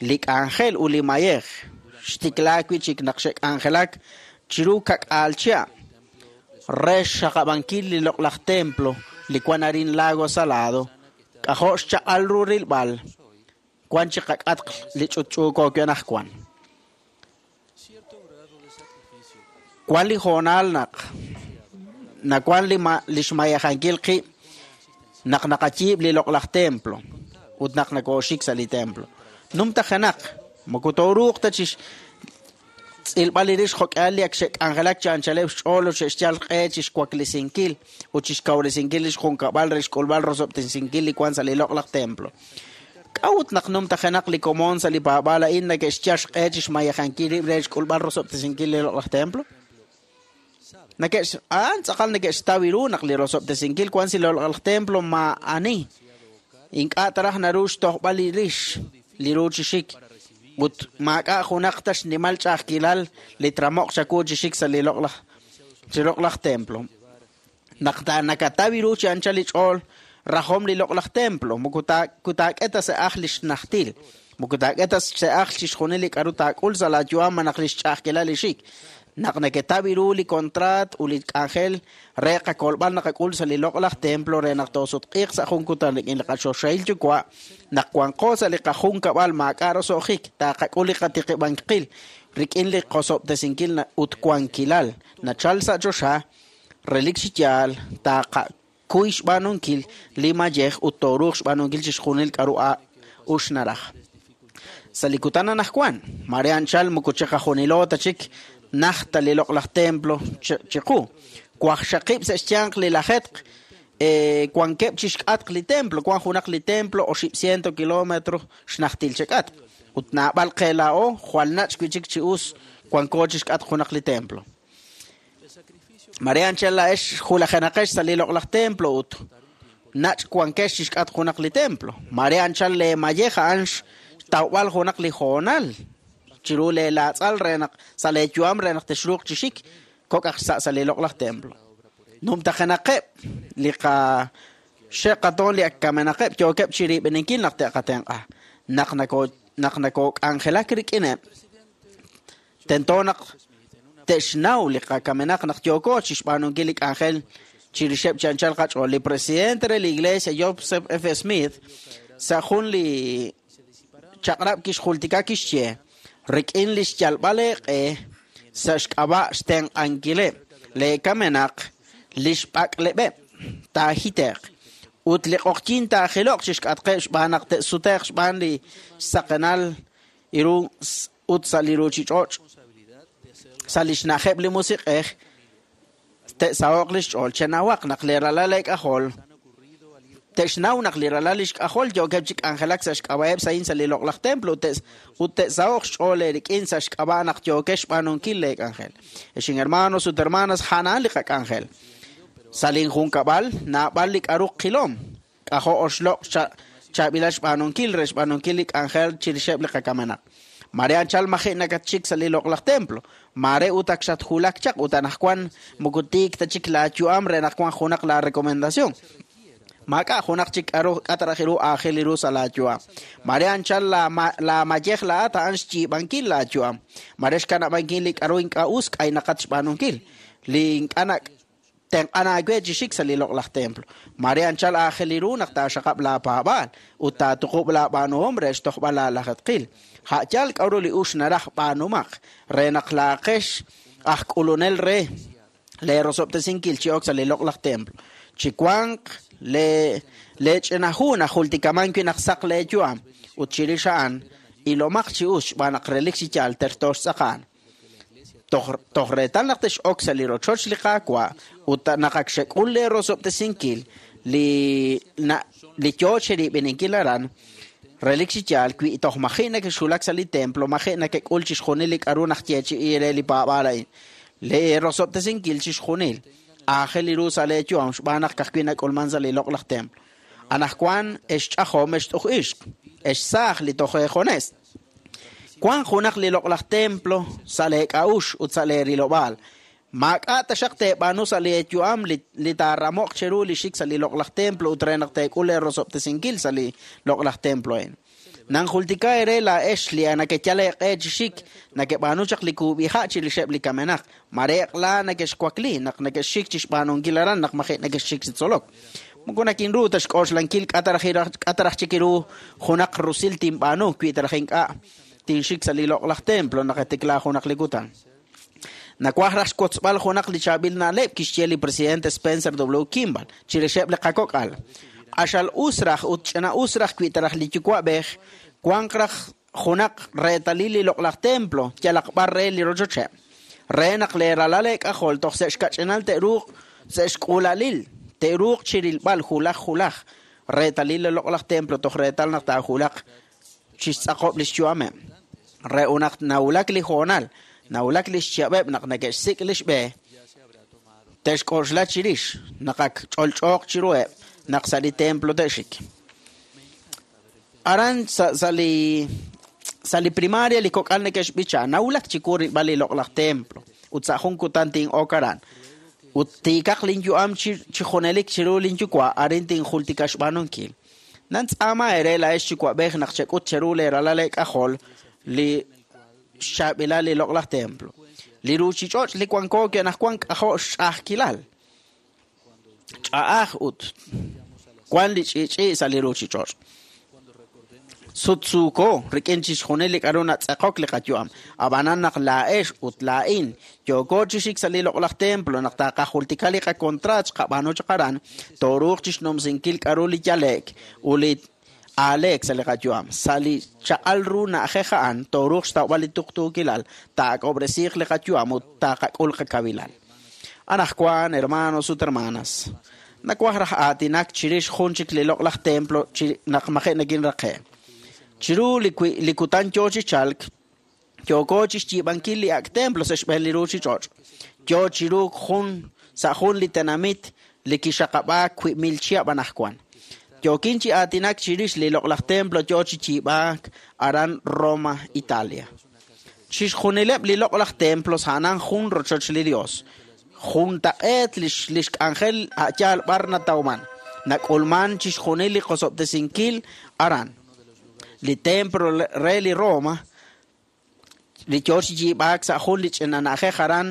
Li k'anjel ut li mayej xtiklaak wi' chik naq xe'k'anjelak chiru kak'aal chihab' re xxaqab'ankil li loq'laj templo li wan arin Lago Salado, k'ajo' xchaq'al ru rilb'al wan chi qak'atq li ch'utch'uuko wi' anaqwan. Wan li hoonal naq nawan li li xmayajankil qib' naq naqayiib' li loq'laj templo ut naq nakooxik sa' li templo. Numtajenaq moko tooruuq ta chix tz'ilb'al li rix jok'al li ak xe'k'anjelak chi anchaleb' xch'ool ut xe'xyal q'e chixwaklesinkil ut chixkawresinkil li xjunkab'al re xk'ulb'al rosob'tesinkil li wan sa' li loq'laj templo. K'a'ut naq numtajenaq li komon sa' li paab'aal a'in neke'xyal xq'e chixmayajankil rib' re xk'ulb'al rosob'tesinkil li loq'laj templo? Neke'x a'an tz'aqal neke'xtaw ru naq li rosob'tesinkil wan sa' li loq'laj templo maa'ani. Ink'a' taraj naru xtojb'al li rix li ru chi xik. Ut maak'a' junaq ta xnimal ch'a'ajkilal li tramoq chaku chi xik sa' li loq'laj chi loq'laj templo. Naq ta nakataw ru chi anchal li ch'ool rajom li loq'laj templo, moko kutaak'e ta se'aj li xnajtil, moko taak'e ta se'aj chixjunil li k'aru taak'ul sa' laayu'am naq li xch'a'ajkilal li xik. Naq neketaw ru li contrat ut li k'anjel re qakolb'al naqak'ul sa' li loq'laj templo re naq toosutq'iiq sa' jun kutan rik'in li qachoxahil yuwa', naq wanqo sa' li qajunkab'al maak'a' roso'jik, taaqak'ul li qatiqib'ankil rik'in li qosob'tesinkil ut wankilal nachal sa' choxa, relik chi yaal taaqakuy xb'aanunkil li mayej ut tooruuq xb'aanunkil chixjunil k'aru uxnaraj. Sa' li kutan anaqwan, mare anchal moko chiqajunilo ta chik najta li loq'laj templo chiqu. Waqxaqib' sa' xyanq li lajetq wankeb' chixk'atq li templo, wan junaq li templo oxib' ciento kilómetro xnajtil chek'atq. Ut naab'al qe laa'o jwal nach' wi' chik chi us wanko chixk'atq junaq li templo. Mare anchal la'ex julajenaqex sa' li loq'laj templo ut nach' wankex chixk'atq junaq li templo. Mare anchal le mayej a'an xtawb'al junaq li hoonal chiru le laatz'al re naq sa' le yu'am re naq texruuq chi xik kok'aj sa' sa' li loq'laj templo. Numtajenaqeb' li qa xe'qatoon li ak kamenaqeb' yookeb' chirib'eninkil naq te'qatenq'a. Naq nako naq nakok'anjelak rik'ineb' tento naq te'xnaw li qakamenaq naq yooko chixb'aanunkil li k'anjel chirixeb' chi anchal qach'ool. Li presidente re li Iglesia Joseph F. Smith sa' jun li chaq'rab' kixjultika kixye rik'in li xyalb'al eeq'e sa' xk'ab'a' xtenq'ankileb' le kamenaq li xb'ak'leb'eb' taajite'q ut li q'oqyin taajiloq chixk'atqeb' xb'aan naq te'sute'q xb'aan li xsaqenal iru ut sa' li ruuchich'och' sa' li xna'ajeb' li musiq'ej te'saho'q li xch'ool. Chenawaq naq li ralal eek'ajol te'xnaw naq li ralal li xk'ajol yookeb' chi k'anjelak sa' xk'ab'a'eb' sa'in sa' li loq'laj templo ut te'saho'q xch'ool eerik'in sa' xk'ab'a' naq yookex xb'aanunkil leek'anjel. Ex hermanos ut hermanas, a'an li qak'anjel. Sa' linjunkab'al naab'al li k'aru qilom k'ajo' oxloq' chaab'ilal xb'aanunkil re xb'aanunkil li k'anjel chirixeb' li qakamenaq. Mare anchal maji' nakatxik sa' li loq'laj templo, mare ut ak xatjulak chaq ut anaqwan moko tiik ta chik laayu'am re naq wan junaq la recomendación. Maak'a' junaq chik k'aru k'ataraj ru aajel ru sa' laayu'am. Mare anchal laamayej laa'at a'an xyiib'ankil laayu'am. Mare xkanab'ankil li k'aru ink'a' us k'aynaqat xb'aanunkil. Li ink'a' tenq'an aawe chi xik sa' li loq'laj templo. Mare anchal aajel ru naq taaxaqab' laapaab'aal ut taatuqub' laab'aanuhom re xtojb'al laalajatqil. Ha'yal k'aru li ux naraj b'aanumaq re naq laaqex aj k'ulunel re leerosob'tesinkil chi ok sa' li loq'laj templo. Chi wanq le lech'inahu najultikaman wi' naq saq leeyu'am ut chirix a'an ilomaq chi us xb'aan naq relik chi yaal terto xtz'aqa'an. Toj reetal naq tex'ok sa' li rochoch li Qaawa' ut naq ak xek'ul leerosob'tesinkil li li yoo cherib'ininkil aran relik chi yaal wi' toj maji' nakexwulak sa' li templo maji' nakek'ul chixjunil li k'aru najyeechi'i re li paab'aal a'in. Leerosob'tesinkil chixjunil aajel ru sa' leeyu'am xb'aan naq ka'ajwi' nak'ulman sa' li loq'laj templo. Anaqwan ex ch'ajom ex t'uj ixq ex saaj li toj eejones. Wank junaq li loq'laj templo sa' leek'a'ux ut sa' leerilob'aal. Maak'a' taxaq teeb'aanu sa' leeyu'am li li taaramoq cheru li xik sa' li loq'laj templo ut re naq teek'ul leerosob'tesinkil sa' li loq'laj templo a'in. Nanjultika ere laa'ex li nakeyal eeq'e chi xik nakeb'aanu chaq li kuub'iha' chirixeb' li kamenaq. Mareeq laa nakexwakli naq nakexxik chi xb'aanunkil aran naq maji' nakexxik chi tzolok. Moko nakinru ta xk'oxlankil k'ataraj chik ru junaq rusil tinb'aanu wi taraj ink'a' tinxik sa' li loq'laj templo naq etiklaa junaq li kutan. Nawaj raj xwotzb'al junaq li chaab'il na'leb' kixye li presidente Spencer W. Kimball chirixeb' li qakok'al. Q'axal us raj ut ch'ina us raj wi taraj li yuwa'b'ej wanq raj junaq reetalil li loq'laj templo yalaq b'ar re li rochocheb'. Re naq leeralal eek'ajol toj sa' xkach'inal te'ruuq sa' xk'uulalil te'ruuq chirilb'al julaj julaj reetalil li loq'laj templo toj reetal naq taajulaq chixtz'aqob' li xyu'ameb'. Re unaq nawulak li hoonal nawulak li xchihab'eb' naq neke'xsik' li xb'e te'xk'oxla chirix naq ak ch'olch'ooq chiruheb' naq sa' li templo te'xik. Aran sa' sa' li sa' li primaria li kok'al neke'xb'icha nawulak chiwu rilb'al li loq'laj templo ut sa' jun kutan tin'ok aran. Ut tiikaq linyu'am chi junelik chiru linyuwa' arin tinjultika xb'aanunkil. Nantz'aama ere laa'ex yuwa'b'ej naq chek'ut cheru leeralal eek'ajol li xchaab'ilal li loq'laj templo. Li ruuchich'och' li wanko wi' anaqwan k'ajo' xch'a'ajkilal. Ch'a'aj ut wan li ch'i'ch'i' sa' li ruuchich'och'. Sutsuuko rik'in chixjunil li k'aru natz'eqok li qayu'am. Ab'anan naq laa'ex ut laa'in yooko chi xik sa' li loq'laj templo naq taqajultika li qakontraat xqab'aanu chaq aran tooruuq chixnumsinkil k'aru li yale'k ut li aaleek sa' li qayu'am. Sa' li chaq'al ru na'ajej a'an tooruuq xtawb'al li tuqtuukilal taak'ob'resiiq li qayu'am ut taqak'ul qakawilal. Anaqwan, hermanos ut hermanas, nawaj raj aatinak chirix jun chik li loq'laj templo chi naq maji' nakinraqe'. Chiru li li kutan yoo chi chalk yooko chi xyiib'ankil li ak' templo sa' xb'een li ruuchich'och'. Yoo chiru jun sa' jun li tenamit li kixaqab'aak wiib' mil chihab' anaqwan. Yookin chi aatinak chirix li loq'laj templo yoo chi yiib'aak aran Roma, Italia. Chixjunileb' li loq'laj templos a'anan jun rochoch li Dios. Juntaq'eet li li xk'anjel a'yaal b'ar natawman. Nak'ulman chixjunil li qosob'tesinkil aran. Li templo re li Roma li yoo chi yiib'aak sa' jun li ch'ina na'ajej aran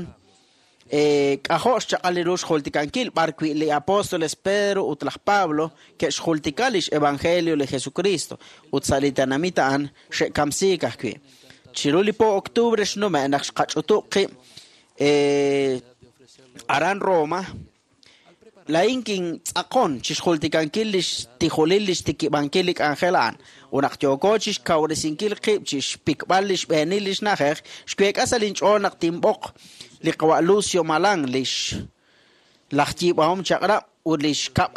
k'ajo' xchaq'al li ru xjultikankil b'ar wi' li apóstoles Pedro ut laj Pablo ke'xjultika lix evangelio li Jesucristo ut sa' li tenamit a'an xe'kamsiik ajwi'. Chiru li po octubre xnume' naq xqach'utub' qib' aran Roma laa'in kintz'aqon chixjultikankil li xtijulil li xtikib'ankil li k'anjel a'an. Ut naq yooko chixkawresinkil qib' chixpikb'al li xb'eenil li xna'ajej xweek'a sa' linch'ool naq tinb'oq li qawa' Lucio Malan li laj yiib'ahom chaq'rab' ut li xkab'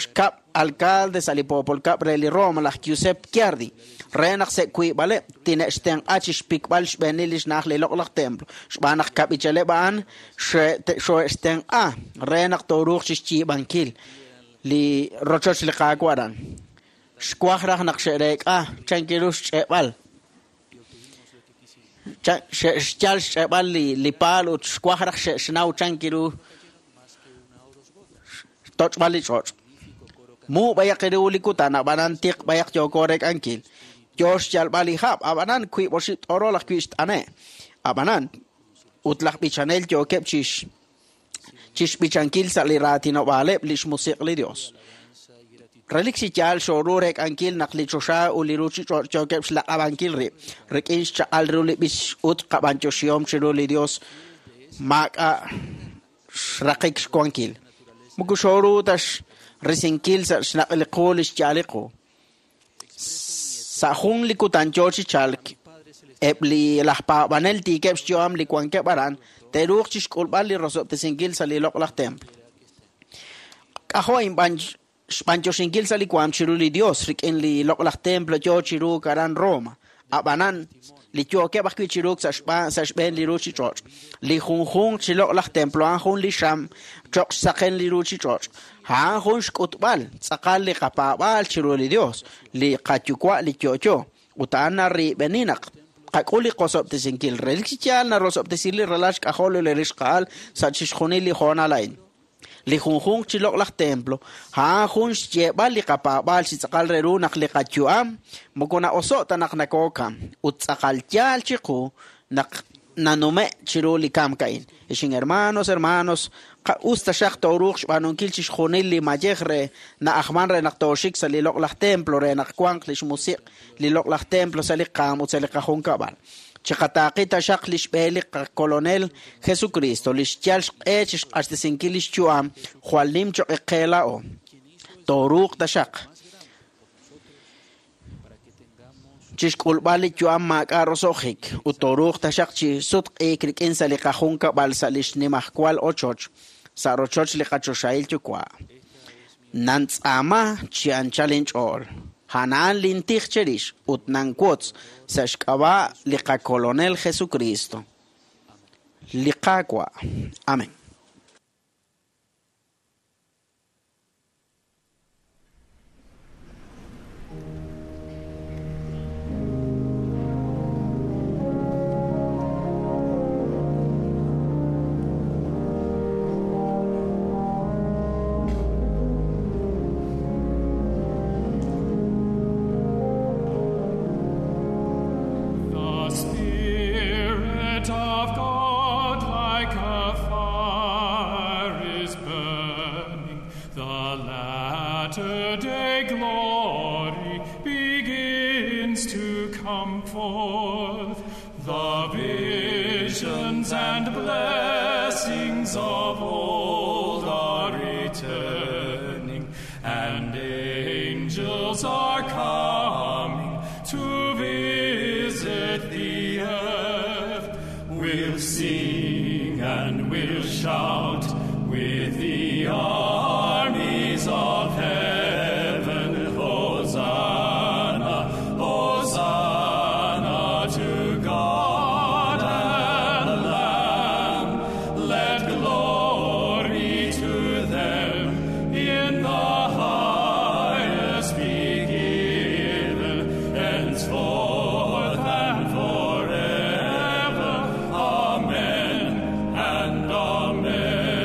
xkab' alcalde sa' li poopol kab' re li Roma laj Giuseppe Chiardi re naq sa' wiib'aleb' tine'xtenq'a chixpikb'al xb'eenil li xna'aj li loq'laj templo xb'aan naq kab'ichaleb' a'an xo'extenq'a re naq tooruuq chixyiib'ankil li rochoch li Qaawa' aran. Xwaj raj naq xe'reek'a chankiru xch'e'b'al xyal xch'e'b'al li li paal ut xwaj raj xe'xnaw chankiru toch'b'al li ch'och'. Mu bayaq ru li kutan ab'anan tiq bayaq yooko rek'ankil. Yo xyalb'al li hab' ab'anan wiib' oxib' t'orol ajwi' xt'ane'. Ab'anan ut laj b'ichanel yookeb' chix chixb'ichankil sa' li raatinob'aaleb' li xmusiq' li Dios. Relik chi yaal xooru rek'ankil naq li choxa ut li ruuchich'och' yookeb' xlaq'ab'ankil rib' rik'in xchaq'al ru li b'ich ut qab'anyoxihom chiru li Dios maak'a' xraqik xwankil. Moko xooru ta xrisinkil sa' xnaq' li qu li xyaal li qu. Sa' jun li kutan yoo chi chalk eb' li laj paab'anel tiikeb' xyu'am li wankeb' aran te'ruuq chixk'ulb'al li rosob'tesinkil sa' li loq'laj templo. K'ajo' inb'an xb'anyoxinkil sa' li waam chiru li Dios rik'in li loq'laj templo yoo chiru aran Roma. Ab'anan li yookeb' ajwi' chiru sa' xb'aan sa' xb'een li ruuchich'och'. Li junjunq chi loq'laj templo a'an jun li xam choq' xsaqen li ruuchich'och'. A'an jun xk'utb'al tz'aqal li qapaab'aal chiru li Dios, li qayuwa' li yo'yo. Ut a'an narib'eni naq qak'ul li qosob'tesinkil. Relik chi yaal narosob'tesil li ralal xk'ajol li rixqa'al sa' chixjunil li hoonal a'in. Li junjunq chi loq'laj templo a'an jun xyeeb'al li qapaab'aal chi tz'aqal re ru naq li qayu'am moko na'oso' ta naq nakookam ut tz'aqal yaal chiqu naq nanume' chiru li kamk a'in. Ixin hermanos, hermanos, us taxaq tooruuq xb'aanunkil chixjunil li mayej re na'ajman re naq tooxik sa' li loq'laj templo re naq wanq li xmusiq' li loq'laj templo sa' li qaam ut sa' li qajunkab'al. Chiqataaqi taxaq li xb'e li qakolonel Jesucristo, li xyal xq'e chixq'axtesinkil li xyu'am jwal nim choq' qe laa'o. Tooruuq taxaq chixk'ulb'al li yu'am maak'a' roso'jik ut tooruuq taxaq chi sutq'iik rik'in sa' li qajunkab'al sa' li xnimajwal ochoch sa' rochoch li qachoxahil yuwa'. Nantz'aama chi anchal inch'ool. A'an lintij cherix ut nanwotz sa' xk'ab'a' li qakolonel Jesucristo. Li Qaawa'. Amén. The Spirit of God like a fire is burning. The latter-day glory begins to come forth. The visions and blessings of old are returning, and angels are coming to visit the earth. We'll sing and we'll shout with the armies of heaven. Hosanna, Hosanna to God and the Lamb. Let glory to them in the highest be given, henceforth and forever. Amen and amen.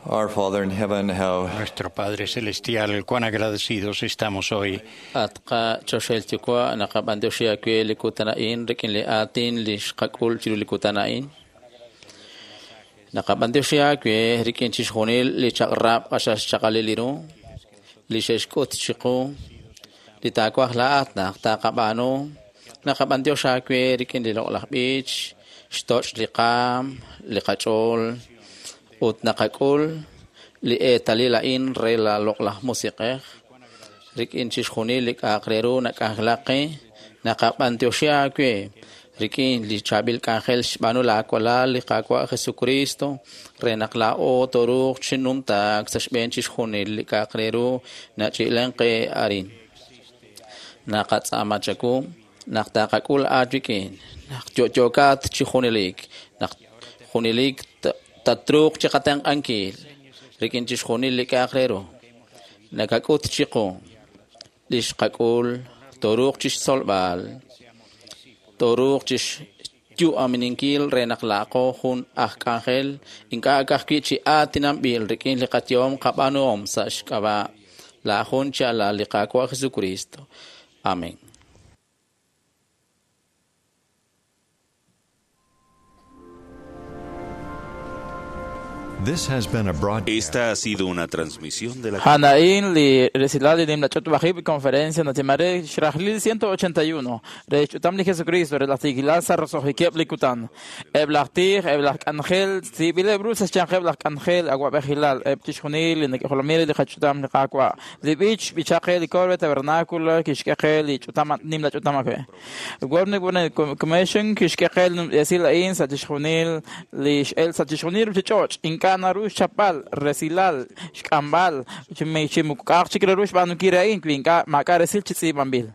Our Father in heaven, how Nuestro Padre Celestial, cuán agradecidos estamos hoy At qachoxel yuwa' naqab'antioxi aawe li kutan a'in rik'in li aatin li xqak'ul chiru li kutan a'in. Naqab'antioxi aawe rik'in chixjunil li chaq'rab' q'axal xchaq'alil li ru, li xe'xk'ut chiqu, li taawaj laa'at naq taqab'aanu. Naqab'antiox aawe rik'in li loq'laj b'ich, xtoch' li qaam, li qach'ool, ut naqak'ul li eetalil a'in re la loq'laj musiq'ej. Rik'in chixjunil li k'a'aq re ru nak'anjelaq qe, naqab'antioxi aawe rik'in li chaab'il k'anjel xb'aanu laawalal li Qaawa' Jesucristo re naq laa'o tooruuq chi numtaak sa' xb'een chixjunil li k'a'aq re ru nach'i'len qe arin. Naqatz'aama chawu naq taqak'ul aawik'in, naq yo'yookat chi junelik, naq junelik tatruuq chi qatenq'ankil rik'in chixjunil li k'a'aq re ru. Nakak'ut chiqu li xqak'ul tooruuq chixtzolb'al, tooruuq chixyu'amininkil re naq laaqo jun aj k'anjel ink'a' ka'ajwi' chi aatinanb'il rik'in li qayehom qab'aanuhom sa' xk'ab'a' la jun chi alal li Qaawa' Jesucristo. Amén. This has been a broadcast. Esta ha sido una transmisión de la Hanain li resilal li nimla ch'utub'ajib' conferencia natimare xrajlil ciento ochenta y uno re ch'utam li Jesucristo re laj sa rosojikieb' li kutan eb' laj tij eb' laj k'anjel tz'iib'ileb' ru sa' xyanqeb' laj k'anjel awab'ejilal eb' chixjunil li nak'ejolomil li qach'utam li Qaawa' li b'ich b'ichaqe li korbe tabernáculo kixk'e qe li ch'utam nimla ch'utam awe Government Commission kixk'e qe li esil a'in sa' chixjunil li x'el sa' chixjunil ruchich'och' ink'a' naru xchapb'al resilal xk'amb'al chimuk'aq chik re ru xb'aanunkil re a'in wi ink'a' maak'a' resil chi tz'iib'anb'il.